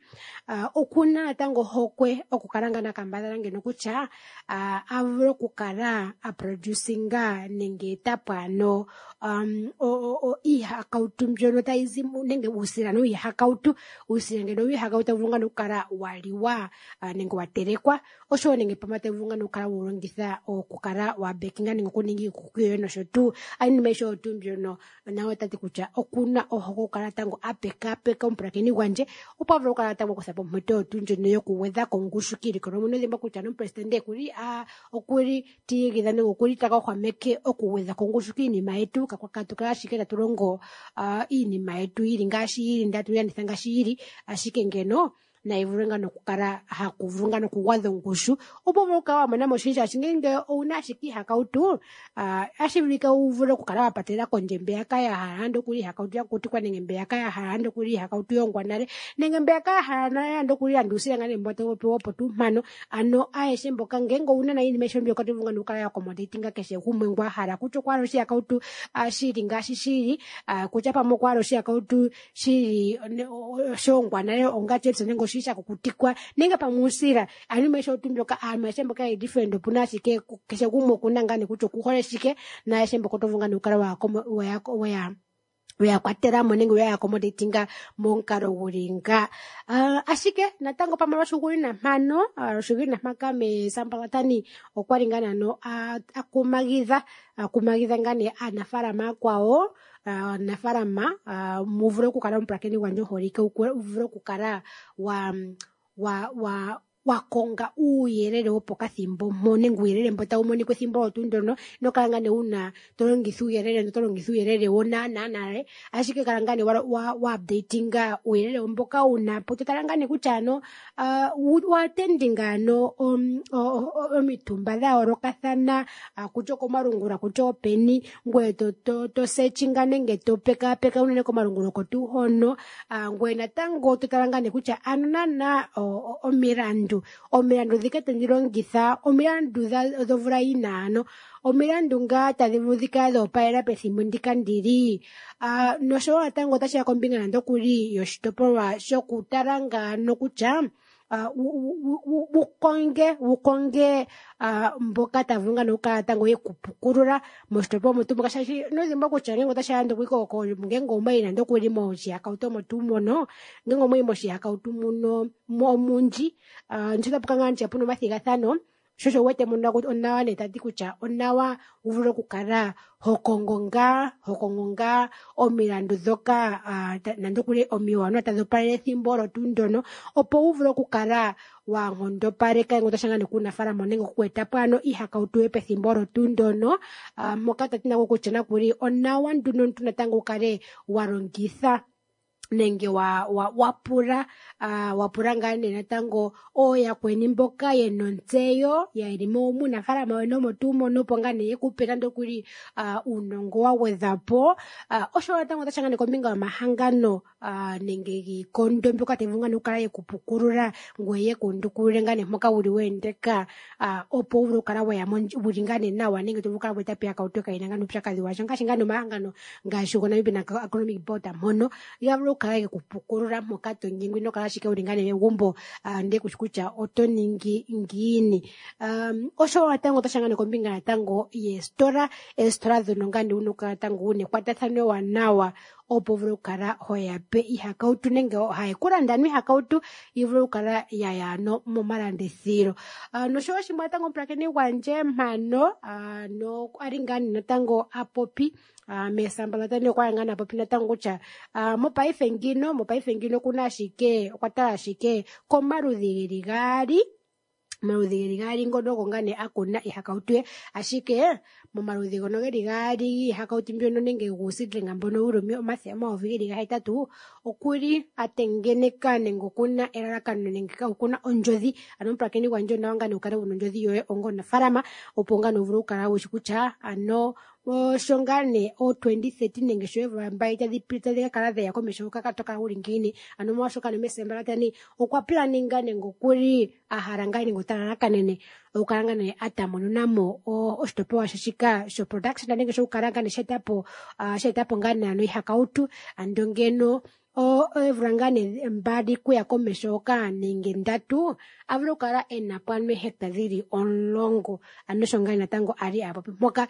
S1: okuna natango ohokwe okukala ngaa nakambadhala ngeno kutya a vule okukala a producinga nenge etapo ano iihakautu mbyono tayi zi nenge uusila wiihakautu, uusila ngeno wiihakautu tawu vulu ngaa okukala wa liwa nenge wa telekwa, oshowo nenge pamwe tawu vulu ngaa okukala wewu longitha okukala wa bekinga nenge okuninga iikuki yoye nosho tuu. Iinima ayihe oyo tuu mbyono naye ota ti kutya okuna ohokwe okukala natango a pekaapeka omupulakeni gwandje opo a vule okukala natango akutha po ompito oyo tuu ndjono yokugwedha ko ongushu kiilikolomwa. Ino dhimbwa kutya nomupresidente okuli okuli tiigidha nenge okuli taka hwameke okugwedha ko ongushu kiinima yetu, katu kale ashike tatu longo iinima yetu yili ngaashi yili ndele tatu yi landitha ngaashi yili, ashike ngeno nayi vule ngaa nokukala haku vulu ngaa nokugwadha ongushu opo vule okukala wa mona mo oshindji. Shaashi ngele owuna ashike iihakautu otashi vulika wu vule okukala wa patelela kondje mbeyaka ya hala nande okuli iihakautu ya kukutikwa nenge mbeyaka ya hala nande okuli iihakautu yongwa nale nenge mbeyaka ya hala nale nande okuli nande uusila ngaa nee mboka tawu popiwa opo tuu mpano. Ano ayehe mboka ngele owuna nayi iinima ayihe mbyoka oto vulu ngaa nokukala ya accommodatinga keshe gumwe ngu a hala, kutya okwa hala oshihakautu shili ngaashi shili, kutya pamwe okwa hala oshihakautu shili shongwa nale onga chips nenge oshili sha kukutikwa nenge pamwe uusila. Ano iinima ayihe oyo mbyoka aantu ayehe mboka yeli different opuna ashike keshe gumwe okuna ngaa nee kutya okuhole shike, naayehe mboka oto vulu ngaa nee okukala weya kwatela mo nenge weya accommodatinga momukalo guli nga. Ashike natango pamwe lwoshigwina mpano, lwoshigwina mpaka mesambalatani okwali ngaa nano akumagidha akumagidha ngaa nee aanafalama aakwawo, aanafalama mu vule okukala omupulakeni gwandje omuholike, wu vule okukala wa wa wa wakonga uuyelele wopokathimbo mpo nenge uuyelele mbo tawu monika ethimbo olyo tuu ndono. Ino kala ngaa nee wuna to longitha uuyelele to longitha uuyelele wonaana nale, ashike kala ngaa nee wa updatinga uuyelele mboka wuna po, to tala ngaa nee kutya ano wa attendinga ano omitumba dha yoolokathana, kutya okomalungula kutya openi, ngoye to searchinga nenge to pekaapeka unene komalungula oko tuu hono, ngoye natango to tala ngaa nee kutya ano naana omilandu omilandu dhika tandi longitha omilandu dhovula yina ano omilandu ngaa tadhi vulu dhikale dhoopalela pethimbo ndika ndili. Noshowo natango otashi ya kombinga nande okuli yoshitopolwa shokutala ngaano kutya wukonge wukonge mboka taya vulu ngaa nokukala natango yekupukulula moshitopolwa omo tuu moka, shaashi ino dhimbwa kutya ngele otashi ya nande okuli ngele omwayi nande okuli moshihakautu omo tuu mono, ngele omwayi moshihakautu muno omundji, nditye otapu kala ngaa puna omathigathano, sho osho wu wete mono onawa nee tati kutya onawa wu vule okukala ho kongo ngaa ho kongo ngaa omilandu dhoka nande okuli omiwanawa tadhi opalele ethimbo olo tuu ndono, opo wu vule okukala wa nkondopaleka ngele otashiya ngaa nee kuunafaalama nenge oku etapo ano iihakautu yoye pethimbo olo tuu ndono, moka tati nako kutya nakuli onawa nduno omuntu natango wu kale wa longitha nenge wa pula wa pula ngaa nee natango ooyakweni mboka yena ontseyo yeli muunafaalama weni omo tuu mono, opo ngaa nee yekupe nande okuli uunongo wa gwedhwa po. Oshowo natango otashi ya ngaa nee kombinga yomahangano nenge giikondo mbyoka tayi vulu ngaa nee okukala yekupukulula ngoye yeku undukulule ngaa nee mpoka wuli weendeka, opo wu vule okukala weya wuli ngaa nee nawa nenge to vulu okukala weeta po iihakautu kayina ngaa nee uupyakadhi washa, ngaashi ngaa nee omahangano ngaashi goNamibia Agronomic Board mpono ya vulu okukala yekupukulula mpoka to nyengwa, ino kala ashike wuli ngaa nee megumbo ndele kushi kutya oto ningi ngiini. Oshowo natango otashi ya ngaa nee kombinga natango yeesitola, eesitola dhono ngaa nee wuna okukala natango wuna ekwatathano ewanawa opo wu vule okukala hoya pe iihakautu nenge haye ku landa ano iihakautu yi vule okukala yaya ano momalandithilo. Noshowo shimwe natango omupulakeni gwandje mpano no ali ngaa nee natango a popi mesambalatani okwali ngaa nee a popi natango kutya mopaife ngino mopaife ngino okuna ashike okwa tala ashike komaludhi geli gaali, omaludhi geli gaali ngono ogo ngaa nee a kuna iihakautu ye, ashike Momaludhi ngono geli gaali giihakautu mbyono nenge guuseedling mbono wuli 800,000 okuli a tengeneka nenge okuna elalakano nenge okuna ondjodhi. Ano omupulakeni gwandje onawa ngaa nee wukale wuna ondjodhi yoye onga omunafaalama opo ngaa nee wuvule okukala wushi kutya ano sho ngaa nee o 2030 nenge sho oomvula mbali tadhi ka kala dheya komeho hoka to kala wuli ngiini. Ano molwaashoka Messi okwa planinga nenge okuli a hala ngaa nenge ota lalakanene okukala ngaa nee a tamununamo oshitopolwa she shika sho production nenge shokukala ngaa nee sha etapo ngaa nee ano iihakautu ando ngeno oomvula ngaa nee mbali kuya komeho hoka nenge ndatu a vule okukala ena po ano eehecta dhili 10. Ano osho ngaa natango a li a popi mpoka,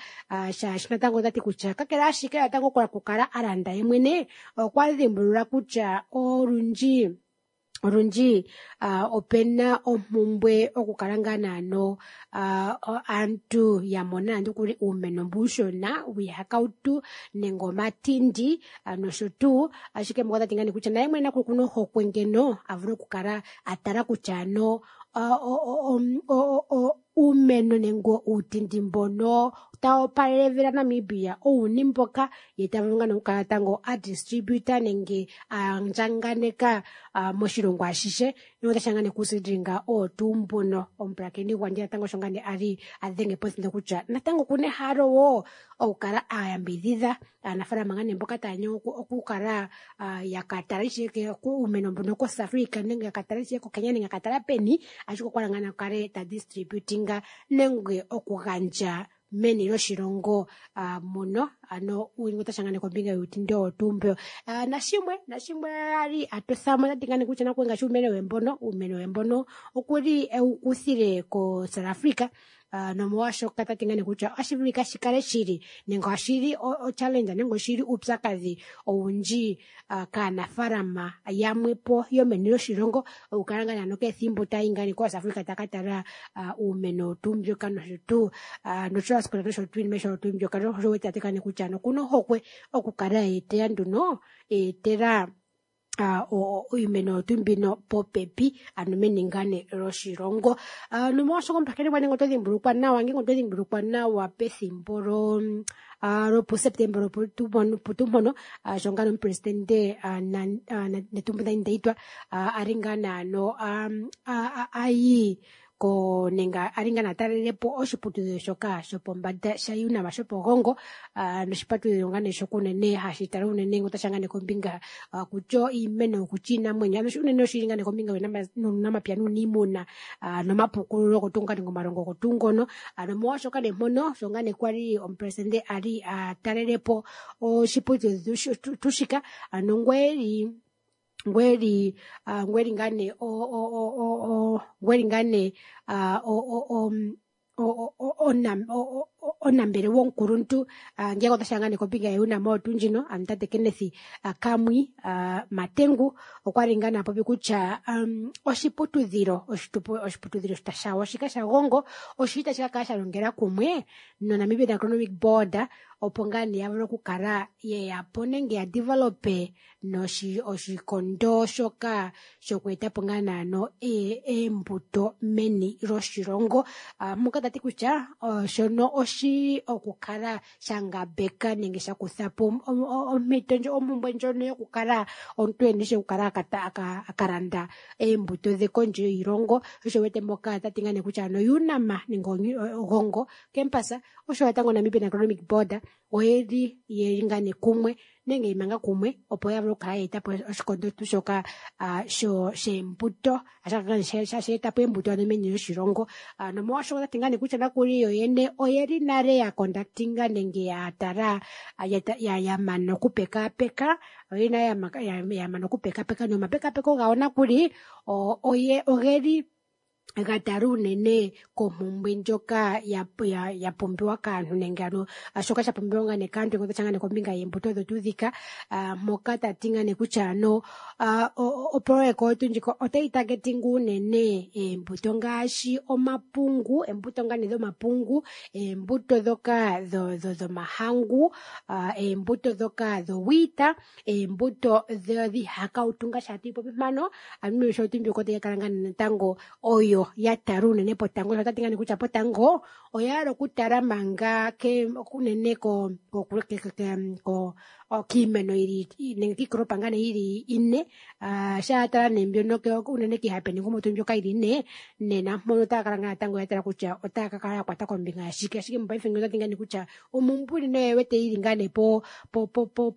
S1: shaashi natango otati kutya kakele ashike natango okukala a landa ye mwene okwa dhimbulula kutya olundji opena ompumbwe okukala ngaa naano aantu ya mona nande okuli uumeno mbu uushona wiihakautu nenge omatindi nosho tuu. Ashike mboka otati ngaa nee kutya naye mwene okuna ohokwe ngeno a vule okukala a tala kutya ano uumeno nenge uutindi mbono tawu opalele evi laNamibia owuni mboka ye ta vulu ngaa okukala tango a distributa nenge a andjaganeka moshilongo ashihe notashi ngaa nee kuseedlinga oo tuu mbuno. Omupulakeni gwandje natango osho ngaa nee a li a dhenge pothindo kutya natango okuna ehalo wo okukala a yambidhidha aanafaalama ngaa nee mboka taya nyengwa okukala ya ka tala ishewe uumeno mbono koSouth Africa nenge ya ka tala ishewe koKenya nenge ya ka tala peni, ashike okwa hala ngaa nee akale ta distributinga nenge okugandja meni lyoshilongo muno. Ano otashi ngaa nee kombinga yuutindi owo tuu mbo. Nashimwe a li a tothamo otati ngaa nee kutya nakuwe ngaashi uumeno we mbono okuli ewu kuthile koSouth Africa. Nomolwaashoka tati ngaa nee kutya otashi vulika shi kale shili nenge oshili o-challenge nenge oshili uupyakadhi owundji kaanafaalama yamwe po yomeni lyoshilongo okukala ngaa nee kethimbo tayi ngaa nee koSouth Africa taka tala uumeno tuu mbyoka nosho tuu notransport nosho tuu iinima ayihe tuu mbyoka. Osho wete tati ngaa nee kutya okuna ohokwe okukala eetela nduno eetela iimeno tuu mbino popepi ano meni ngaa nee lyoshilongo. Nomolwaashoka omupulakeni gwange oto dhimbulukwa nawa ngenge oto dhimbulukwa nawa pethimbo lopuSeptemba loputu mpono sho ngaa omupresidente Netumbo Nandi-Ndaitwah a li ngaa naano ayi ko nenge a li ngaa natalelepo oshiputudhilo shoka shopombanda shaUNAM shopoGongo, noshiputudhilo ngaa nee shoka unene hashi tala unene otashi ngaa nee kombinga kutya iimeno kutya iinamwenyo, ano unene oshili ngaa nee kombinga yuunamapya nuuniimuna nomapukululo gotunga nenge omalongo gotuu ngono. Ano molwaashoka nee mpono sho ngaa nee kwali omupresidente a li a talelepo oshiputudhilo tuu shika, ano ngweli ngweli ngaa nee ngweli ngaa nee onambelewa omukuluntu ngeke otashi ngaa nee kombinga yaUNAM oyo tuu ndjino, ano tate Kenneth Kamwi Matengu okwa li ngaa nee a popi kutya oshiputudhilo shawo shika shaGongo oshili tashi ka kala sha longela kumwe noNamibia Economic Board opo ngaa nee ya vule okukala yeya po nenge ya develope oshikondo shoka shoku etapo ngaa naano eembuto meni lyoshilongo. Moka tati kutya shono oshili okukala sha ngambeka nenge sha kutha po ompito ndjo ompumbwe ndjono yokukala omuntu ena ishewe okukala aka landa eembuto dhe kondje yiilongo. Osho wete moka tati ngaa nee kutya ano UNAM nenge Ogongo campus osho natango Namibian Economic Board oyeli yeli ngaa nee kumwe nenge imanga kumwe opo ya vule okukala ya etapo oshikondo tuu shoka sheembuto sha etapo eembuto ano meni lyoshilongo. Nomolwaashoka otati ngaa nee kutya nakuli yo yene oyeli nale ya conductinga nenge ya tala ya mana okupekapeka, oyeli nale ya mana okupekapeka nomapekapeko gawo nakuli ogeli ga tala unene kompumbwe ndjoka ya pumbiwa kaantu nenge ano shoka sha pumbiwa ngaa nee kaantu otashi ngaa nee kombinga yeembuto odho tuu dhika. Moka tati ngaa nee kutya ano opoloyeka oyo tuu ndjika otayi targetinga unene eembuto ngaashi omapungu, eembuto ngaa nee dhomapungu, eembuto dhoka dhomahangu, eembuto dhoka dhowheat, eembuto dhiihakautu ngaashi hatu yi popi mpano. Ano osho tuu mbyoka otayi ka kala ngaa nee natango oyo oyo ya tala unene potango. Ota ti ngani kutya potango oya hala okutala manga unene kiimeno yili nenge kiikolopa ngaa nee yili ine. Shaa tala nee mbyono unene kiihape niingumutulu mbyoka yili ine, nena mpono otaya kala ngaa natango ya tala kutya otaya ka kala ya kwata kombinga yashike. Ashike mopaife ngeyi ota ti ngaa nee kutya ompumbwe unene oye wete yili ngaa nee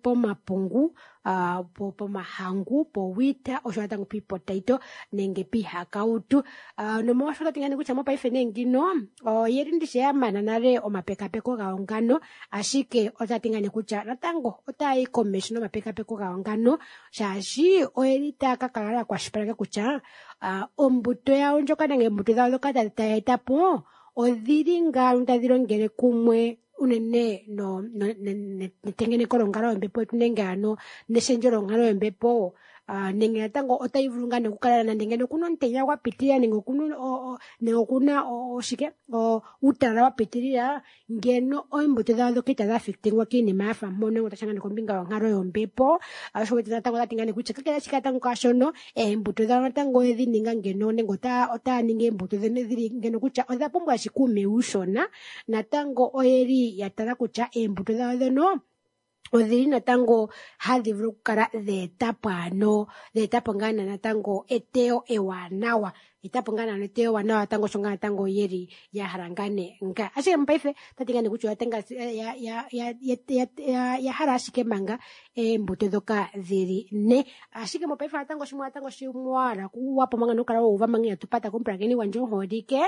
S1: pomapungu, pomahangu, powheat osho natango piipotaito nenge piihakautu. Nomolwaashoka ota ti ngaa nee kutya mopaife nee ngino oyeli ndishi ya mana nale omapekapeko gawo ngano, ashike ota ti ngaa nee kutya natango otaya yi komeho nomapekapeko gawo ngano, shaashi oyeli taya ka kala ya kwashilipaleka kutya ombuto yawo ndjoka nenge oombuto dhawo ndhoka taya eta po odhili ngaa tadhi longele kumwe unene netengeneko lonkalo yombepo yetu nenge ano neshendjo lonkalo yombepo, nenge natango otayi vulu ngaa okukala nande ngeno okuna omutenya gwa pitilila nenge okuna oshike uutalala wa pitilila, ngeno oombuto dhawo ndhoka itadhi affectingwa kiinima yafa mpono otashi ngaa kombinga yonkalo yombepo. Osho wete natango otati ngaa nee kutya kakele ashike natango kwaashono, oombuto dhawo natango oyedhi ninga ngeno nenge otaya ningi oombuto dhili ngeno kutya odha pumbwa ashike uumeya uushona, natango oyeli ya tala kutya oombuto dhawo ndhono odhili natango hadhi vulu okukala dha etapo ano dha etapo ngaa natango eteyo ewanawa, etapo ngaa naana eteyo ewanawa natango osho ngaa natango yeli ya hala ngaa nee nga. Ashike mopaife otati ngaa nee kutya ya hala ashike manga oombuto ndhoka dhili ne. Ashike mopaife natango shimwe natango shimwe wa hala wapo manga nokukala wa uva manga inatu pata komupulakeni gwandje omuholike,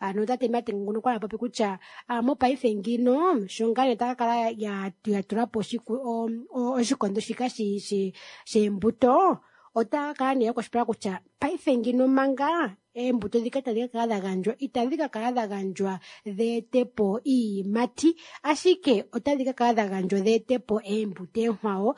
S1: ano tate Martin nguno okwali a popi kutya mopaife ngino sho ngaa nee taya ka kala ya tula po oshikondo shika sheembuto, otaya kala nee ya kwashilipaleka kutya paife ngino manga oombuto ndhika tadhi ka kala dha gandjwa itadhi ka kala dha gandjwa dhi ete po iiyimati, ashike otadhi ka kala dha gandjwa dhi ete po oombuto oonkwawo,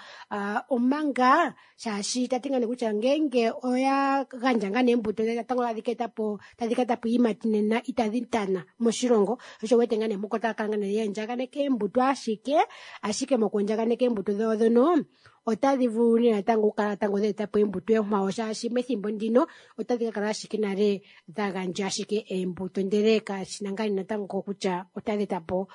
S1: omanga shaashi ta ti ngaa nee kutya ngeenge oya gandja ngaa nee oombuto natango tadhi ka eta po tadhi ka eta po iiyimati nena itadhi tana moshilongo. Osho wete ngaa nee mpoka otaya kala ngaa nee ya andjaganeka oombuto ashike, ashike moku andjaganeka oombuto dhawo ndhono otadhi vulu nee natango okukala natango dha eta po oombuto oonkwawo, shaashi methimbo ndino otadhi ka kala ashike nale dha gandja ashike oombuto ndele kashina ngaa natango kutya otadhi eta po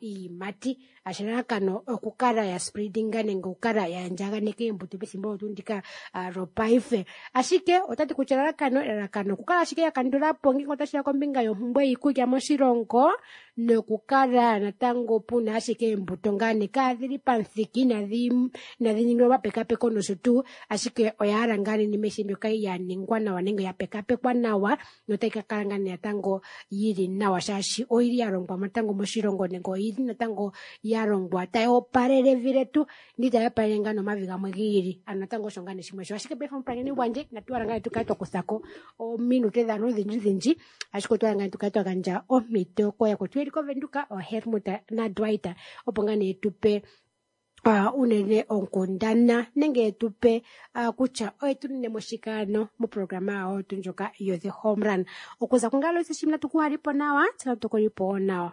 S1: iiyimati. Elalakano okukala ya spreadinga nenge okukala ya andjaganeka oombuto pethimbo olyo tuu ndika lopaife. Ashike otati kutya elalakano okukala ashike ya kandula po ngele otashi ya kombinga yompumbwe yiikulya moshilongo, nokukala natango puna ashike oombuto ngaa nee kaadhili pamuthika, inadhi ningilwa omapekapeko nosho tuu, ashike oya hala ngaa nee iinima mbyoka ya ningwa nawa nenge ya pekapekwa nawa notayi ka kala ngaa nee natango yili nawa, shaashi oyili ya longwa natango moshilongo nenge oyili natango ya longwa tayi opalele evi letu nitayi opalele ngaa nomavi gamwe gi ili. Ano natango osho ngaa nee shimwe sho. Ashike paife omupulakeni gwandje inatu hala ngaa nee tukale twa kuthako ominute dhaantu odhindji dhindji, ashike otwa hala ngaa nee tukale twa gandja ompito kooyakwetu yeli koVenduka, ooHelmut naDwight, opo ngaa nee tupe unene onkundana nenge tupe kutya oye tu nine mo shike ano moprograma yawo tu ndjoka yo The Home Run. Okuza kungalo shimwe natu ku halipo nawa, tse natu kulipo wo nawa.